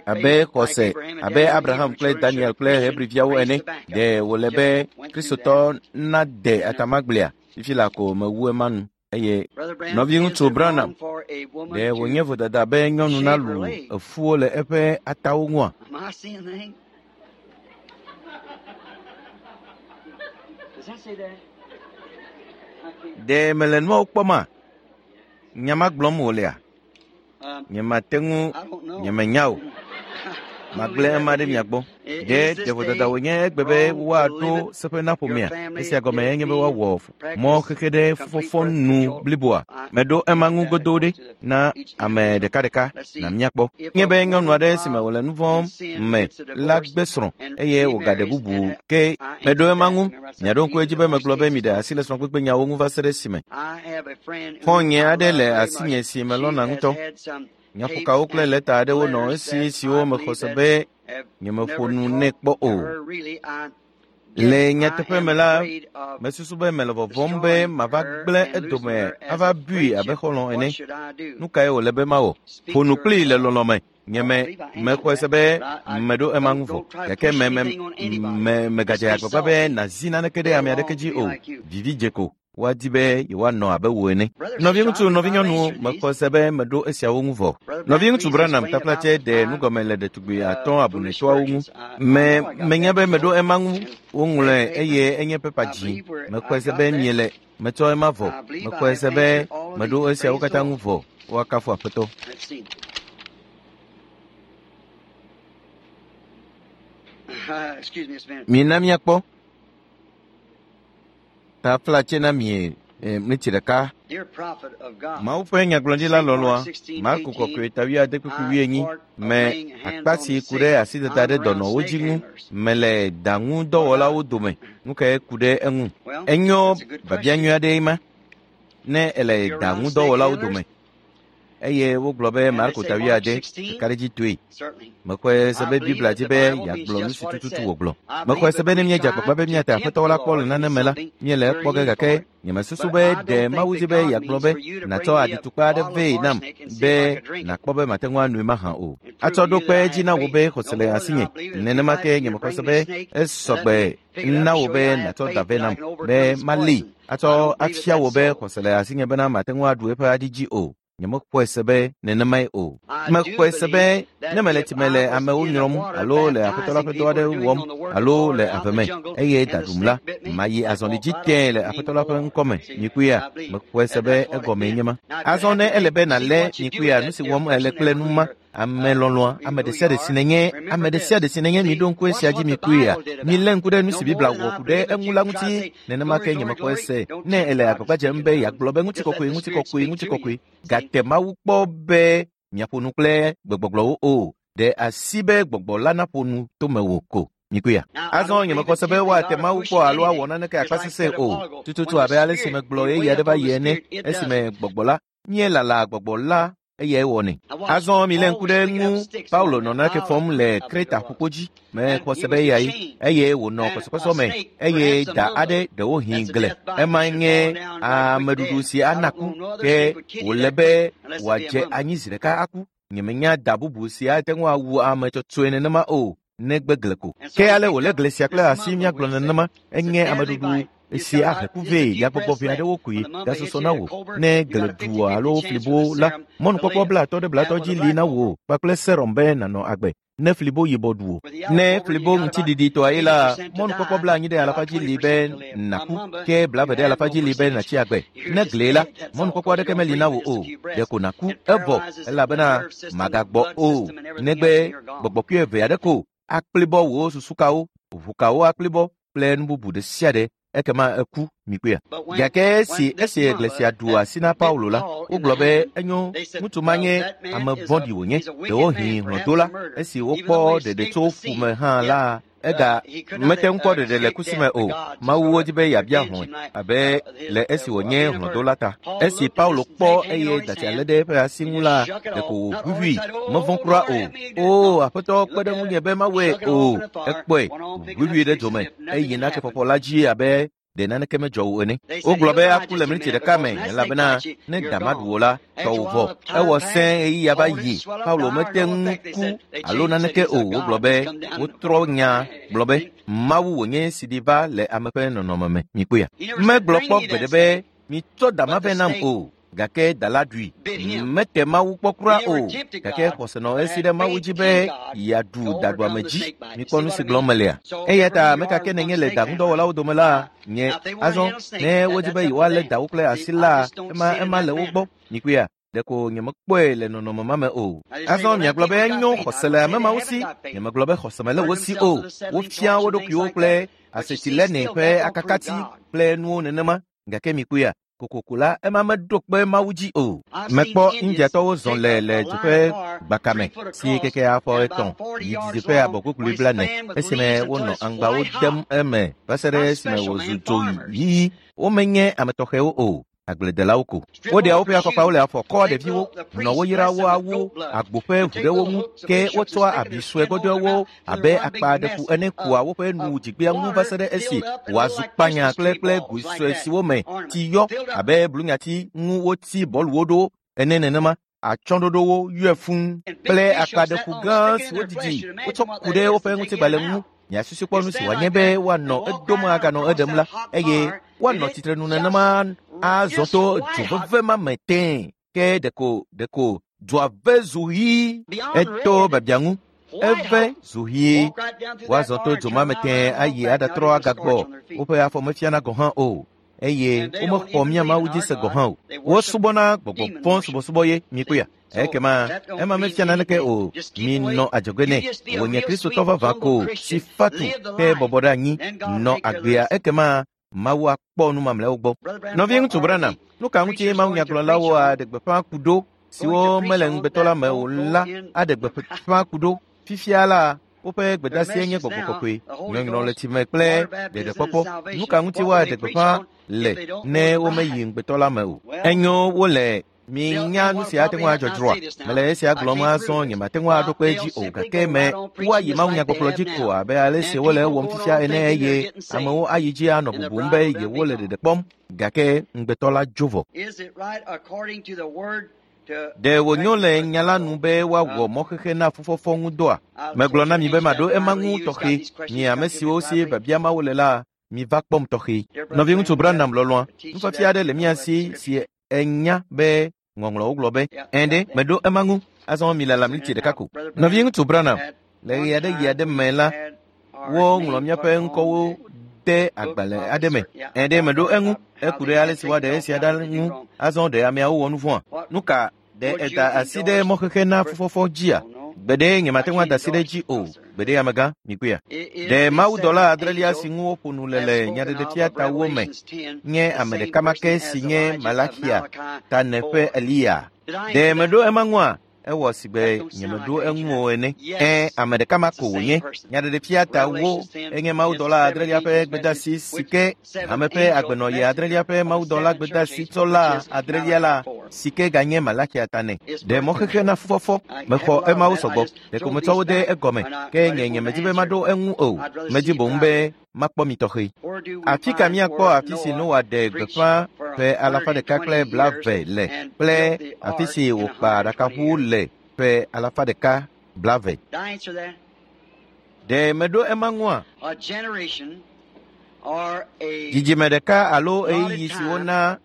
abe xɔse abe Abraham kple Daniel kple Hebriviawo ene. Ɖe wòle be Kristotɔ nade atamagblea? Fifi la ko mewu ema nu. Eye nɔviŋutsu Branham, ɖe wònye vodada be nyɔnu nalu efuwo le eƒe atawo ŋua? Ɖe mele nuawo kpɔma? Nya ma gblɔm wòlea? Nyemate ŋu, nyemenya o. Magblẽ ema ɖe mia gbɔ. Ɖe vodada wònye egbe be woaɖo seƒe na ƒomea? Esia gɔme enye be woawɔ mɔ xexe ɖe fufɔfɔ nu bliboa. Meɖo ema ŋu godoo ɖe na ame ɖekaɖeka na míakpɔ. Nye be nyɔnu aɖe si me wòle nu vɔ̃ me la gbe srɔ̃ eye wògaɖe bubu ke meɖo ema ŋu. Miaɖo ŋku edzi be megblɔ be miɖe asi le srɔ̃kpekpe nyawo ŋu va se ɖe esime. Xɔ̃nye aɖe le asinye si melɔ̃na ŋutɔ. Nyaƒokawo kple lɛta aɖewo nɔ esi siwo mexɔ se be nyemeƒo nu nɛ kpɔ o. Le nyateƒe me la, mesusu be mele vɔvɔ̃m be mava gblẽ edome ava bui abe xɔlɔ̃ ene. Nu kae wòle be mawɔ? Ƒo nu kplii le lɔlɔ̃ me. Nye mexɔe se be meɖo ema ŋu vɔ. Gake megadze agbagba be nàzi naneke ɖe ame aɖeke dzi o. Vivi dze ko. Woadi be yewoanɔ abe wò ene. Nɔviŋutsu, nɔvinyɔnuwo, mexɔe se be meɖo esiawo ŋu vɔ. Nɔviŋutsu Branham taflatse ɖe nugɔme le ɖetugbui 5 abunetɔawo ŋu. Menya be meɖo ema ŋu woŋlɔe eye enye pepa dzi. Mexɔe se be miele metsɔ ema vɔ. Mexɔe se be meɖo esiawo katã ŋu vɔ. Woakafu Aƒetɔ. Mina míakpɔ. Taflatse na mi mlitsi ɖeka. Mawu ƒe nyagblɔɖila lɔlɔ̃a, Marko kɔkɔe ta 8:40 me akpa si ku ɖe asidada ɖe dɔnɔwo dzi ŋu mele daŋudɔwɔlawo dome. Nu kae ku ɖe eŋu? Enyo biabia nyui aɖee ma ne ele daŋudɔwɔlawo dome. Eye wogblɔ be Marko ta 8 kakaɖedzitɔe. Mexɔe se be Biblia dzi be yeagblɔ nu si tututu wògblɔ. Mexɔe se be ne míedze agbagba be míate Aƒetɔ la kpɔ le nane me la, míele ekpɔ ge gake nyemesusu be ɖe Mawu dzi be yeagblɔ be nàtsɔ aɖitukpa aɖe vɛ nam be nàkpɔ be mate ŋu anoe mahã o. Atsɔ ɖo kpe edzi na wò be xɔse le asinye. Nenema ke nyemexɔe se be esɔgbe na wò be nàtsɔ da vɛ nam be malée atsɔ afia wò be xɔse le asinye bena mate ŋu aɖu eƒe aɖi dzi o. Nyemexɔe se be nenemae o. Mexɔe se be ne mele tsime le amewo nyrɔm alo le Aƒetɔ la ƒe dɔ aɖe wɔm alo le ave me eye da ɖum la, mayi azɔli dzi tẽe le Aƒetɔ la ƒe ŋkɔme. Mikuia, mexɔe se be egɔmee nye ma. Azɔ ne ele be nàlé mikuia, nu si wɔm ele kple nu ma, ame lɔlɔ̃a, ame ɖe sia ɖe si nènye, ame ɖe sia ɖe si nènye, miɖo ŋku esia dzi mikuia. Milé ŋku ɖe nu si Biblia wɔ ku ɖe eŋu la ŋuti. Nenema ke nyemexɔe se ne ele agbagba dzem be yeagblɔ be ŋutikɔkɔe, ŋutikɔkɔe, ŋutikɔkɔe. Gate Mawu kpɔ be miaƒo nu kple gbegbɔgblɔwo o. Ɖe asi be gbɔgbɔ la naƒo nu to mewò ko. Mikuia. Azɔ nyemexɔ se be woate Mawu kpɔ alo awɔ naneke akpa sesẽ o. Tututu abe ale si megblɔ ɣeyiɣi aɖe va yi ene, esime gbɔgbɔ la míelala gbɔgbɔ la eyae wɔnɛ. Azɔ milé ŋku ɖe ŋu. Paulo nɔ nake fɔm le Kreta ƒukpo dzi. Mexɔ se be eyae eye wònɔ kɔsɔkɔsɔ me eye da aɖe ɖewohĩ gle. Emae nye ameɖuɖu si ana ku ke wòle be wòadze anyi zi ɖeka aku. Nyemenya da bubu si ate ŋu awu ame tsɔtsɔe nenema o negbe gle ko. Ke ale wòlé gle sia kple asi míagblɔ nenema enye ameɖuɖu si ahe ku vɛ yagbɔgbɔ ʋɛ aɖewo koe gasusɔ na wò. Ne gle ɖu alo flibo la, mɔnukpɔkpɔ 30 ɖe 30 dzi li na wò kpakple serum be nànɔ agbe. Ne flibo yibɔ ɖu o. Ne flibo ŋutiɖiɖitɔa ye la, mɔnukpɔkpɔ 80% dzi li be nàku, ke 40% dzi li be nàtsi agbe. Ne glie la, mɔnukpɔkpɔ aɖeke meli na wò o. Ɖeko nàku evɔ elabena màgagbɔ o. Negbe gbɔgbɔkui eve aɖe ko akplibɔ wò susukawo, ʋukawo akplibɔ kple nu bubu ɖe sia ɖe ekema eku mikpɔea. Gake esi esi gli sia ɖu asi na Paulo la, wogblɔ be enyo ŋutsu ma nye ame vɔ̃ɖi wònye, ɖewohĩ hlɔ̃dola. Esi wokpɔ ɖeɖe tso ƒu me hã la, ega mete ŋu kpɔ ɖeɖe le kusi me o. Mawu wodi be yeabia hlɔ̃e abe le esi wònye hlɔ̃dola ta. Esi Paulo kpɔ eye datsia lé ɖe eƒe asi ŋu la, ɖeko wòʋuʋui, mevɔ̃ kura o. O Aƒetɔ kpe ɖe ŋunye be mawɔe o. Ekpɔe, wòʋuʋui ɖe dome eye nakefɔfɔ la dzi abe ɖe naneke medzɔ o ene. Wogblɔ be aku le miniti ɖeka me elabena ne da maɖu wò la, tɔwò vɔ. Ewɔ sẽ ɣeyiɣia va yi. Paulo mete ŋu ku alo naneke o. Wogblɔ be wotrɔ nya gblɔ be Mawu wònye si ɖi va le ame ƒe nɔnɔme me. Mikpɔea? Megblɔ kpɔ gbeɖe be mitsɔ da ma vɛ nam o. Gake da la ɖui. Mete Mawu kpɔ kura o. Gake xɔse nɔ esi ɖe Mawu dzi be yeaɖu daɖuame dzi. Mikpɔ nu si gblɔm melea? Eya ta ame ka ke nènye le daŋudɔwɔlawo dome la, nye. Azɔ, ne wodi be yewoalé dawo kple asi la, ema ema le wo gbɔ. Mikpɔea? Ɖeko nyemekpɔe le nɔnɔme ma me o. Azɔ miagblɔ be enyo xɔse le ame mawo si. Nyemegblɔ be xɔse mele wo si o. Wofia wo ɖokuiwo kple asetilene ƒe akakati kple nuwo nenema. Gake mikpɔea? Kokoko la, ema meɖo kpe Mawu dzi o. Mekpɔ Indiatɔwo zɔ le le du ƒe gbakame si keke afɔ 3 yi didiƒe abɔkuklui 40 esime wonɔ aŋgbawo dem eme va se ɖe esime wòzu dzo ɣi. Womenye ame tɔxɛwo o, agbledelawo ko. Woɖea woƒe afɔkpawo le afɔ kɔa ɖeviwo, nɔ wo yra wo awu agbo ƒe ʋu ɖe wo ŋu, ke wotsɔa abi sue gbɔdzɔewo abe akpa ɖefu ene kua woƒe nu dzigbea ŋu va se ɖe esi wòazu kpanya kple kple goe sue siwo me tsi yɔ abe blunyati ŋu wotsi bɔluwo ɖo ene nenema. Atsyɔ̃ɖoɖowo yɔe fũu kple akpaɖeƒu gã siwo didi wotsɔ ku ɖe woƒe ŋutigbalẽ ŋu. Miasusu kpɔ nu si wòanye be woanɔ edom aganɔ eɖem la, eye woanɔ tsitrenu nenema azɔ to dzo veve ma me tẽe. Ke ɖeko ɖeko dzoa ve zu ɣi. Eto biabia ŋu. Eve zu ɣi. Woazɔ to dzo ma me tẽe ayi aɖatrɔ agagbɔ. Woƒe afɔ mefiana gɔ̃ hã o. Eye womexɔ mía Mawu dzi se gɔ̃ hã o. Wosubɔna gbɔgbɔ vɔ̃ subɔsubɔ ye mikpɔea. Ekema ema mefia naneke o. Minɔ adzɔge nɛ. Wònye Kristotɔ vavã ko si fatu ke bɔbɔ ɖe anyi nɔ agbea ekema Mawu akpɔ nu mamlɛawo gbɔ. Nɔviŋutsu Branham, nu ka ŋuti mawunyagblɔlawo aɖe gbeƒã ku ɖo siwo mele ŋugbetɔ la me o la aɖe gbeƒã ku ɖo? Fifia la, woƒe gbedeasie nye gbɔgbɔ kɔkɔe, nyɔnyrɔ le tsime kple ɖeɖekpɔkpɔ. Nu ka ŋuti woaɖe gbeƒã le ne womeyi ŋugbetɔ la me o? Enyo wole minya nu si ate ŋu adzɔ dzroa. Mele esia gblɔm azɔ nyemate ŋu aɖo kpe edzi o gake me woayi mawunyagbɔgblɔ dzi ko abe ale si wole ewɔm fifia ene eye amewo ayi dzi anɔ bubum be yewole ɖeɖe kpɔm gake ŋugbetɔ la dzo vɔ. Ɖe wònyo le nya la nu be woawɔ mɔxexe na fufɔfɔ ŋu dɔa? Megblɔ na mi be maɖo ema ŋu tɔxɛ. Mi ame siwo si biabia mawo le la, miva kpɔm tɔxɛ. Nɔviŋutsu Branham lɔlɔ̃a, nufiafia aɖe le mía si si enya be ŋɔŋlɔwo gblɔ be ɛ̃ ɖe meɖo ema ŋu. Azɔ milala miniti ɖeka ko. Nɔviŋutsu Branham, le ɣe aɖe ɣi aɖe me la, woŋlɔ míaƒe ŋkɔwo de agbalẽ aɖe me. Ɛ̃ ɖe meɖo eŋu. Eku ɖe ale si woaɖe esia ɖa ŋu. Azɔ ɖe ameawo wɔ nu vɔ̃a? Nu ka ɖe eda asi ɖe mɔxexe na fufɔfɔ dzia? Gbeɖe nyemate ŋu ada asi ɖe edzi o. Gbeɖe amegã, mikpɔea? Ɖe mawudɔla adrelia si ŋu woƒo nu le le Nyaɖeɖefia tawo me nye ame ɖeka ma ke si nye Malaxia ta ne ƒe Eliya? Ɖe meɖo ema ŋua? Ewɔ si be nyemeɖo eŋu o ene. Ẽ, ame ɖeka ma ko wònye. Nyaɖeɖefia tawo enye mawudɔla adrelia ƒe gbedeasi si ke hame ƒe agbenɔɣi adrelia ƒe mawudɔla gbedeasi tsɔla adrelia la si ke ganye Malaxia ta nɛ. Ɖe mɔxexe na fufɔfɔ. Mexɔ emawo sɔgbɔ. Ɖeko metsɔ wo de egɔme. Ke nye nyemedi be maɖo eŋu o. Medi boŋ be makpɔ mi tɔxɛ. Afi ka míakpɔ afi si Noa ɖe gbeƒã ƒe 120 le kple afi si wòkpa aɖakaʋu le ƒe 120? Ɖe meɖo ema ŋua? Dzidzime ɖeka alo ɣeyiɣi si wona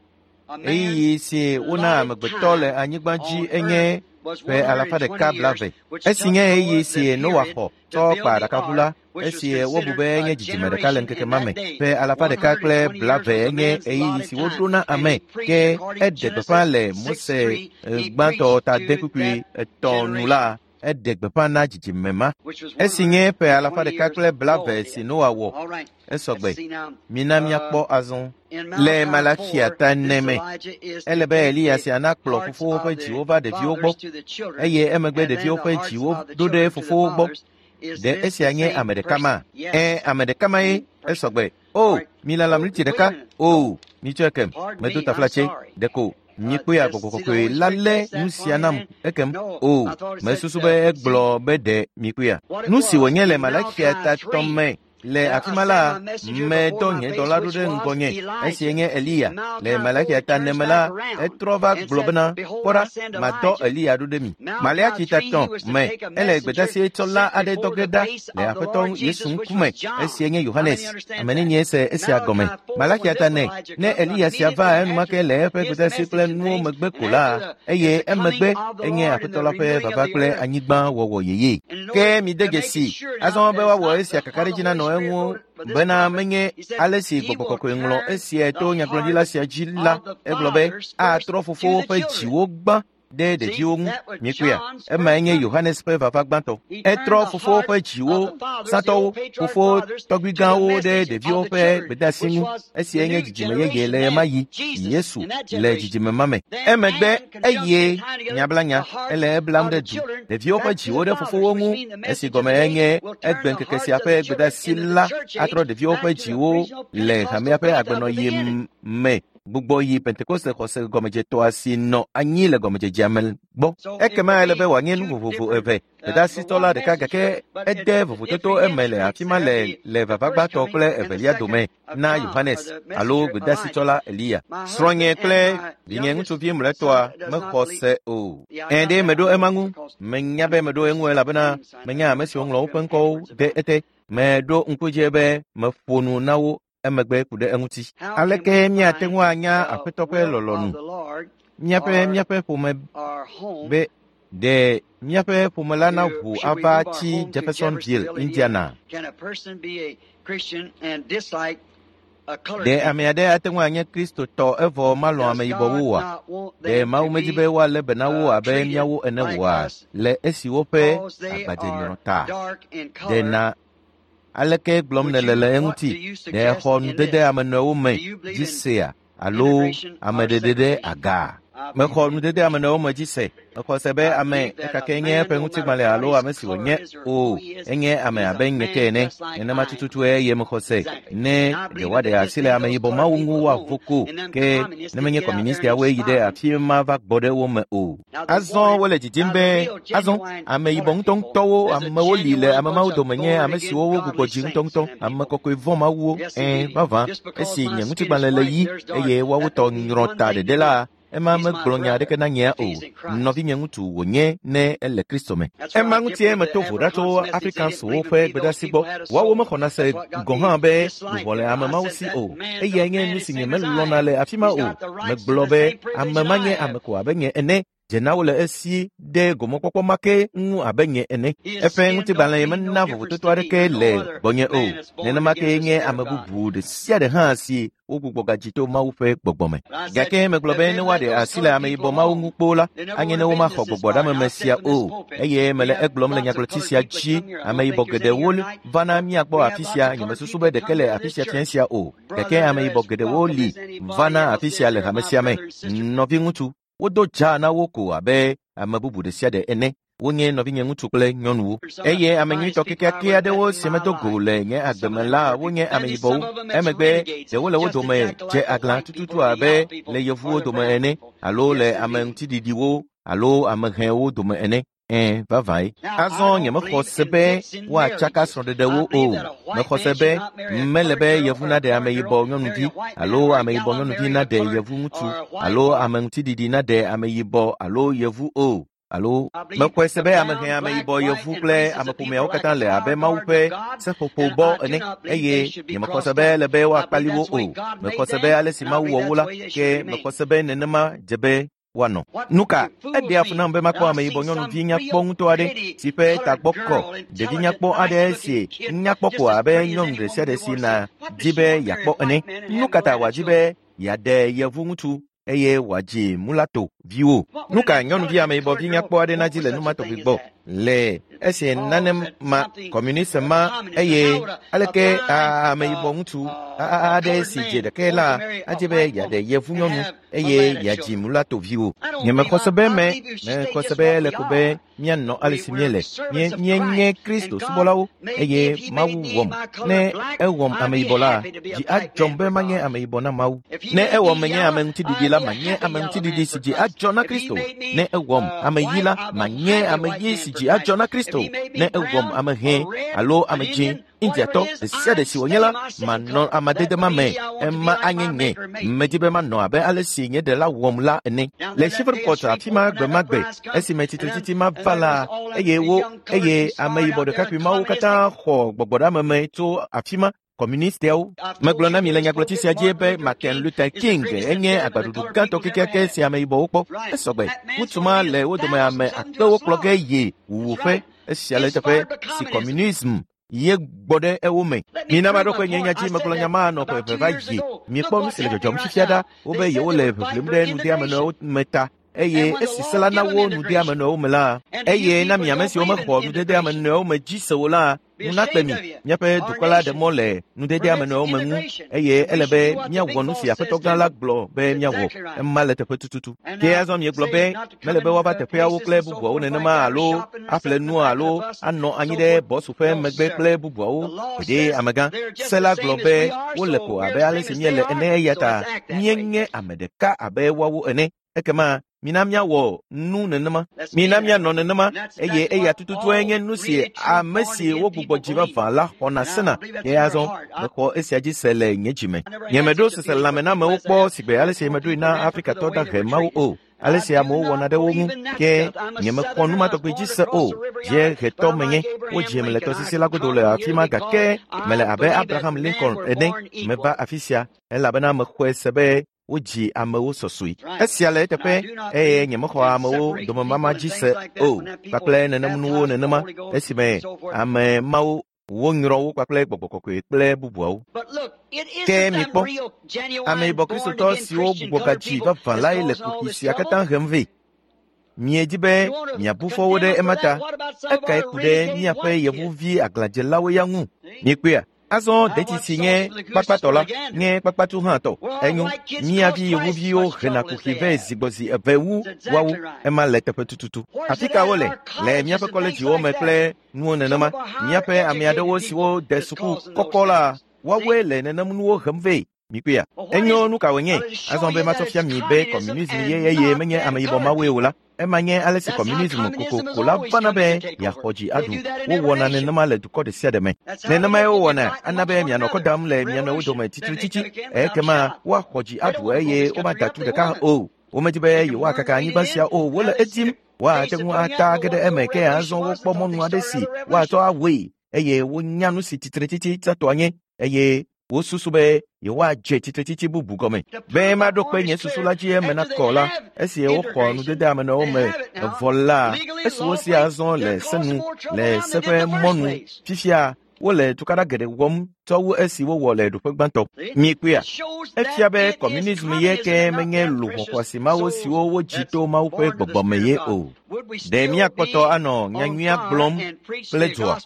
ɣeyiɣi si wona amegbetɔ le anyigba dzi enye Ƒe alafa ɖeka blaeve. Esi nye ɣeyiɣi si Noa xɔ tsɔ kpa aɖakaʋu la, esi wobu be nye dzidzime ɖeka le ŋkeke ma me. Ƒe alafa ɖeka kple blaeve nye ɣeyiɣi si woɖo na ame, ke eɖe gbeƒã le Mose gbãtɔ ta de kpukpui etɔ̃ nu la, eɖe gbeƒã na dzidzime ma. Esi nye ƒe alafa ɖeka kple blaeve si Noa wɔ, esɔgbe. Mina míakpɔ azɔ. Le Malaxia ta ene me, ele be Eliya sia nakplɔ fofowo ƒe dziwo va ɖeviwo gbɔ, eye emegbe ɖeviwo ƒe dziwo ɖo ɖe fofowo gbɔ. Ɖe esia nye ame ɖeka ma? Ẽ, ame ɖeka ma ye, esɔgbe. O, milala miniti ɖeka. O, mitsɔe kem. Medo taflatse. Ɖeko mikpɔe agbɔgbɔ kɔkɔe la lé nu sia nam ekem. O, mesusu be egblɔ be ɖe mikpɔea. Nu si wònye le Malaxia ta tɔ̃ me le afi ma la, medɔ nye dɔla ɖo ɖe ŋgɔnye, esie nye Eliya. Le Malaxia ta ene me la, etrɔ va gblɔ bena, kpɔ ɖa, madɔ Eliya ɖo ɖe mi. Maleaxi ta tɔ̃ me, ele gbedeasi tsɔla aɖe dɔ ge ɖa le Aƒetɔ Yesu ŋkume, esie nye Yohanes. Ame nenie se esia gɔme? Malaxia ta ene, ne Eliya sia va enumake le eƒe gbedeasi kple nuwo megbe ko la, eye emegbe enye Aƒetɔ la ƒe vava kple anyigba wɔwɔ yeye. Ke mide dzesi azɔ be woawɔ esia kakaɖedzi nanɔ eŋu bena menye ale si gbɔgbɔ kɔkɔe ŋlɔ esia to nyagblɔɖila sia dzi la, egblɔ be atrɔ fofowo ƒe dziwo gbã ɖe ɖeviwo ŋu. Miekpɔea? Emae nye Yohanes ƒe vava gbãtɔ. Etrɔ fofowo ƒe dziwo, sãtɔwo, fofo tɔgbuigãwo ɖe ɖeviwo ƒe gbedeasi ŋu. Esiae nye dzidzime yeye le ɣemaɣi, Yesu le dzidzime ma me. Emegbe eye nyablanya ele eblam ɖe du ɖeviwo ƒe dziwo ɖe fofowo ŋu. Esi gɔme enye egbe ŋkeke sia ƒe gbedeasi la atrɔ ɖeviwo ƒe dziwo le hamea ƒe agbenɔɣi me gbugbɔ yi Pentekoste xɔse gɔmedzetɔa si nɔ anyi le gɔmedzedzea me gbɔ. Ekema ele be wòanye nu vovovo eve. Gbedeasitɔ la ɖeka gake ede vovototo eme le afi ma le le vava gbãtɔ kple evelia dome na Yohanes alo gbedeasitsɔla Eliya. Srɔ̃nye kple vinye ŋutsuvi mlɔetɔa mexɔ se o. Ẽ ɖe meɖo ema ŋu. Menya be meɖo eŋu elabena menya ame siwo ŋlɔ woƒe ŋkɔwo ɖe ete. Meɖo ŋku dzi be meƒo nu na wo emegbe ku ɖe eŋuti. Aleke míate ŋu anya Aƒetɔ ƒe lɔlɔ̃nu? Míaƒe míaƒe ƒome be ɖe míaƒe ƒome la naʋu ava tsi Jeffersonville, Indiana. Ɖe ame aɖe ate ŋu anye Kristotɔ evɔ malɔ̃ ameyibɔwo oa? Ɖe Mawu medi be woalé be na wo abe míawo ene oa le esi woƒe agbadzenyrɔ ta? Ɖe na aleke gblɔm nèle le eŋuti? Ɖe exɔ nudede ame nɔewo me dzi sea alo ameɖeɖe ɖe aga? Mexɔ nudede ame nɔewo me dzi se. Mexɔ se be ame ekake nye eƒe ŋutigbalẽ alo ame si wònye o, enye ame abe nye ke ene. Nenema tututue eye mexɔ se. Ne ɖe woaɖe asi le ameyibɔ mawo ŋu woavo ko, ke ne menye kɔmunistiawoe yi ɖe afi ma va gbɔ ɖe wo me o. Azɔ wole didim be azɔ ameyibɔ ŋutɔŋutɔwo amewo li le ame mawo dome nye ame siwo wogbugbɔ dzi ŋutɔŋutɔ, ame kɔkɔe vɔ̃ mawuwo. Ẽ, vavã, esi nye ŋutigbalẽ le ɣi eye woawo tɔ nyrɔ ta ɖeɖe la, ema megblɔ nya aɖeke na nyea o. Nɔvinye ŋutsu wònye ne ele Kristo me. Ema ŋutie meto vo ɖa tso Afrikanswo ƒe gbedeasi gbɔ. Woawo mexɔna se gɔ̃ hã be luʋɔ le ame mawo si o. Eyae nye nu si nyemelɔ̃na le afi ma o. Megblɔ be ame ma nye ame ko abe nye ene. Dze na wo le esi ɖe gomekpɔkpɔ ma ke ŋu abe nye ene. Eƒe ŋutigbalẽ mena vovototo aɖeke le gbɔnye o. Nenema kee nye ame bubu ɖe sia ɖe hã si wogbugbɔ gadzi to Mawu ƒe gbɔgbɔ me. Gake megblɔ be ne woaɖe asi le ameyibɔ mawo ŋu kpoo la, anye ne womaxɔ gbɔgbɔɖameme sia o. Eye mele egblɔm le nyagblɔti sia dzi, ameyibɔ geɖewo vana mía gbɔ afi sia, nyemesusu be ɖeke le afi sia fiẽ sia o. Gake ameyibɔ geɖewo li vana afi sia le hame sia me. Nɔviŋutsu, wodo dzaa na wo ko abe ame bubu ɖe sia ɖe ene. Wonye nɔvinye ŋutsu kple nyɔnuwo. Eye ame nyuitɔ kekeake aɖewo si medo go le nye agbe me la wonye ameyibɔwo. Emegbe ɖewo le wo dome dze aglã tututu abe le yevuwo dome ene alo le ame ŋutiɖiɖiwo alo ame hɛwo dome ene. Ẽ, vavãe. Azɔ nyemexɔ se be woatsaka srɔ̃ɖeɖewo o. Mexɔ se be mele be yevu naɖe ameyibɔ nyɔnuvi alo ameyibɔ nyɔnuvi naɖe yevu ŋutsu alo ame ŋutiɖiɖi naɖe ameyibɔ alo yevu o. Alo mexɔe se be ame hɛ, ameyibɔ, yevu kple ameƒomeawo katã le abe Mawu ƒe seƒoƒo bɔ ene eye nyemexɔ se be ele be woakpali wo o. Mexɔ se be ale si Mawu wɔ wo la, ke mexɔ se be nenema dze be woanɔ. Nu ka? Eɖea fu nam be makpɔ ameyibɔ nyɔnuvi nyakpɔ ŋutɔ aɖe si ƒe tagbɔ kɔ, ɖevi nyakpɔ aɖe si nyakpɔ ko abe nyɔnu ɖe sia ɖe si na di be yeakpɔ ene. Nu ka ta wòadi be yeaɖe yevu ŋutsu eye wòadzi mulato viwo? Nu ka nyɔnuvi ameyibɔvi nyakpɔ aɖe nadzi le nu ma tɔgbi gbɔ le esi nane ma kɔmunism ma eye aleke ameyibɔ ŋutsu aɖe si dze ɖeke la adze be yeaɖe yevu nyɔnu eye yeadzi mulato viwo? Nyemexɔ se be me mexɔ se be ele ko be míanɔ ale si míele. Míenye Kristo subɔlawo eye Mawu wɔm. Ne ewɔm ameyibɔ la, dzi adzɔm be manye ameyibɔ na Mawu. Ne ewɔm menye ame ŋutiɖiɖi la, manye ame ŋutiɖiɖi si dzi adzɔ na Kristo. Ne ewɔm ame ɣi la, manye ame ɣi si dzi adzɔ na Kristo. Ne ewɔm ame hẽ alo ame dzĩ, Indiatɔ ɖe sia ɖe si wònye la, manɔ amadede ma me. Ema anye nye. Medi be manɔ abe ale si nye ɖela wɔm la ene. Le Shreveport afi ma gbe ma gbe, esime tsitretsitsi ma va la, eye wo eye ameyibɔ ɖekakpui mawo katã xɔ gbɔgbɔɖeameme tso afi ma, kɔmunistiawo. Megblɔ na mi le nyagblɔtsi sia dzi be Martin Luther King enye agbaɖuɖu gãtɔ kekeake si ameyibɔwo kpɔ. Esɔgbe. Ŋutsu ma le wo dome ame akpewo kplɔ ge yi wuwuƒe. Esia le eteƒe si kɔmunism ye gbɔ ɖe ewo me. Mina maɖo kpe nye nya dzi megblɔ nya ma nɔ ƒe eve va yi. Mikpɔ nu si le dzɔdzɔm fifia ɖa. Wobe yewole ʋiʋlim ɖe nudeamenɔewo me ta eye esi se la na wo nudeamenɔewo me la, eye na mi ame siwo mexɔ nudedeamenɔewo me dzi se o la, nu nakpe mi. Míaƒe dukɔ la ɖe mɔ le nudedeamenɔewo me ŋu eye ele be míawɔ nu si Aƒetɔ gã la gblɔ be míawɔ. Ema le teƒe tututu. Ke azɔ miegblɔ be mele be woava teƒeawo kple bubuawo nenema alo aƒle nu alo anɔ anyi ɖe bɔsu ƒe megbe kple bubuawo. Gbeɖe amegã, se la gblɔ be wole ko abe ale si míele ene eya ta míenye ame ɖeka abe woawo ene. Ekema mina míawɔ nu nenema. Mina míanɔ nenema eye eya tututue nye nu si ame si wogbugbɔ dzi vavã la xɔna sena. Ke azɔ mexɔ esia dzi se le nye dzime. Nyemeɖo seselelãmenamewo kpɔ sigbe ale si meɖoe na Afrikatɔ dahe mawo o. Ale si amewo wɔna ɖe wo ŋu ke nyemexɔ nu ma tɔgbi dzi se o. Dziehetɔ menye. Wodzim le tɔsisi la godo le afi ma gake mele abe Abraham Lincoln ene. Meva afi sia elabena mexɔe se be wodzi amewo sɔsɔe. Esia le eteƒe eye nyemexɔ amewo domemama dzi se o kpakple nenem nuwo nenema esime ame mawo wonyrɔ wo kpakple gbɔgbɔ kɔkɔe kple bubuawo. Ke mikpɔ, ameyibɔ kristotɔ siwo gbugbɔ gadzi vavã lae le kuxi sia katã hem vɛ. Miedi be miabu fɔ wo ɖe ema ta. Ekae ku ɖe míaƒe yevuvi aglãdzelawo ya ŋu? Miekpɔea? Azɔ detsi si nye kpakpatɔ la nye kpakpatu hã tɔ. Enyo, mía vi yevuviwo hena kuxi vɛ zigbɔzi eve wu woawo. Ema le teƒe tututu. Afi ka wole? Le míaƒe kɔledziwo me kple nuwo nenema. Míaƒe ame aɖewo siwo de suku kɔkɔ la, woawoe le nenem nuwo hem vɛ. Mikpɔea? Enyo nu ka wònye? Azɔ be matsɔ fia mi be kɔmunism ye eye menye ameyibɔ mawoe o la, ema nye ale si kɔmunism kokoko la vana be yeaxɔ dzi aɖu. Wowɔna nenema le dukɔ ɖe sia ɖe me. Nenemae wowɔna ana be mianɔ kɔ dam le mia nɔewo dome tsitretsitsi. Ekema woaxɔ dzi aɖu eye womada tu ɖeka o. Womedi be yewoakaka anyigba sia o, wole edim. Woate ŋu ata ge ɖe eme ke azɔ wokpɔ mɔnu aɖe si woatsɔ awɔe eye wonya nu si tsitretsitsi tsãtɔa nye eye wosusu be yewoadze tsitretsitsi bubu gɔme. Be maɖo kpe nye susu la dzi eme nakɔ la, esi woxɔ nudede amenɔewo me vɔ la, esi wosi azɔ le se nu le se ƒe mɔnu fifia wole tukaɖa geɖe wɔm tsɔ wu esi wowɔ le ɖoƒe gbãtɔ. Miekpɔea? Efia be kɔmunism ye ke menye luʋɔ xɔasi mawo siwo wodzi to Mawu ƒe gbɔgbɔ me ye o. Ɖe míakpɔtɔ anɔ nyanyuia gblɔm kple dzoa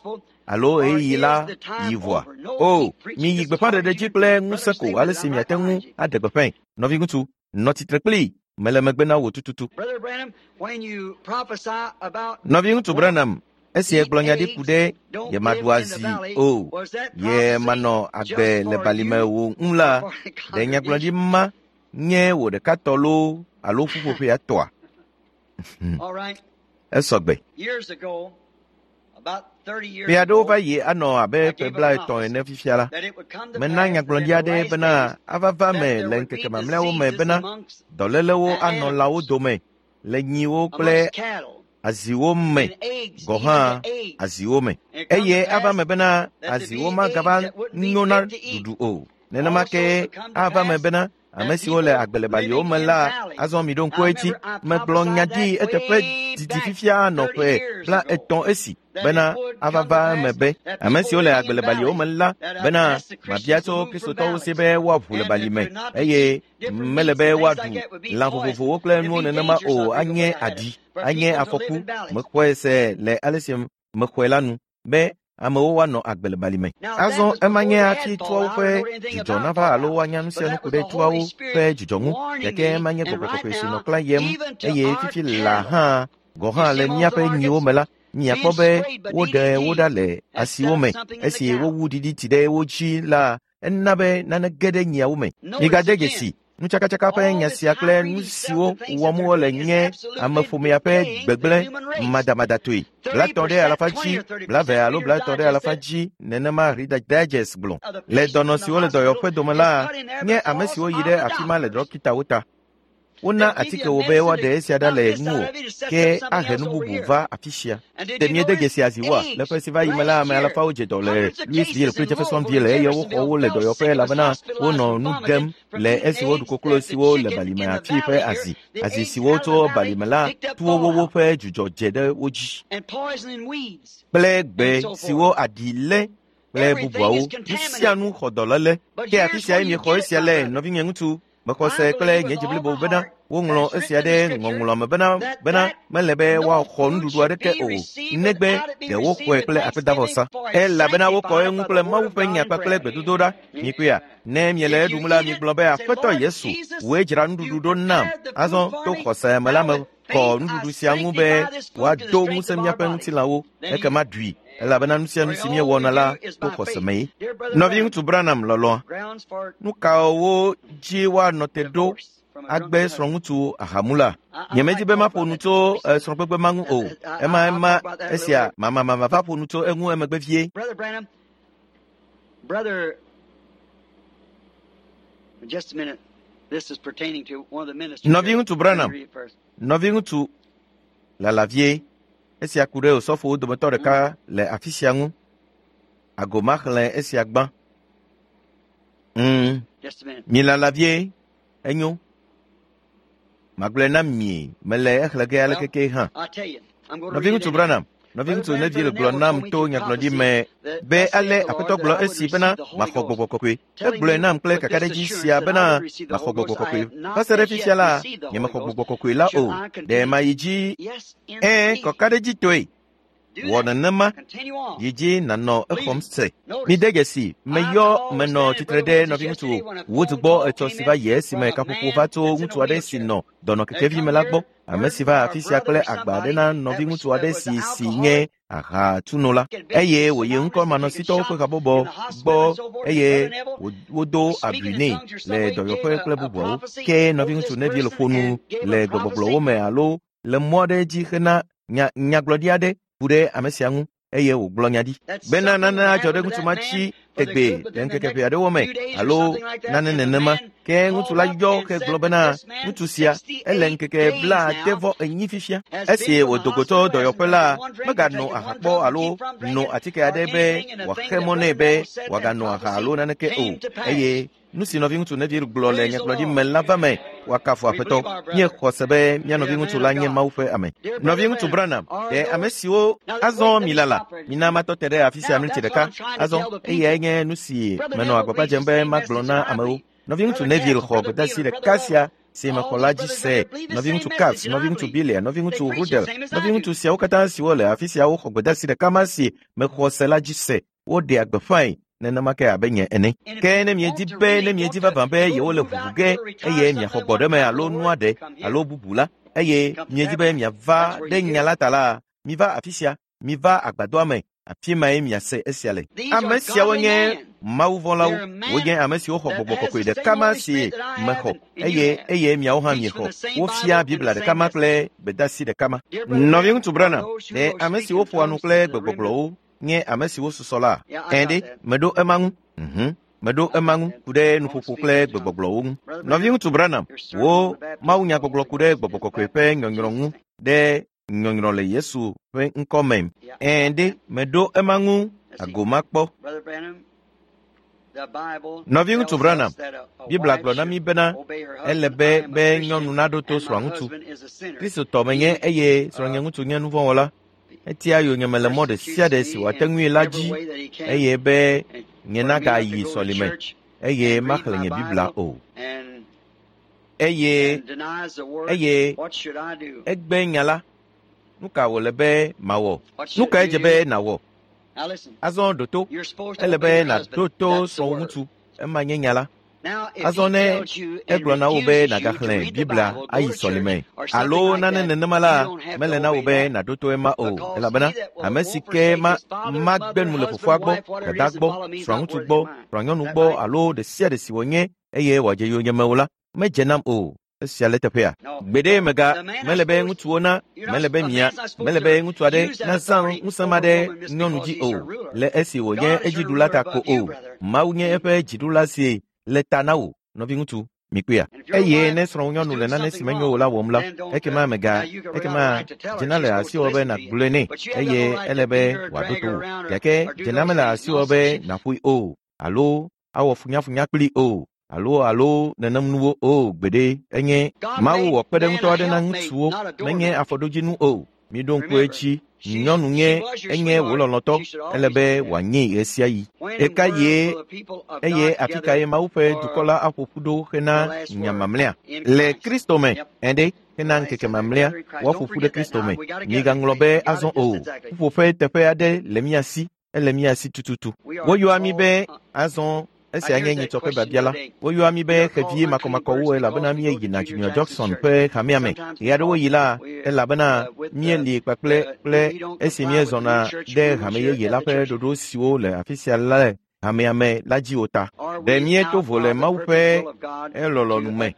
alo ɣeyiɣi la yi vɔa? O, miyi gbeƒãɖeɖe dzi kple ŋusẽ ko ale si miate ŋu aɖe gbeƒãe. Nɔviŋutsu, nɔ tsitre kplii. Mele megbe na wò tututu. Nɔviŋutsu Branham, esi egblɔ nya ɖi ku ɖe yemaɖu azi o, yemanɔ agbe le balime o ŋu la, ɖe nyagblɔɖi ma nye wò ɖeka tɔ loo alo ƒuƒoƒea tɔa? Esɔgbe. Ƒe aɖewo va yi anɔ abe ƒe 30 ene fifia la, mena nyagblɔɖi aɖe bena ava va me le ŋkeke mamlɛawo me bena dɔlélewo anɔ lãwo dome le nyiwo kple aziwo me gɔ̃ hã aziwo me. Eye ava me bena aziwo magava nyo na ɖuɖu o. Nenema ke ava me bena Ame siwo le agbe le baliwo me la, azɔ miɖo ŋku edzi. Megblɔ nya ɖi eteƒe didi fifia nɔ ƒe 30 esi bena ava va eme be ame siwo le agbe le baliwo me la bena mabia tso Kristotɔwo si be woaʋu le bali me eye mele be woaɖu lã vovovowo kple nuwo nenema o anye aɖi, anye afɔku. Mexɔe se le ale si mexɔe la nu be amewo woanɔ agbe le bali me. Azɔ ema nye hafi tuawo ƒe dzudzɔ nava alo woanya nu sia nu ku ɖe tuawo ƒe dzudzɔ ŋu, gake ema nye gbɔgbɔ kɔkɔe si nɔ klã yem eye fifi laa hã gɔ̃ hã le míaƒe nyiwo me la, miakpɔ be woɖe wo ɖa le asiwo me. Esi wowu ɖiɖiti ɖe wo dzi la, ena be nane ge ɖe nyiawo me. Migade dzesi nutsakatsaka ƒe nya sia kple nu siwo wɔm wole nye ameƒomea ƒe gbegblẽ madamadatɔe. 30 ɖe alafa dzi, 20 alo 30 ɖe alafa dzi nenema Reader's Digest gblɔ. Le dɔnɔ siwo le dɔyɔƒe dome la, nye ame siwo yi ɖe afi ma le ɖɔkitawo ta. Wona atike wo be woaɖe esia ɖa le ŋuwò, ke ahe nu bubu va afi sia. Ɖe miede dzesi aziwoa? Le ƒe si va yi me la, ame alafawo dze dɔ le Louisville kple Jeffersonville eye woxɔ wo le dɔyɔƒe elabena wonɔ nu ɖem le esi woɖu koklo siwo le balime afi ƒe azi. Azi siwo tso balime la tu wowo ƒe dzudzɔ dze ɖe wo dzi kple gbe siwo aɖi lé kple bubuawo. Nu sia nu xɔ dɔléle. Ke afi siae miexɔ esia le, nɔvinye ŋutsu. Mexɔ se kple nye dzi blibo bena woŋlɔ esia ɖe ŋɔŋlɔ me bena mele be woaxɔ nuɖuɖu aɖeke o, negbe ɖe woxɔe kple akpedavɔsa. Elabena wokɔ eŋu kple Mawu ƒe nya kpakple gbedodoɖa. Mikpɔea, ne miele eɖum la, migblɔ be Aƒetɔ Yesu, wòe dzra nuɖuɖu ɖo nam. Azɔ to xɔse me la mekɔ nuɖuɖu sia ŋu be wòado ŋusẽ míaƒe ŋutilãwo, ekema ɖui, elabena nu sia nu si míewɔna la to xɔse mee. Nɔviŋutsu Branham lɔlɔ̃a, nu kawo dzi woanɔ te ɖo agbe srɔ̃ŋutsu ahamula? Nyemedi be maƒo nu tso srɔ̃gbegbe ma ŋu o. Ema esia mamamama va ƒo nu tso eŋu emegbe vie. Brother Branham, brother, just a minute. This is pertaining to one of the ministers. Nɔviŋutsu Branham, nɔviŋutsu lala vie. Esia ku ɖe osɔfowo dometɔ ɖeka le afi sia ŋu. Ago maxlẽ esia gbã. Milala vie, enyo. Magblɔe na mie, mele exlẽ ge ale keke hã. Nɔviŋutsu Branham, nɔviŋutsu Neville gblɔ nam to nyagblɔɖi me be ale Aƒetɔ gblɔ esi bena maxɔ gbɔgbɔ kɔkɔe. Egblɔe nam kple kakaɖedzi sia bena maxɔ gbɔgbɔ kɔkɔe. Va se ɖe fifia la, nyemexɔ gbɔgbɔ kɔkɔe la o. Ɖe mayi dzi? Ẽ, kɔkaɖedzitɔe. Wɔ nenema, yi dzi nànɔ exɔm se. Mide dzesi, meyɔ menɔ tsitre ɖe nɔviŋutsu Wood gbɔ etsɔ si va yi esime kaƒoƒo va tso ŋutsu aɖe si nɔ dɔnɔkekevi me la gbɔ. Ame si va afi sia kple agba aɖe na nɔviŋutsu aɖe si nye ahatsunola eye wòyi ŋkɔmanɔsitɔwo ƒe habɔbɔ gbɔ eye wodo abui nɛ le dɔyɔƒe kple bubuawo. Ke nɔviŋutsu Neville ƒo nu le gbegbɔgblɔwo me alo le mɔ aɖe dzi hena nyagblɔɖi aɖe ku ɖe ame sia ŋu eye wògblɔ nya ɖi bena nane adzɔ ɖe ŋutsu ma tsi tegbee le ŋkeke ʋɛ aɖewo me alo nane nenema. Ke ŋutsu la yɔ hegblɔ bena ŋutsu sia ele ŋkeke 94 fifia. Esi wòdo go tso dɔyɔƒe la, meganɔ aha kpɔ alo no atike aɖe be wòaxe mɔ nɛ be wòaganɔ aha alo naneke o. Eye nu si nɔviŋutsu Neville gblɔ le nyagblɔɖi me la va me woakafu Aƒetɔ. Míexɔ se be mía nɔviŋutsu la nye Mawu ƒe ame. Nɔviŋutsu Branham, ɖe ame siwo azɔ milala, mina matɔ te ɖe afi sia miniti ɖeka. Azɔ eyae nye nu si menɔ agbagba dzem be magblɔ na amewo. Nɔviŋutsu Neville xɔ gbedeasi ɖeka sia si mexɔ la dzi se. Nɔviŋutsu Capps, nɔviŋutsu Bilia, nɔviŋutsu Rudel, nɔviŋutsu siawo katã siwo le afi siawo xɔ gbedeasi ɖeka ma si mexɔ se la dzi se. Woɖea gbeƒãe nenema ke abe nye ene. Ke ne miedi be ne miedi vavã be yewole ʋuʋu ge eye miaxɔ gbɔɖeme alo nua ɖe alo bubu la, eye miedi be miava ɖe nya la ta la, miva afi sia, miva agbadɔa me, afi mae miase esia le. Ame siawo nye mawuvɔ̃lawo, wonye ame siwo xɔ gbɔgbɔ kɔkɔe ɖeka ma si mexɔ eye miawo hã miexɔ. Wofia Biblia ɖeka ma kple gbedeasi ɖeka ma. Nɔviŋutsu Branham, ɖe ame siwo ƒoa nu kple gbegbɔgblɔwo nye ame siwo susɔ la? Ẽ ɖe, meɖo ema ŋu. Meɖo ema ŋu ku ɖe nuƒoƒo kple gbegbɔgblɔwo ŋu. Nɔviŋutsu Branham, wo mawunyagbɔgblɔ ku ɖe gbɔgbɔ kɔkɔe ƒe nyɔnyrɔ ŋu ɖe nyɔnyrɔ le Yesu ƒe ŋkɔ me. Ẽ ɖe, meɖo ema ŋu ago makpɔ. Nɔviŋutsu Branham, Biblia gblɔ na mí bena ele be be nyɔnu naɖo to srɔ̃aŋutsu. Kristotɔ menye eye srɔ̃nyeŋutsu nye nuvɔ̃wɔla. Etia yonyeme le mɔ ɖe sia ɖe si wòate ŋui la dzi eye be nye nagayi sɔlime eye maxlẽ nye Biblia o. Eye eye egbe nya la. Nu ka wòle be mawɔ? Nu kae dze be nàwɔ? Azɔ ɖo to. Ele be nàɖo to srɔ̃wò ŋutsu. Ema nye nya la. Azɔ ne egblɔ na wò be nàgaxlẽ Biblia ayi sɔlime alo nane nenema la, mele na wò be nàɖo to ema o, elabena ame si ke ma magbe nu le fofoa gbɔ, dada gbɔ, srɔ̃aŋutsu gbɔ, srɔ̃anyɔnu gbɔ alo ɖe sia ɖe si wònye eye wòadze yonyeme o la, medze nam o. Esia le teƒea. Gbeɖe mega mele be ŋutsuwo na mele be mia mele be ŋutsu aɖe nazã ŋusẽ ma ɖe nyɔnu dzi o le esi wònye edziɖula ta ko o. Mawu nye eƒe dziɖula si le ta na wò, nɔviŋutsu, mikpɔea. Eye ne srɔ̃nyɔnu le nane si menyo o la wɔm la, ekema mega ekema dzena le asiwò be nàgblɔe nɛ eye ele be wòaɖo to wò. Gake dzena mele asiwò be nàƒoe o alo awɔ funyafunya kplii o alo alo nenem nuwo o gbeɖe enye Mawu wɔ kpeɖeŋutɔ aɖe na ŋutsuwo menye afɔɖodzinu o. Miɖo ŋku edzi, nyɔnu nye enye wò lɔlɔ̃tɔ, ele be wòanyee ɣe sia ɣi. Ɣeka ɣie eye afi kae Mawu ƒe dukɔ la aƒo ƒu ɖo hena nya mamlɛa? Le Kristo me, ɛ̃ɖe, hena ŋkeke mamlɛa, woaƒo ƒu ɖe Kristo me. Migaŋlɔ be azɔ o. Ƒuƒoƒe teƒe aɖe le mía si, ele mía si tututu. Woyɔa mí be azɔ esia nye nyitsɔ ƒe biabia la. Woyɔa mí be xevi makɔmakɔwo elabena míeyina Junior Jackson ƒe hamea me. Ɣe aɖewo yi la, elabena míeli kpakple kple esi míezɔna ɖe hame yeye la ƒe ɖoɖo siwo le afi sia le hamea me la dzi o ta. Ɖe míeto vo le Mawu ƒe elɔlɔ̃nu me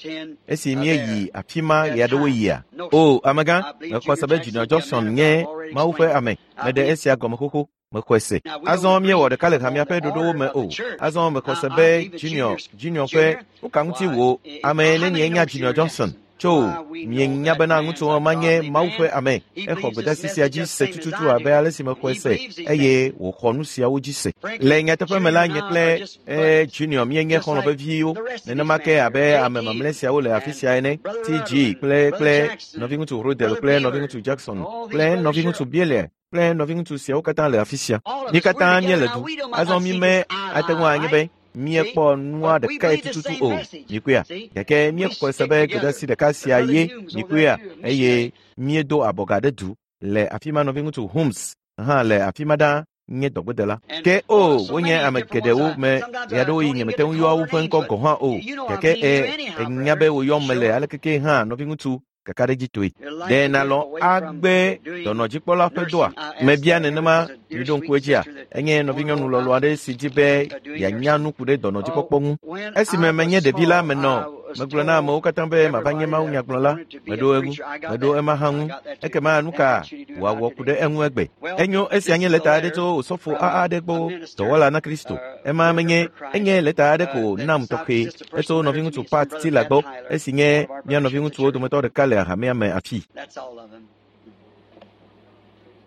esi míeyi afi ma ɣe aɖewo yia? O, amegã, mexɔ se be Junior Jackson nye Mawu ƒe ame. Meɖe esia gɔme xoxo. Mexɔe se. Azɔ míewɔ ɖeka le hamea ƒe ɖoɖowo me o. Azɔ mexɔ se be Junior, Junior ƒe nu ka ŋuti wò ame nenie nya Junior Johnson? Tso, mienya bena ŋutsu ma nye Mawu ƒe ame. Exɔ gbedeasi sia dzi se tututu abe ale si mexɔe se eye wòxɔ nu siawo dzi se. Le nyateƒe me la, nye kple Junior míenye xɔlɔ̃ veviwo. Nenema ke abe ame mamlɛ siawo le afi sia ene, TG kple kple nɔviŋutsu Rodel kple nɔviŋutsu Jackson kple nɔviŋutsu Bieler kple nɔviŋutsu siawo katã le afi sia. Mí katã míele du. Azɔ mí me ate ŋu anye be míekpɔ nua ɖekae tututu o. Mikpɔea? Gake míexɔe se be gbedeasi ɖeka sia ye mikpɔea eye míedo abɔga ɖe du le afi ma nɔviŋutsu Holmes hã le afi ma ɖaa nye dɔgbedela. Ke o, wonye ame geɖewo me ɣeaɖewoɣi nyemete ŋu yɔa woƒe ŋkɔ gɔ̃ hã o. Gake e enya be woyɔm mele alekeke hã nɔviŋutsu kakaɖedzitɔe. Ɖe nàlɔ̃ agbe dɔnɔdzikpɔla ƒe dɔa? Mebia nenema miɖo ŋku edzia? Enye nɔvinyɔnu lɔlɔ̃ aɖe si di be yeanya nu ku ɖe dɔnɔdzikpɔkpɔ ŋu. Esime menye ɖevi la menɔ megblɔ na amewo katã be mava nye mawunyagblɔla. Meɖo eŋu, meɖo ema hã ŋu. Ekema nu ka wòawɔ ku ɖe eŋu egbe? Enyo esia nye lɛta aɖe tso osɔfo AA aɖe gbɔ dɔwɔla na Kristo. Ema menye enye lɛta aɖe ko nam tɔxɛ etso nɔviŋutsu Pat Tiller gbɔ esi nye mía nɔviŋutsuwo dometɔ ɖeka le hamea me afi. That's all of them.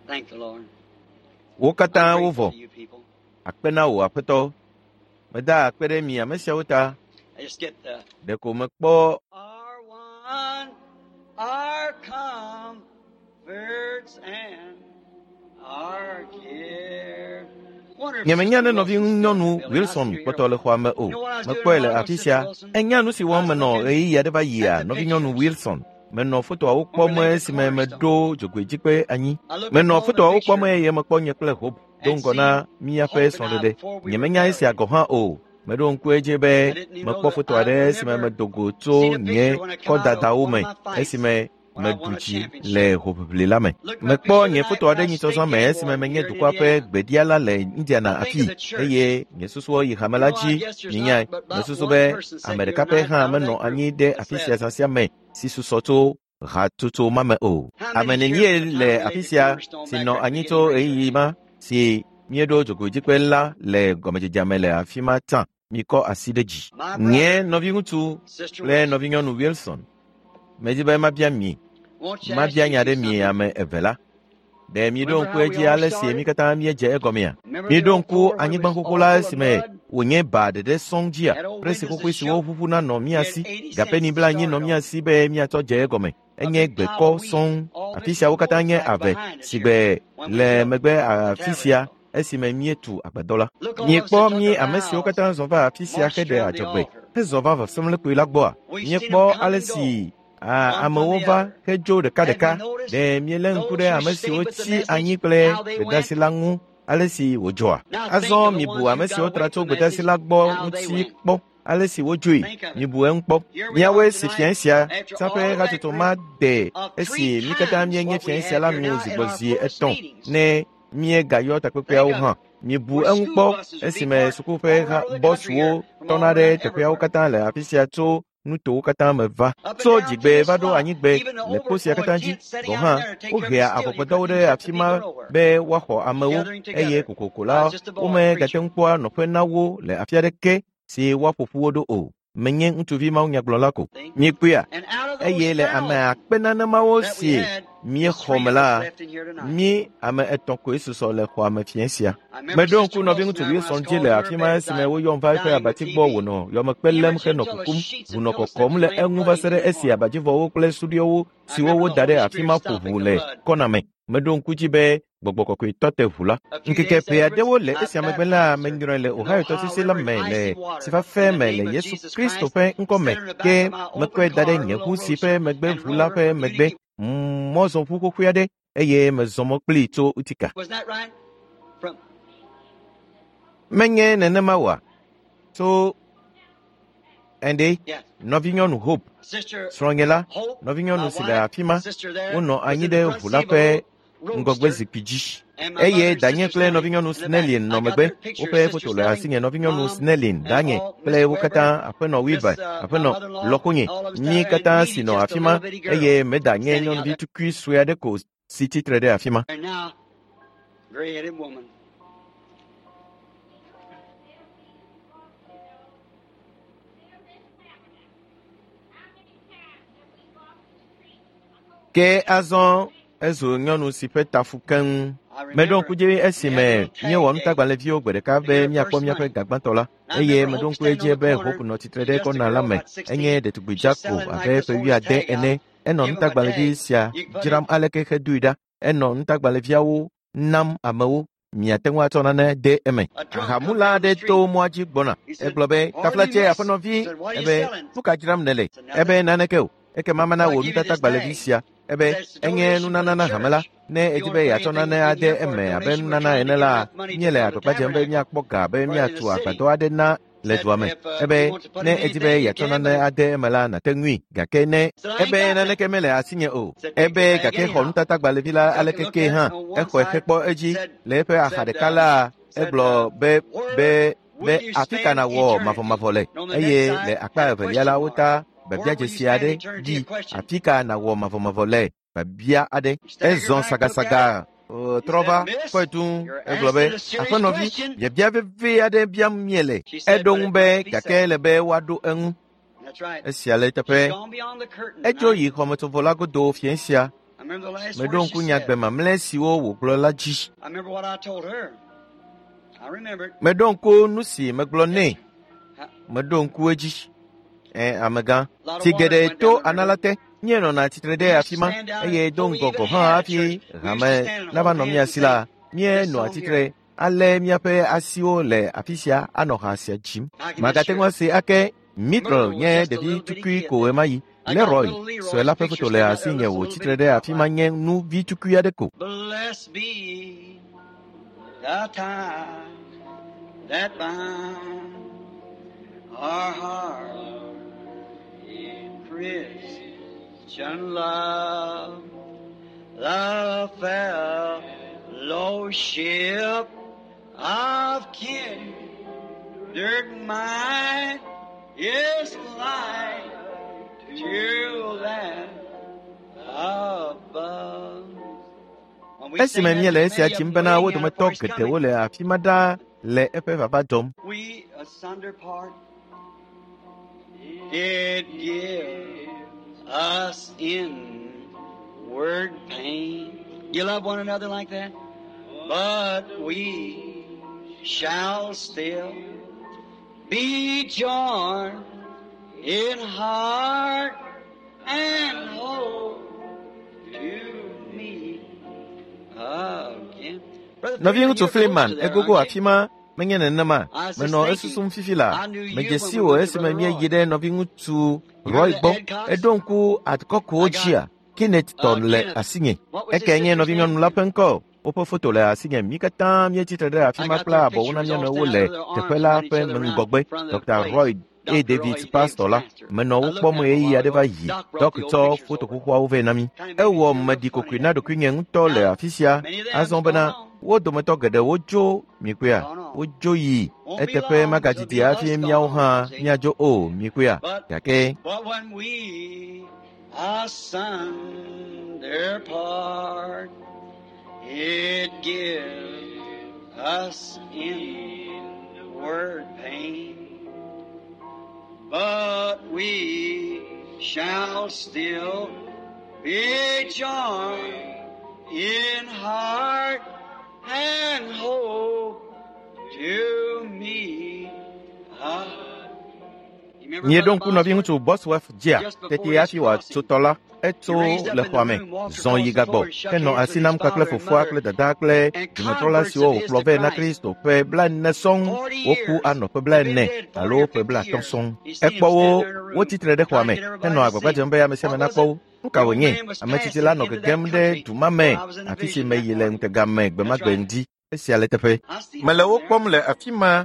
Thank the Lord. Wo katã I'm wovɔ. grateful to you people. Akpe na wò Aƒetɔ. Meda akpe ɖe mi ame siawo ta. I just get the Ɖeko mekpɔ our one, our comforts and our care. Wonder if Nyemenya Sister ne Wilson's still in the nɔvinyɔnu building. I Wilson see her here. kpɔtɔ le xɔa me o. You know what I was doing a Mekpɔe le while ago, afi Sister sia. Wilson? Enya nu si I wɔm was menɔ looking ɣeyiɣi aɖe va yia at the nɔvinyɔnu pictures. Wilson. Menɔ fotoawo When we kpɔm laid the esime cornerstone. meɖo dzogoedzikpe anyi. I looked Menɔ at all the fotoawo kpɔm pictures eye mekpɔ nye kple Hope do and ŋgɔ na seen míaƒe Hope and I srɔ̃ɖeɖe. before we were Nyemenya esia married. gɔ̃ hã o. Meɖo ŋku edzi be I didn't even know mekpɔ that foto I aɖe esime remember medo go tso seeing a nye picture when I come out of kɔdadawo one me of my fights esime when I meɖu won a dzi championship. le hoʋiʋli la me. Looked my Mekpɔ picture nye tonight foto when aɖe I nyitsɔ zã state me game esime boy menye here in dukɔa ƒe Indiana. gbeɖiala le Indiana I think afii of the church. eye nye susuwo yi hame You la know, I dzi. guess there's Minyae, not but about mesusu one be person ame sitting here ɖeka pɛ tonight hã out of menɔ that group anyi ɖe that's afi sia left. zã sia me si susɔ tso hatsotso ma me o. How Ame many's here nenie from the le time we afi laid the sia cornerstone si back nɔ there at the anyi beginning tso of ɣeyiɣi research? ma si míeɖo dzogoedzikpe la le gɔmedzedzea me le afi ma tsã? Mikɔ asi ɖe dzi. My Nye brother, nɔviŋutsu Sister kple Wilson, nɔvinyɔnu Wilson, medi be mabia mi, won't you ask mabia you nya two ɖe mi something? ame eve la. Ɖe miɖo Remember ŋku how we edzi all ale si mí started? katã míedze egɔmea? Remember the Miɖo old ŋku floor where it anyigba was xoxo all la full of esime mud? wònye ba ɖeɖe sɔŋ dzia? Presi xoxoe siwo ʋuʋuna nɔ mía si, gapeni blaenyi nɔ mía si be míatsɔ dze egɔme. Enye gbekɔ sɔŋ. Afi siawo katã nye ave si gbe le megbe afi sia esime míetu agbadɔ la. Miekpɔ mí ame siwo katã zɔ va afi sia heɖe adzɔgbe hezɔ va vɔsamlekpui la gbɔa? Míekpɔ ale si amewo va hedzo ɖekaɖeka. Ɖe míelé ŋku ɖe ame siwo tsi anyi kple gbedeasi la ŋu ale si wòdzɔa? Azɔ mibu ame siwo tra tso gbedeasi la gbɔ ŋuti kpɔ ale si wodzoe. Mibu eŋu kpɔ. Míawoe si fiae sia saƒe hatsotso ma de esi mí katã míenye fiae sia la nu zi gbɔ zi etɔ̃ ne míegayɔ takpekpeawo hã. Mibu eŋu kpɔ esime suku ƒe bɔsuwo tɔna ɖe teƒeawo katã le afi sia tso nutowo katã me va. Tso dzigbe va ɖo anyigbe le kpo sia katã dzi gɔ̃ hã, wohea avɔgbadɔwo ɖe afi ma be woaxɔ amewo eye kokoko la womegate ŋu kpɔa nɔƒe na wo le afi aɖeke si woaƒo ƒu wo ɖo o. Menye ŋutsuvi mawunyagblɔla ko. Miekpɔea? Eye le ame akpe nanemawo si míexɔ me la, mí ame etɔ̃ koe susɔ le xɔa me fiẽ sia. Meɖo ŋku nɔviŋutsu Wilson dzi le afi ma esime woyɔm va eƒe abati gbɔ wònɔ yɔmekpe lém henɔ kukum, ʋu nɔ kɔkɔm le eŋu va se ɖe esi abadzivɔwo kple suɖiwo siwo woda ɖe afi ma ƒo ʋu le kɔna me. Meɖo ŋku dzi be gbɔgbɔ kɔkɔe tɔ te ʋu la. Ŋkeke ƒe aɖewo le esia megbe la, menyrɔe le Ohio tɔsisi la me le sifafe me le Yesu Kristo ƒe ŋkɔ me ke mekɔe da ɖe nye ʋu si ƒe megbe ʋu la ƒe megbe mɔzɔʋu xoxoe aɖe eye mezɔ mɔ kplii tso Utica. Menye nenema oa? Tso ɛnde nɔvinyɔnu Hope, srɔ̃nye la, nɔvinyɔnu si le afi ma, wonɔ anyi ɖe ʋu la ƒe ŋgɔgbe zikpui dzi. Eye danye kple nɔvinyɔnu Snellin nɔ megbe. Woƒe foto le asinye nɔvinyɔnu Snellin, danye kple wo katã, aƒenɔ Wilber, aƒenɔ lɔkonye, mí katã si nɔ afi ma eye meda nye nyɔnuvi tukui sue aɖe ko si tsitre ɖe afi ma. And now, gray-headed woman. Ke azɔ ezu nyɔnu si ƒe ta fu keŋ. Meɖo ŋku dzi esime míewɔ nutagbalẽviwo gbe ɖeka be míakpɔ míaƒe gagbãtɔ la eye meɖo ŋku edzi be Hope nɔ tsitre ɖe kɔna la me. Enye ɖetugbui dzako abe ƒe wuiade ene. Enɔ nutagbalẽvi sia dzram aleke hedoe ɖa. Enɔ nutagbalẽviawo nam amewo. Miate ŋu atsɔ nane de eme. Ahamula aɖe to mɔa dzi gbɔna. Egblɔ be, "Taflatse aƒenɔvi, ebe nu ka dzram nèle?" Ebe naneke o. Ekema mana wò nutatagbalẽvi sia. Ebe enye nunana na hame la. Ne edi be yeatsɔ nane ade eme abe nunana ene la, míele agbagba dzem be míakpɔ ga be míatu agbadɔ aɖe na le dua me. Ebe ne edi be yeatsɔ nane ade eme la, nàte ŋui. Gake ne ebe naneke mele asinye o. Ebe gake xɔ nutatagbalẽvi la aleke ke hã, exɔe hekpɔ edzi le eƒe axa ɖeka la, egblɔ be be be afi ka nàwɔ mavɔmavɔ le eye le akpa evelia la wota biabiadzesi aɖe ɖi afi ka nàwɔ mavɔmavɔ le biabia aɖe. Ezɔ sagasaga trɔ va kpɔe dũu egblɔ be aƒenɔvi biabia veve aɖe biam míele. Eɖo ŋu be gake ele be woaɖo eŋu. That's right. Esia le eteƒe. She's gone beyond the curtain. Edzo yi xɔmetsovɔ la godo fiẽ sia. I remember the last Meɖo words ŋku she nya gbe said. mamlɛ siwo wògblɔ la dzi. I remember what I told her. I remember it. Meɖo ŋku nu si megblɔ nɛ. Yes. Meɖo ŋku edzi. Ɛ amegã. Tsi geɖe to ana la te. Míenɔna tsitre ɖe afi ma eye do ŋgɔ gɔ̃ hã hafi hame nava nɔ mía si la, míenɔa tsitre alé míaƒe asiwo le afi sia anɔ ha sia dzim. Magate ŋu ase ake Mitchell nye ɖevi tukui ko ɣemaɣi. Leroy sue la ƒe foto le asinye wòtsitre ɖe afi ma nye nu vi tukui aɖe ko. Blessed be the tie that binds our heart in Christian love, the fellowship of kindred mind is like to that above. When we Esime sing that, míele there's esia many of dzim them bena wo waiting out dometɔ for his geɖewo coming. le afi ma ɖaa le eƒe vava dzɔm. We asunder part. It gives us inward pain. You love one another like that? But we shall still be joined in heart and hope to meet again. Brother Nɔviŋutsu Freeman, you're close Freeman, to there, egogo aren't afi you? ma menye nenema. I was just Menɔ thinking, esusum fifi la. I knew you Medze when si we wò went to esime Brother míeyi Roy. ɖe nɔviŋutsu You Roy remember gbɔ. Ed Cox? Eɖo ŋku akɔkowo I got dzia. Kenneth tɔ le Kenneth. asinye. What was his Eke nye sister's name? nɔvinyɔnu la ƒe ŋkɔ. Woƒe foto le asinye. Mí katã míetsi tre ɖe afi I ma got kple their abɔwo picture. na We mía all nɔewo stand le out with their teƒe arms la around each ƒe other round ŋgɔgbe. in front of the Dr. place. Roy A. Dr. Roy David Davis pastor la. pastor. Menɔ I wo looked kpɔm at him a ɣeyiɣi while aɖe va ago. yi. Doc brought Dɔk the old tsɔ pictures foto over. xoxoawo vɛ na mí. Kind of made me Ewɔ feel real meɖi funny kokoe na that day. ɖokuinye ŋutɔ le Now, afi sia. many of Azɔ them's gone bena on. wo dometɔ geɖewo dzo mikpɔea. Gone on. Wodzo yi. Won't be Eteƒe long till it'll magadidi be hafi us míawo gone hã on, see? míadzo o mikpɔea. But Gake but when we asunder part, it gives us inward pain. But we shall still be joined in heart and hope to meet us. You remember Míeɖo Brother ŋku nɔviŋutsu Bosworth? Bosworth dzia Just before tete his hafi wòatso crossing, tɔ la, he etso raised up le in xɔa the me, room, walked zɔn across yi the gagbɔ, floor, and shook henɔ hands asi with his nam kpakple father and fofoa mother kple dadaa kple and dumetrɔla converts siwo of his wòkplɔ to vɛ na Christ. Kristo ƒe blaene sɔŋ. 40 Woku years. anɔ ƒe They've been blaene dead 40 alo or ƒe 50 blaatɔ̃ years. sɔŋ. He seen him Ekpɔ wo standing there in a room, wotsi tre ɖe xɔa trying to me get everybody henɔ to agbagba see dzem him. be ame sia ame What was nakpɔ it? wo. Nu ka The old wònye? man was Ame tsitsi la passing nɔ into that gegem ɖe country du ma me, where I was in the afi si vision that meyi le morning. ŋutega me gbe ma That's gbe right. ŋdi. Esia le teƒe. I see Mele them wo there. kpɔm le afi ma.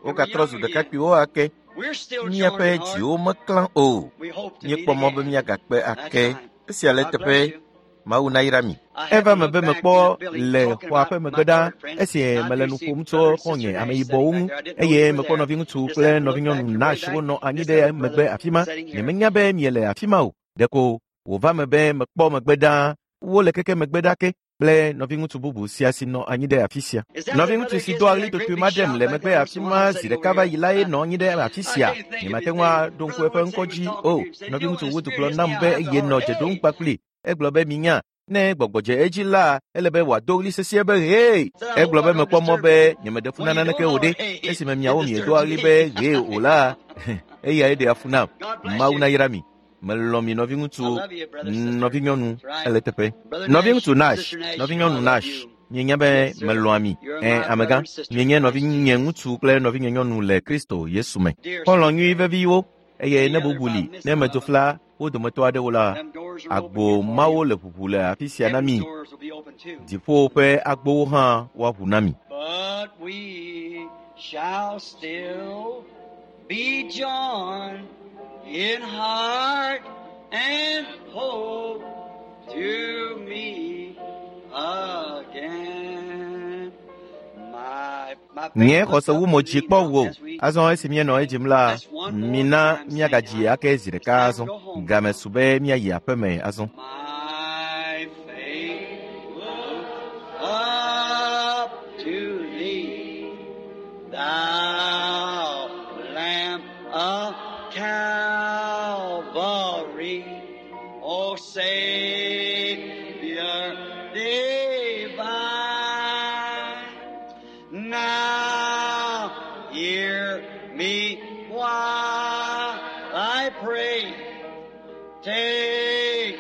They were Wogatrɔ zu young again. ɖekakpuiwo ake. We're still joined Míaƒe in heart. dziwo meklã o. We hope to meet Míekpɔ mɔ be again. míagakpe That's ake. right. Esia le God teƒe. bless you. Mawu nayra mi. I Eva happened to me look be back in mekpɔ the building le talking xɔa about ƒe my megbe ɖa third friend, esi and I mele do nu see ƒom tso brother and xɔ̃nye sister Nash ameyibɔwo sitting ŋu back there. I didn't know eye you were mekpɔ there. nɔviŋutsu Just kple happened to look back. nɔvinyɔnu You're way Nash back. wonɔ anyi This ɖe other megbe brother afi ma. sitting here. Nyemenya be miele afi ma o. Ɖeko wòva me be mekpɔ megbe ɖaa. Wole keke megbe ɖa ke kple nɔviŋutsu bubu sia si nɔ anyi ɖe afi sia. Is that the Nɔviŋutsu brother si gives doa me ɣli that great totoe big ma ɖem shout le back megbe there once afi in a while ma I'm zi sitting ɖeka over va here? yi lae nɔ anyi ɖe afi I sia. can't think of Nyemate his ŋu name. aɖo ŋku Brother eƒe Wood ŋkɔ said he was dzi talking o. to you. He said, you know, Nɔviŋutsu when the Wood Spirit gblɔ hits nam me, be I have to eye nɔ holler, dze ɖom hey! kpakpli. Egblɔ be minya ne gbɔgbɔ dze edzi la ele be wòado ɣli sesĩe be hee. Said, I hope Egblɔ I be don't mekpɔ mɔ disturb be you. nyemeɖe fu When na you naneke don't o holler, ɖe. hey, Esime it miawo miedoa disturbs ɣli me. be hee o la eyae ɖea fu nam. God bless Mawu you. nayra mi. Melɔ̃ mi I nɔviŋutsu, love you, brother, sister. nɔvinyɔnu That's right. ele teƒe. Brother Nash, Nɔviŋutsu Nash, Sister Nash, you know I nɔvinyɔnu love Nash, you. mienya be Yes, sir. melɔ̃a mi. You're Ẽ, my brother amegã, and sister in mienye Christ nɔvinye Jesus. ŋutsu kple nɔvinye nyɔnu le Kristo Yesu me. Dear Xɔlɔ̃ sweet nyui friend, veviwo eye any ne other bubu if I li, miss ne some medzo of them, fla wo dometɔ aɖewo la, them doors are open agbo here for mawo you. le ʋuʋu le afi sia na Heaven's mi. doors will be open too. Dziƒo ƒe agbowo hã woaʋu na mi. But we shall still be joined in heart and hope to meet again. My Nye faith looks xɔse up wu to mo dzi thee kpɔ now wò. as we Azɔ esi míenɔ edzim la, let's one more mina time sing míagadzi now. ake zi It's ɖeka time to azɔ. go home Game now. su be míayi aƒeme azɔ. My faith looks up to thee, thou Lamb of Calvary, O Savior divine. Now hear me while I pray. Take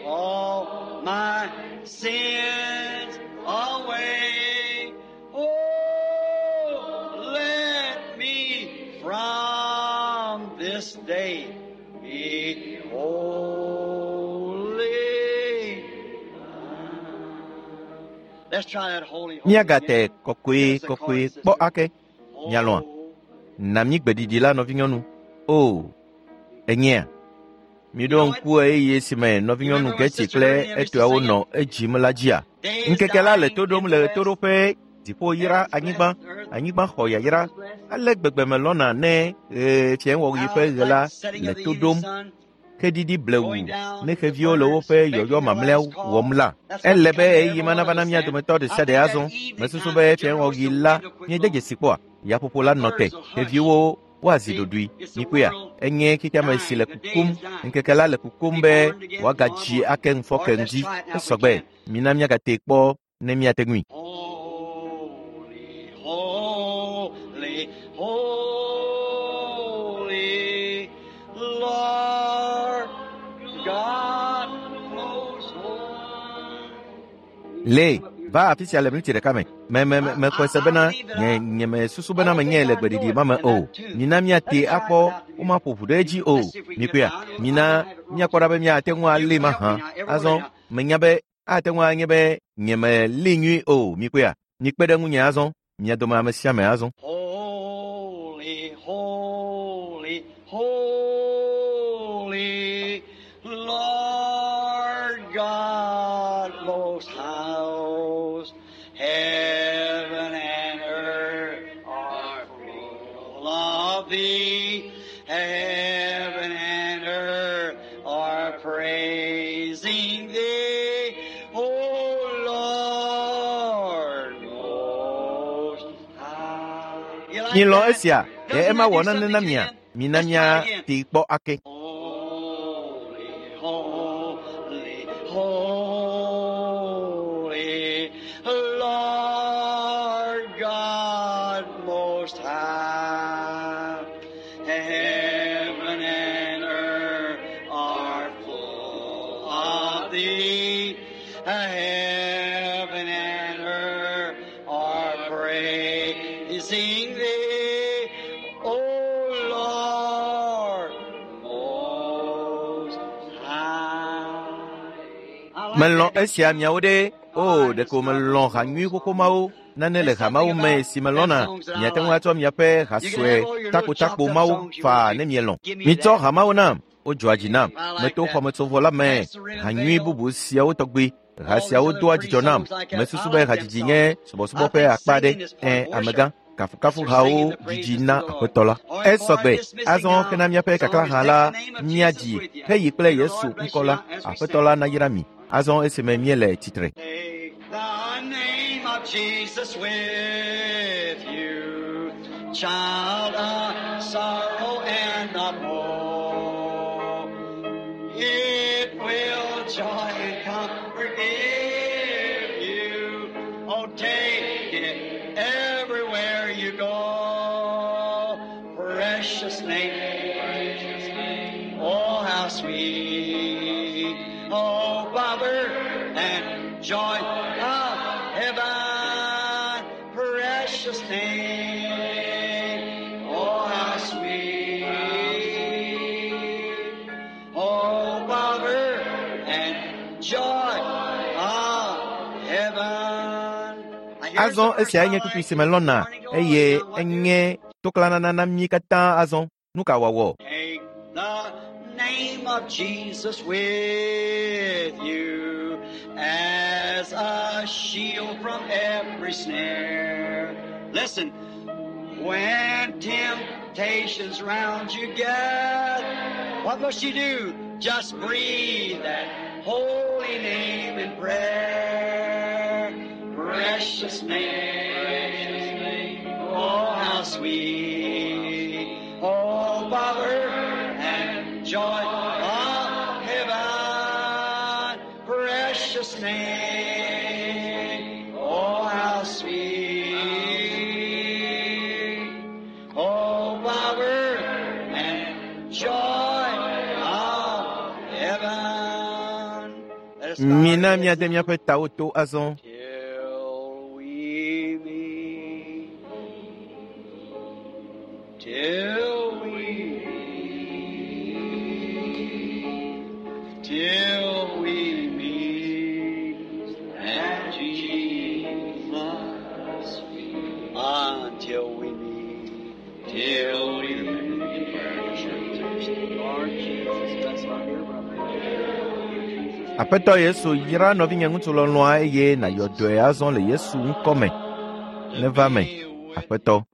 all my sins away. Oh, let me from this day be holy. Let's try that holy, holy again. Míagate kɔkɔe Give us a kɔkɔe chorus, kpɔ sister. ake. Mialɔ̃a, Oh, na mí gbeɖiɖi la nɔvinyɔnu. O, enyea. you Miɖo know it? ŋku ɣeyiɣi si me You nɔvinyɔnu remember when Getty Sister kple Ernie and Mr. etɔawo singing? nɔ edzim la dzia? Day is Ŋkeke la le dying to in ɖom the le west. ɣetoɖoƒe, dziƒo yra Heaven's anyigba, blessed, earth anyigba xɔ yayra. is blessed. Ale gbegbe melɔ̃na ne ɣe fiẽwɔɣi How ƒe it's ɣe la like setting le of the to evening ɖom, sun, xeɖiɖi blewu going down ne to the xeviwo le furnace, woƒe making yɔyɔ their mamlɛawo last call. wɔm la. That's what Ele we be come to ɣeyiɣi every ma one nava of na us mía then. dometɔ ɖe I sia ɖe think that azɔ. evening Mesusu time, be the generals fiẽwɔɣi will la wind will quit míede blowing. dzesi kpɔa, yaƒoƒo The la nɔ te, birds will hush. xeviwo woazi See, ɖoɖoe. it's the Mikpɔea, world enye xexeame si dying. le The day kukum, is dying. ŋkeke la le kukum Be be born again tomorrow wòagadzi morning. ake ŋufɔ Or ke let's ŋdi. try it now if we Esɔgbe, can. mina míagate kpɔ ne míate ŋui. Holy, holy, holy. Le, va afi sia le miniti ɖeka me. Me me mexɔe se bena nye nye mesusu bena menye le gbeɖiɖi ma me o. Mina míate akpɔ womaƒo ʋu ɖe edzi o. Mikpɔea, mina míakpɔ ɖa be míate ŋu alée mahã. Azɔ menya be ate ŋu anye be nyemelée nyuie o. Mikpɔea, mikpe ɖe ŋunye azɔ. Mia dome ame sia ame azɔ. Holy, holy, holy, Lord God most high, heaven and earth are full of thee. Heaven and earth are praising thee, O Lord most high. You like Milɔ̃ that? esia, ɖe Doesn't ema that wɔ do nane something na to mia? you? Mina Let's try it again. míate kpɔ ake. Holy, holy, holy, Lord God Most High. Heaven and earth are full of thee. Heaven and earth are praising thee, O Lord Most High. I like Melɔ̃ that. esia miawo ɖe. O, ɖeko melɔ̃ ha nyui xoxo mawo. Nane le ha mawo me si melɔ̃na. Miate ŋu atsɔ miaƒe ha sue takotakpo mawo faa ne mielɔ̃. Mitsɔ ha mawo nam. Wodzɔa dzi nam. Meto xɔmetsovɔ la me. Ha nyui bubu siawo tɔgbi. Ha siawo doa dzidzɔ nam. Mesusu be hadzidzi nye subɔsubɔ ƒe akpa aɖe. Ẽ, amegã. Kafukafuhawo dzidzi na Aƒetɔ la. Esɔgbe. Azɔ hena míaƒe kaklã la, míadzi heyi kple Yesu ŋkɔ la. Aƒetɔ la nayra mi. Azɔ esime míele tsitre. Take the name of Jesus with you, child of sorrow and of woe. It will joy and comfort give you. Oh, take it everywhere you go. Precious name, precious name. Oh, how sweet. Oh, power and joy of heaven. Precious name. Oh, how sweet. Oh, power and joy of heaven. Azɔ esiae nye kpukpui si melɔ̃na eye enye toklanana na mí katã azɔ. Nu ka wòawɔ? Take the name of Jesus with you as a shield from every snare. Listen, when temptations round you get, what must you do? Just breathe that holy name in prayer. Precious name, oh how sweet, oh power and joy of heaven. Precious name, oh how sweet, oh power and joy of heaven. Let us bow our Mina heads míade now. míaƒe tawo to azɔ. Till we meet, till we meet, till we meet at Jesus, until we meet, till we meet. Lord Jesus, bless our dear brother. Aƒetɔ Yesu yra nɔvinye ŋutsu lɔlɔ̃a eye nàyɔ dɔe azɔ le Yesu ŋkɔ me. Neva me, Aƒetɔ.